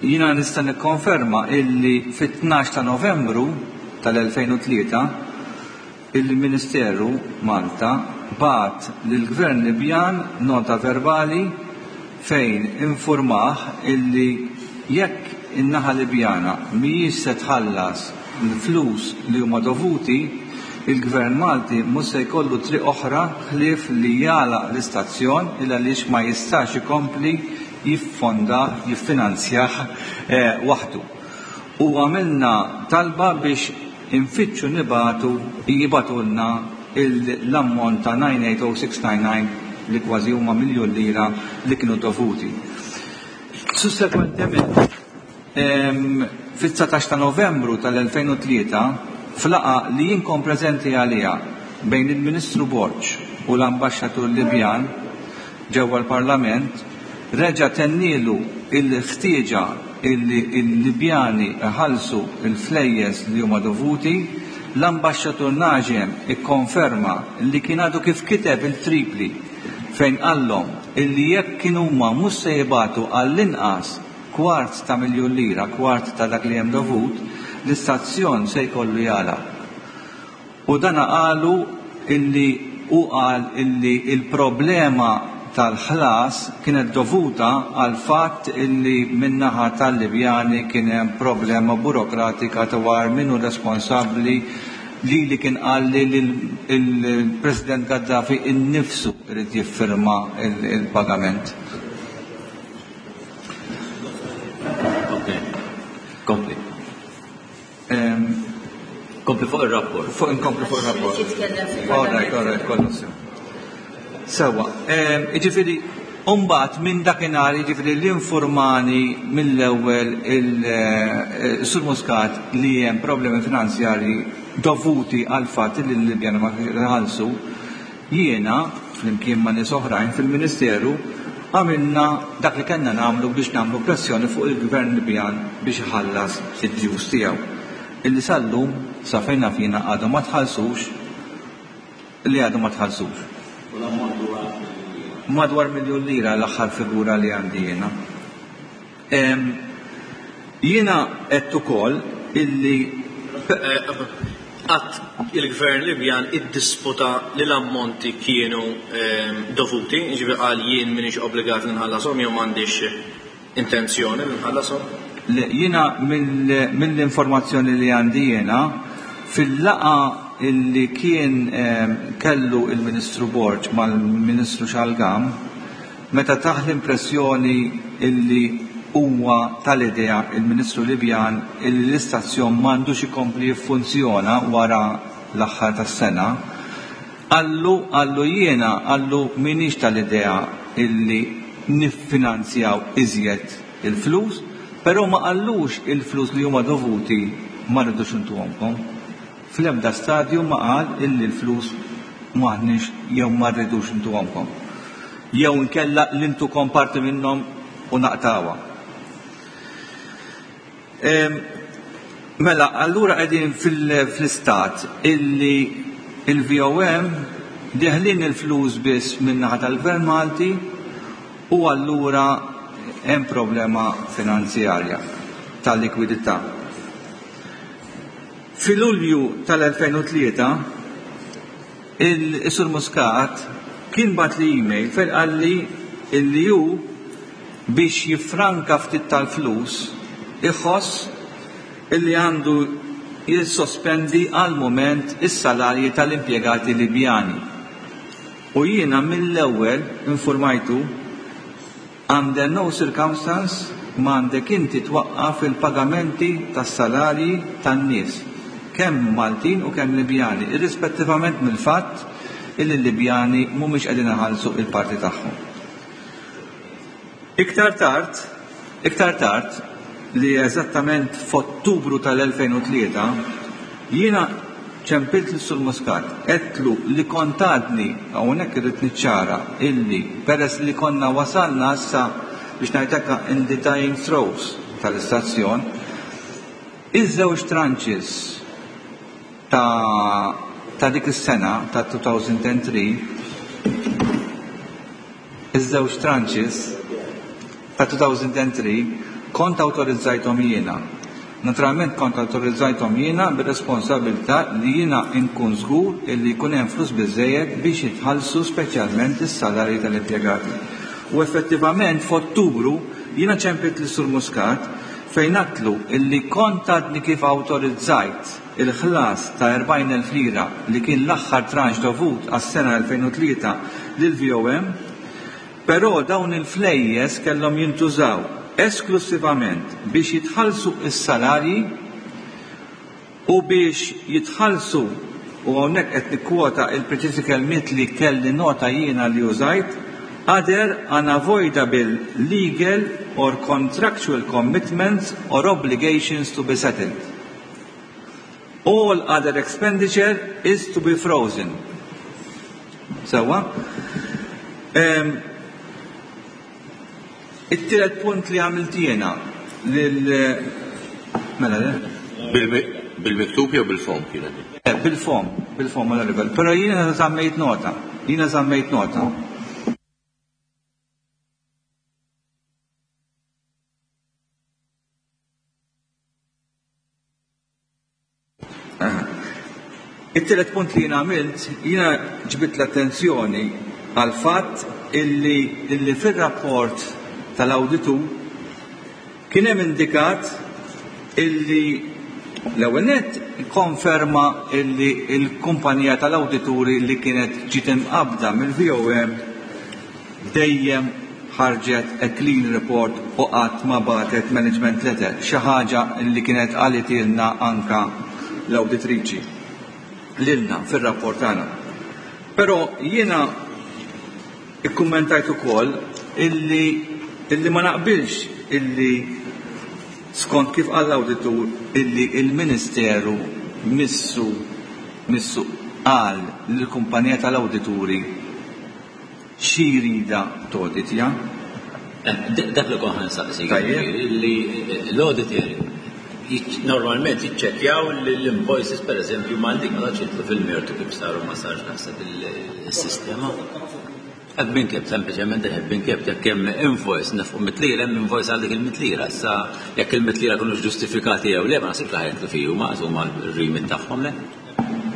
Jiena nista' nikkonferma illi fit-12 ta' Novembru tal-2003 il-Ministeru Malta bagħat lill-Gvern Libjan nota verbali fejn infurmah illi jekk in-naħa Libjana mhijiex se tħallas l-flus li huma dovuti, il-Gvern Malti mhux se jkollu triq oħra ħlief li jagħlaq l-istazzjon il għaliex ma jistax ikompli jiffondah, jiffinanzjah waħdu. U għamilna talba biex infittxu nibagħtu, jibagħtulna l-ammont ta' 980699 li kważi huma miljun lira li kienu dovuti. Sussekwentement, Fit-19 ta' Novembru tal-2003, f'laqgħa li jien kont preżenti għaliha bejn il-Ministru Borg u l-Ambaxxatur Libjan ġewwa l-Parlament, reġa' tennielu l-ħtieġa illi l-Libjani jħallsu l-flejjes li huma dovuti. L-Ambaxxatur Najem ikkonferma li kien għadu kif kiteb il-Tripli fejn qallhom illi jekk kien huma mhux se jibagħtu għall-inqas kwart ta' miljun lira, kwart ta' dak li hemm dovut, l-istazzjon se jkollu jagħlaq. U dana qalu illi hu qal illi l-problema tal-ħlas kienet dovuta għall-fatt illi min-naħa tal-Libjani kien hemm problema burokratika dwar min hu responsabbli lili kien qalli li l-President Gaddafi innifsu jrid jiffirma l-pagament. Kompli. Kompli fuq il-rapport. Fuq inkompli fuq il-rapport. All right, all right, kollu sew. Sewa, jiġifieri Umbat minn dakinhar jiġifieri l-informani mill-ewwel il-Sur eh, Muscat li hemm problemi finanzjarji dovuti għal fatt li l-Libjana ma ħallsu, Jiena, flimkien ma' nies oħrajn fil-Ministeru, għamilna dak li kellna nagħmlu biex nagħmlu pressjoni fuq il-Gvern Libjan biex iħallas id-dues tiegħu, illi sal-lum, sa fejn naf jiena għadhom ma tħallsux, li għadhom ma tħallsux. U l-ammont huwa miljun lira? Madwar miljun lira l-aħħar figura li għandi jiena. Jiena għedt ukoll illi. Qatt il-Gvern Libjan iddisputa li l-ammonti kienu dovuti, jiġifieri qal jien m'iniex obbligat li nħallashom jew m'għandix intenzjoni li nħallashom? Le, jiena mill-informazzjoni li għandi jiena, fil-laqgħa illi kien kellu il-Ministru Borg mal-Ministru Shalgam, Meta tah l-impressjoni illi huwa tal-idea il-Ministru Libjan illi l-istazzjon m'għandux ikompli jiffunzjona wara l-aħħar tas-sena, Qallu, qallu jiena, qallu m'iniex tal-idea illi niffinanzjaw iżjed il-flus, però ma qallux il-flus li huma dovuti ma rridux intuhomkom. Fl-ebda stadju ma qal illi l-flus m'aħniex jew ma rridux intuhomkom. Jew inkella li ntukom parti minnhom u naqtgħuha. Mela, allura qegħdin fl-istat illi il-VOM deħlin il-flus biss min-naħa tal-Gvern Malti u allura hemm problema finanzjarja ta' likwidità. Fi Lulju tal-2003 il-Sur Muscat kien bagħatli email fejn qalli illi hu biex jiffranka ftit tal-flus iħoss illi għandu jissospendi għall-mument is-salarji tal-impjegati Libjani. U jiena mill-ewwel infurmajtu Under no circumstance m'għandek inti twaqqaf il-pagamenti tas-salarji tan-nies, kemm Maltin u kemm Libjani, irrispettivament mill-fatt illi l-Libjani mhumiex qegħdin iħallsu il-parti tagħhom. Iktar tard, iktar tard, li eżattament f'Ottubru tal-2003, jiena ċempilt lis-Sur Muscat, għedtlu li kont għadni, hawnhekk irrid niċċara, illi peress li konna wasalna issa biex ngħid hekk in the dying throes tal-istazzjon, iż-żewġ tranches ta' ta' dik is-sena ta' 2003, Iż-żewġ tranches ta' 2003 kont awtorizzajthom jiena. Naturalment kont awtorizzajthom jiena bir-responsabilità li jiena nkun żgur illi jkun hemm flus biżżejjed biex jitħallsu speċjalment is-salarji tal-impjegati. U effettivament f'Ottubru jiena ċempilt lis-Sur Muscat fejn għadtlu illi kont għadni kif awtorizzajt il-ħlas ta' 40,000 lira li kien l-aħħar tranche dovut għas-sena 2003 lill-VOM, però dawn il-flejjes kellhom jintużaw esklussivament biex jitħallsu s-salarji u biex jitħallsu, u hawnhekk qed nikkwota il-preċiżi kelmiet li kelli nota jiena li użajt, other unavoidable legal or contractual commitments or obligations to be settled. All other expenditure is to be frozen. Sewwa? It-tielet punt li għamilt jiena lil mela le? Bil-miktub jew bil-fom kienet? Eh, bil-fom, bil-fom, onorevole. Però jiena żammejt nota. Jiena żammejt nota. It-tielet punt li jiena għamilt, jiena ġbidt l-attenzjoni għall-fatt illi, illi fir-rapport tal-awditur kien hemm indikat illi l-ewwel nett konferma illi l-kumpanija tal-awdituri li kienet ġiet imqabbda mill-VOM dejjem ħarġet a clean report u qatt ma bagħtet management letter, xi ħaġa li kienet qalitilna anka l-awditriċi lilna fir-rapport tagħna. Però jiena ikkummentajt ukoll illi illi ma naqbilx illi skont kif qal l-awditur illi il-Ministeru missu missu qal lill-kumpanija tal-awdituri Xi jridha toditja? Dak li kont ħa nsaqsik, li l-auditor normalment jiċċekkjaw li l-invoices pereżempju ma dik ma tantx jidħlu fil-mertu kif saru ma sarx naħseb il-sistema. Have been kept, sempliċement have been kept, jekk hemm invoice nefqu mitlira, hemm invoice għal dik il-mitlira. Issa jekk il-mitlira kinux ġustifikati jew le, ma naħsibx li ħa jidħlu fih huma, huma r-remit tagħhom le.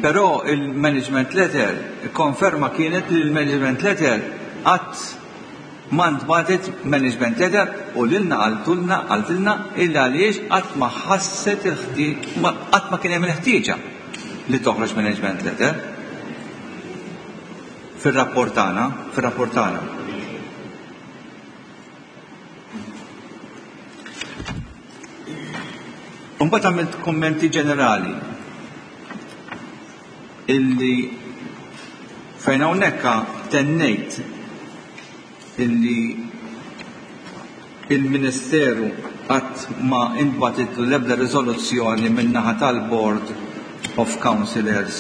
Però il-management letter, konferma kienet li l-management letter qatt ma ntbagħtet management letter u lilna qaltulna qaltilna illi għaliex qatt ma ħasset qatt ma kien hemm il-ħtieġa li toħroġ management letter fir-rapport tagħna, fir-rapport tagħna. Imbagħad għamilt kummenti ġenerali illi Fejn hawnhekk tennejt illi il-Ministeru qatt ma intbagħtitlu l-ebda riżoluzzjoni min-naħa tal-Board of Councillors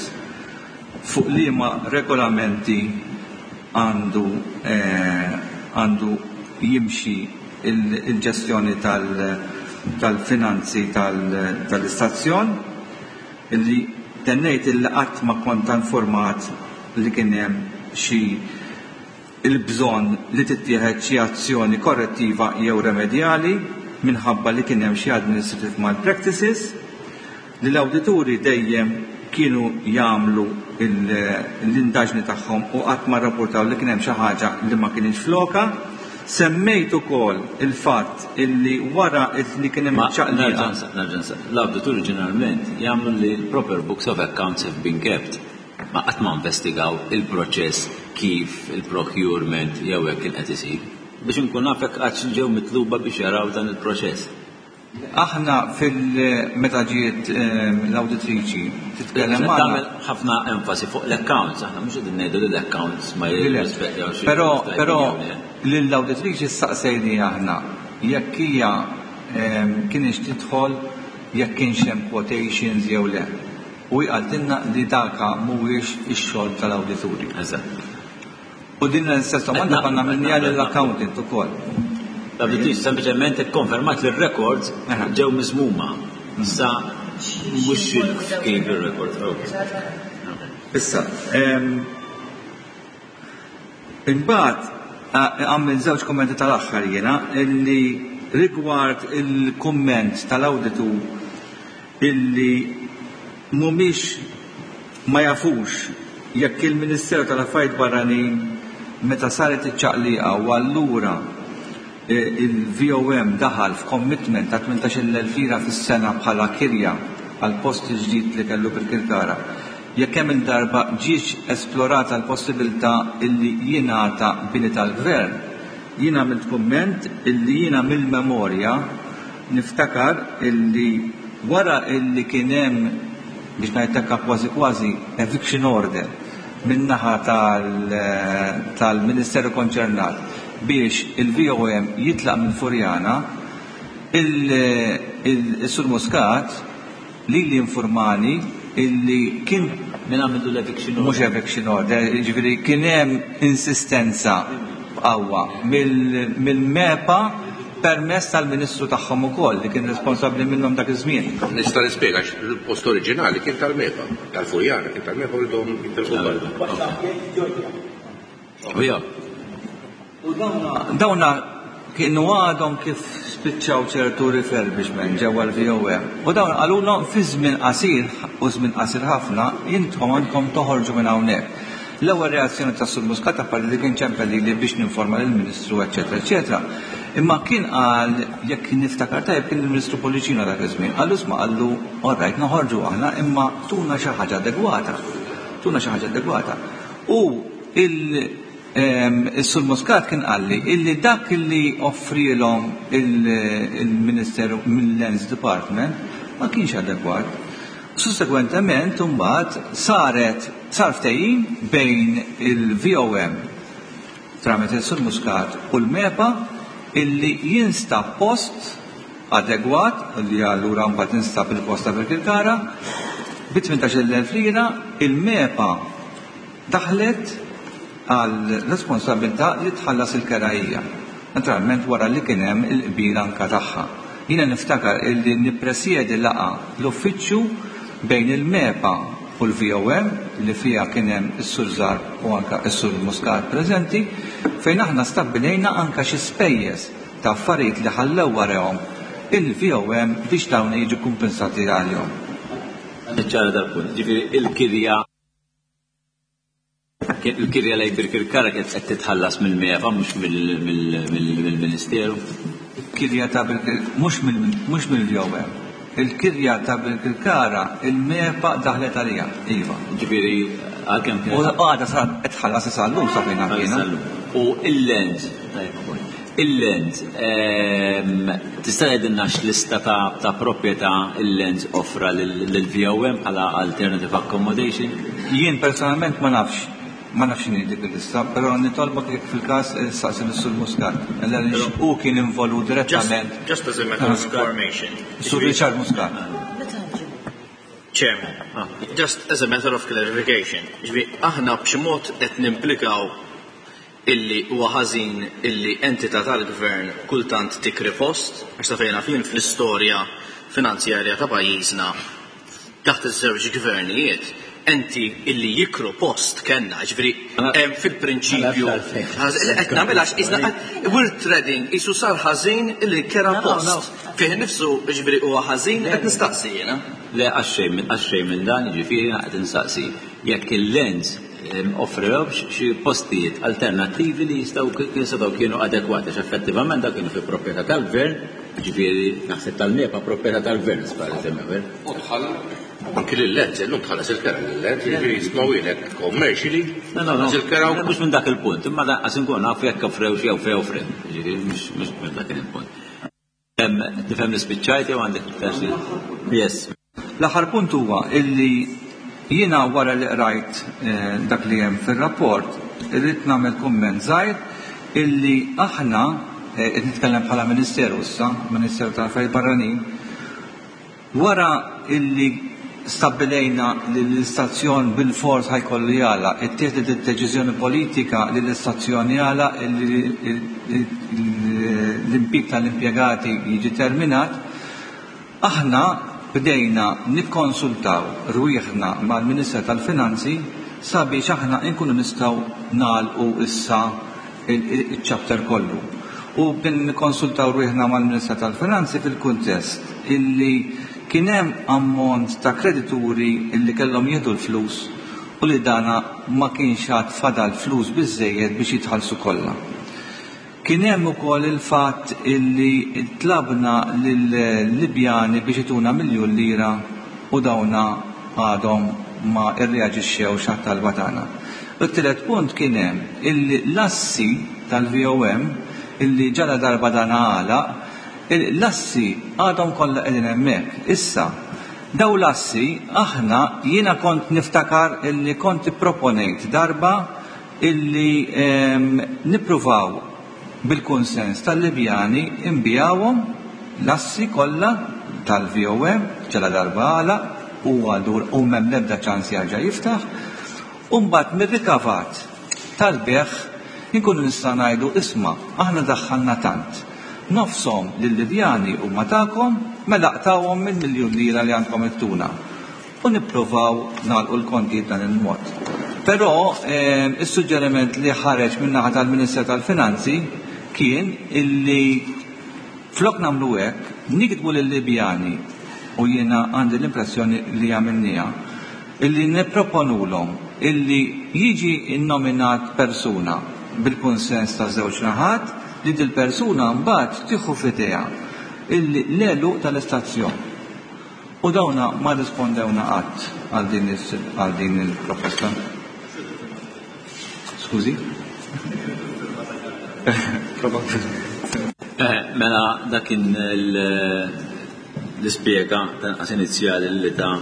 fuq liema regolamenti għandu għandu jimxi il-ġestjoni tal-finanzi tal-istazzjon, illi tennejt illi qatt ma kont informat li kien hemm xi il-bżonn li tittieħed xi azzjoni korrettiva jew remedjali minħabba li kien hemm xi administrative malpractices, li l-awdituri dejjem kienu jagħmlu l-indaġni tagħhom u qatt ma rrappurtaw li kien hemm xi ħaġa li ma kinitx flokha. Semmejt ukoll il-fatt illi wara li kien hemm iċ-ċaqliqa. Nerġa' nsaqsi. L-awdituri ġeneralment jagħmlu li l-proper books of accounts have been kept. Ma qatt ma investigaw il-proċess kif il-procurement jew hekk kien qed isir. Biex inkun naf jekk qattx ġew mitluba biex jaraw dan il-proċess. Aħna fil meta ġiet l-awditriċi titkellem magħna. Tagħmel ħafna enfasi fuq l-accounts, aħna mhux qegħdin ngħidu li l-accounts ma jirrispettawx. Però però lill-awditriċi staqsejniha aħna jekk hija kinitx tidħol jekk kienx hemm quotations jew le. U hi qaltilna li daka mhuwiex ix-xogħol tal-awdituri. Eżatt. U din l-istess domanda konna għamilniha lill-accountant ukoll. L-awditriċi sempliċement ikkonfermat li r-records ġew miżmuma. Issa mhux kif ir-records. Issa, imbagħad għamilt żewġ kummenti tal-aħħar jiena illi rigward il-kumment tal-awditur illi mhumiex ma jafux jekk il-Ministeru tal-Affarijiet Barranin meta saret iċ-ċaqliqa u allura il-VOM daħal f'commitment ta' 18,000 lira fis-sena bħala kirja għall-post il-ġdid li kellu Birkirkara, jekk kemm-il darba ġietx esplorata l-possibilità illi jingħata bini tal-Gvern. Jien għamilt kumment illi jiena mill-memorja Niftakar illi wara illi kien hemm, biex ngħid hekk kważi kważi, eviction order min-naħa tal-Ministeru konċernat biex il-VOM jitlaq minn Furjana, il-Sur Muscat lili informani illi kien Min għamillu l-eviction order? Mhux eviction order, jiġifieri kien hemm insistenza b'qawwa mill-MEPA permezz tal-Ministru tagħhom ukoll li kien responsabbli minnhom dak iż-żmien. Nista' nispjega għax il-post oriġinali kien tal-MEPA, tal-Furjana kien tal-MEPA u ridhom jitilqu barra. U dawna kienu għadhom kif spiċċaw ċertu refurbishment ġewwa l-VOM. U dawn qalulhom fi żmien qasir u żmien qasir ħafna intom għandkom toħorġu minn hawnhekk. L-ewwel reazzjoni ta' Sur Muscat apparti li kien ċempel lili biex ninforma lill-Ministru eċċetera eċċetera. Imma kien qal jekk niftakar tajjeb kien il-Ministru Pullicino dak iż-żmien. Qallu isma' qallu all right noħorġu aħna imma tuna xi ħaġa adegwata. Tuna xi ħaġa adegwata. U il-Sur Muscat kien qalli illi dak li offrielhom il-Ministeru mill-Lands Department ma kienx adegwat. Sussegwentement imbagħad saret sar ftehim bejn il-VOM tramite s-Sur Muscat u l-MEPA illi jinstab post adegwat li allura mbagħad instab il-post ta' Birkirkara bi 18,000 lira il-MEPA daħlet għal responsabilità li tħallas il-kera hija. Naturalment wara li kien hemm il-qbil anka tagħha. Jiena niftakar illi nippresjedi laqgħa l-uffiċċju bejn il-MEPA u l-VOM li fiha kien hemm is-Sur Zarb u anka s-Sur Muscat preżenti fejn aħna stabbilejna anka xi spejjeż ta' affarijiet li ħallew warahom il-VOM biex dawn jiġu kumpensati għalihom. Niċċara dal-punt, ġifieri il-kirja Il-kirja lejn Birkirkara kienet qed titħallas mill-MEPA mhux mill-Ministeru. Il-kirja ta' mhux mill-VOM. Il-kirja ta' Birkirkara il-MEPA daħlet għaliha, iva. Ġifieri għalkemm kienet. U għadha sa qed tħallas sa llum sa fejn naf jiena. U il-land, il-land, tista' tgħidilna x'lista ta' proprjetà il-lands offra lill-VOM bħala alternative accommodation? Jien personalment ma nafx. Ma nafx x'inhi dik il-lista, però nitolbok jekk fil-każ issaqsi lis-Sur Muscat, għaliex hu kien involut direttament. Just as a matter of information. Sur Richard Muscat. Chairman, just as a matter of clarification, ġifieri aħna b'xi mod qed nimplikaw illi huwa ħażin illi entità tal-gvern kultant tikri post, għax sa fejn naf jien fl-istorja finanzjarja ta' pajjiżna taħt iż-żewġ gvernijiet enti illi jikru post kellna, ġifieri hemm fil-prinċipju qed nagħmilha għax qisna we're treading qisu sar ħażin illi kera post. Fih innifsu ġifieri huwa ħażin qed nistaqsi jiena. Le għax xejn għax xejn minn dan, jiġifieri jiena qed insaqsi jekk il-lands offrewx xi postijiet alternattivi li jistgħu kien setgħu kienu adekwati għax effettivament dawk kienu fi proprjetà tal-gvern, jiġifieri naħseb tal-MEPA proprjetà tal-gvern as far as I'm aware. U tħall anki lil-lands, illum tħallas il-kera lil-lands, jiġifieri jisma' wieħed commercially, No, no, no. tħallas il-kera Le, mhux minn dak il-punt, imma lanqas inkun naf jekk offrewx jew fejn offrew. Jiġifieri mhux mhux dak kien il-punt. Tifhem li spiċċajt jew għandek iktar xi? Yes. L-aħħar punt huwa illi jiena wara li qrajt dak li hemm fir-rapport irrid nagħmel kumment żgħir illi aħna, qed nitkellem bħala Ministeru issa, Ministeru tal-Affarijiet Barranin, Wara illi stabbilejna li l-istazzjon bilfors ħa jkollu jagħlaq, ittieħdet id-deċiżjoni politika li l-istazzjon jagħlaq, illi l-impjieg tal-impjegati jiġi terminat, aħna bdejna nikkonsultaw rwieħna mal-Minister tal-Finanzi sabiex aħna nkunu nistgħu nagħlqu issa iċ-chapter kollu. U bdejna nikkonsultaw rwieħna mal-Ministra tal-Finanzi fil-kuntest illi kien hemm ammont ta' kredituri illi kellhom jieħdu l-flus u li dana ma kienx għad fadal flus biżżejjed biex jitħallsu kollha. Kien hemm ukoll il-fatt illi tlabna lil-Libjani biex ituna miljun lira u dawna għadhom ma rreaġixxewx għat-talba tagħna. U t-tielet punt kien hemm illi l-assi tal-VOM illi ġaladarba dan għalaq, l-assi għadhom kollha qegħdin hemmhekk. Issa, dawn l-assi aħna jiena kont niftakar illi kont ipproponejt darba illi nippruvaw bil-kunsens tal-Libjani nbigħuhom l-assi kollha tal-VOM ġaladarba għalaq u għadur u m'hemm l-ebda ċans jerġa' jiftaħ u mbagħad mir-rikavat tal-bejgħ inkunu nistgħu ngħidu isma' aħna daħħalna tant. Nofshom lil-Libjani huma tagħkom mela aqtgħuhom mill-miljun lira li għandkom ittuna. U nippruvaw nagħlqu l-kontijiet b'dan il-mod. Però is-suġġeriment li ħareġ min-naħa tal-Minister tal-Finanzi kien illi flok nagħmlu hekk, niktbu lil-Libjani, u jiena għandi l-impressjoni li għamilniha, illi nipproponulhom illi jiġi nnominat persuna bil-kunsens taż-żewġ naħat li dil-persuna mbagħad tieħu f'idejha illi l-għeluq tal-istazzjon. U dawna ma rrispondewna qatt għal din għal din il-proposta. Skużi? Eh, mela dak kien l-ispjega tanqas inizjali li ta'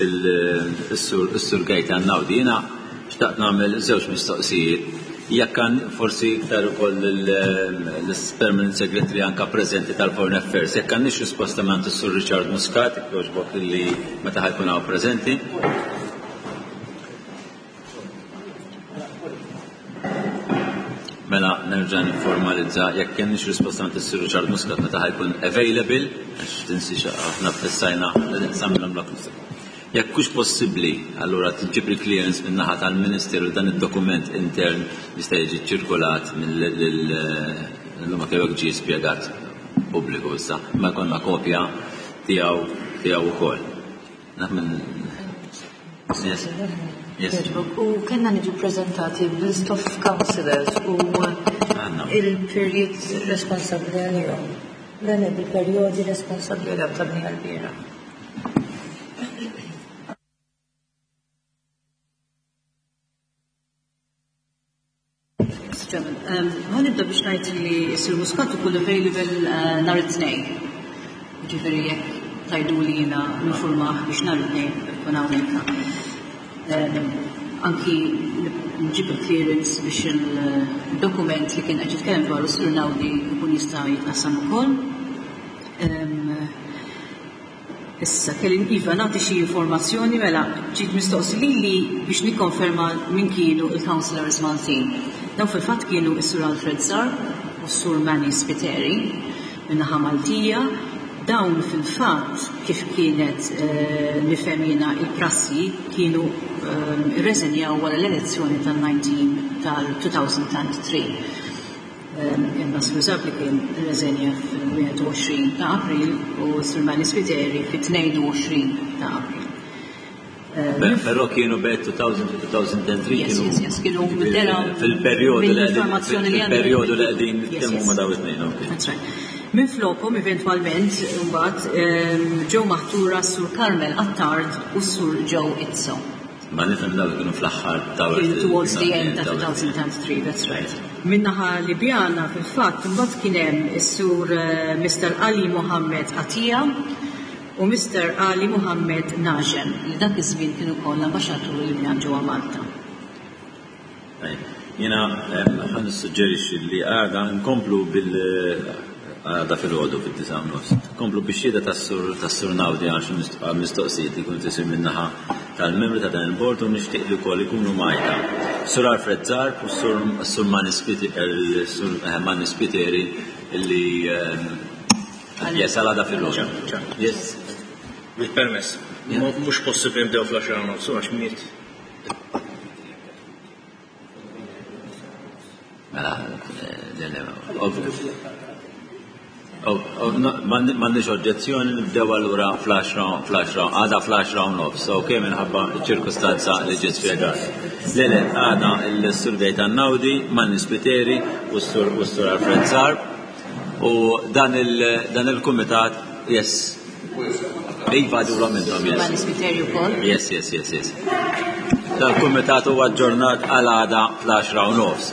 il-sur Gaetan Naudi. Jiena xtaqt nagħmel żewġ mistoqsijiet. Jekk għan forsi iktar ukoll l-Permanent Secretary anka preżenti tal-Foreign Affairs, jekk għandniex risposta mingħand is-Sur Richard Muscat, jekk jogħġbok li meta ħa jkun hawn preżenti. Mela nerġa' nifformalizza jekk kenniex risposta mingħand is-Sur Richard Muscat meta ħa jkun available, għax tinsiex aħna ffissajna li nsamilhom l Jekk hux possibbli, allura tiġġib il-clearance min-naħa tal-Ministeru dan id-dokument intern jista' jiġi ċċirkulat mill anke hekk ġie spjegat pubbliku issa, imma jkollna kopja tiegħu tiegħu wkoll. Naf minn Yes. Yes. U kellna niġu ppreżentati b'list of councillors u il-period responsabbli għalihom. Le le bil-perjodi responsabbli għalihom ta' bniha l-bieraħ. Ħa nibda biex ngħid li s-Sur Muscat ikun available eh, nhar it-tnejn. Ġifieri jekk tajdu li jiena nifurmah biex nhar it-tnejn ikun hawnhekk. Anki nġib il-clearance biex il-dokument li kien qed jitkellem dwaru Sur Naudi jkun jista' jitqassam ukoll. Issa, kelli iva nagħti xi informazzjoni mela ġiet mistoqsi lili biex nikkonferma min kienu il-councillors Maltin. Dawn fil-fatt kienu s-Sur Alfred Zarb u s-Sur Manny Spiteri min-naħa Maltija. Dawn fil-fatt kif kienet nifhem jiena il-prassi kienu rreżenjaw wara l-elezzjoni tal-19 tal-2003. Imma Sur Zarb li kien rreżenja fil-21 ta' April u Sur Manny Spiteri fit-22 ta' April. Però kienu bejn 2000 u 2003 kienu. Yes, yes, kienu fil-perjodu li fil-perjodu li qegħdin nitkellmu ma' dawn it-tnejn. That's right. Minflokhom eventwalment imbagħad ġew maħtura s-Sur Carmel Attard u s-Sur Joe Izzo. Ma nifhem dawk kienu fl-aħħar ta' Kienu towards the end ta' 2003, that's right. Min-naħa Libjana fil-fatt imbagħad kien hemm is-Sur Mr. Ali Mohammed Atia u Mister Ali Mohammed Najem, li dak iż-żmien kien ukoll l-ambaxxatur Libjan ġewwa Malta. Jiena ħa nissuġġerixxi li għada nkomplu bil għada filgħodu fid-disgħa u nofs. Nkomplu bix-xhieda tas-Sur tas-Sur Naudi għal xi mistoqsijiet li jkunu tisir min-naħa tal-membri ta' dan il-bord u nixtieq li wkoll ikunu mgħajta Sur Alfred Zarb u s-Sur Manny Spiteri li Yes, għal għada fil-ħodu. Yes. Bil-permess. Mhux possibbli nibdew fl-10 nofsu għax miet. Mela, M'għandniex oġġezzjoni nibdew allura fl-10 fl-10 għada fl-10 u nofs, ok minħabba ċ-ċirkustanza li ġiet spjegat. Le le, għada l-Sur Gaetan Naudi, Manny Spiteri u s-Sur Alfred Zarb. U dan il-kumitat, yes. Iva għadulhom intom, yes. Yes, yes, yes, yes. Dal-kumitat huwa aġġornat għal għada fl-10 u nofs.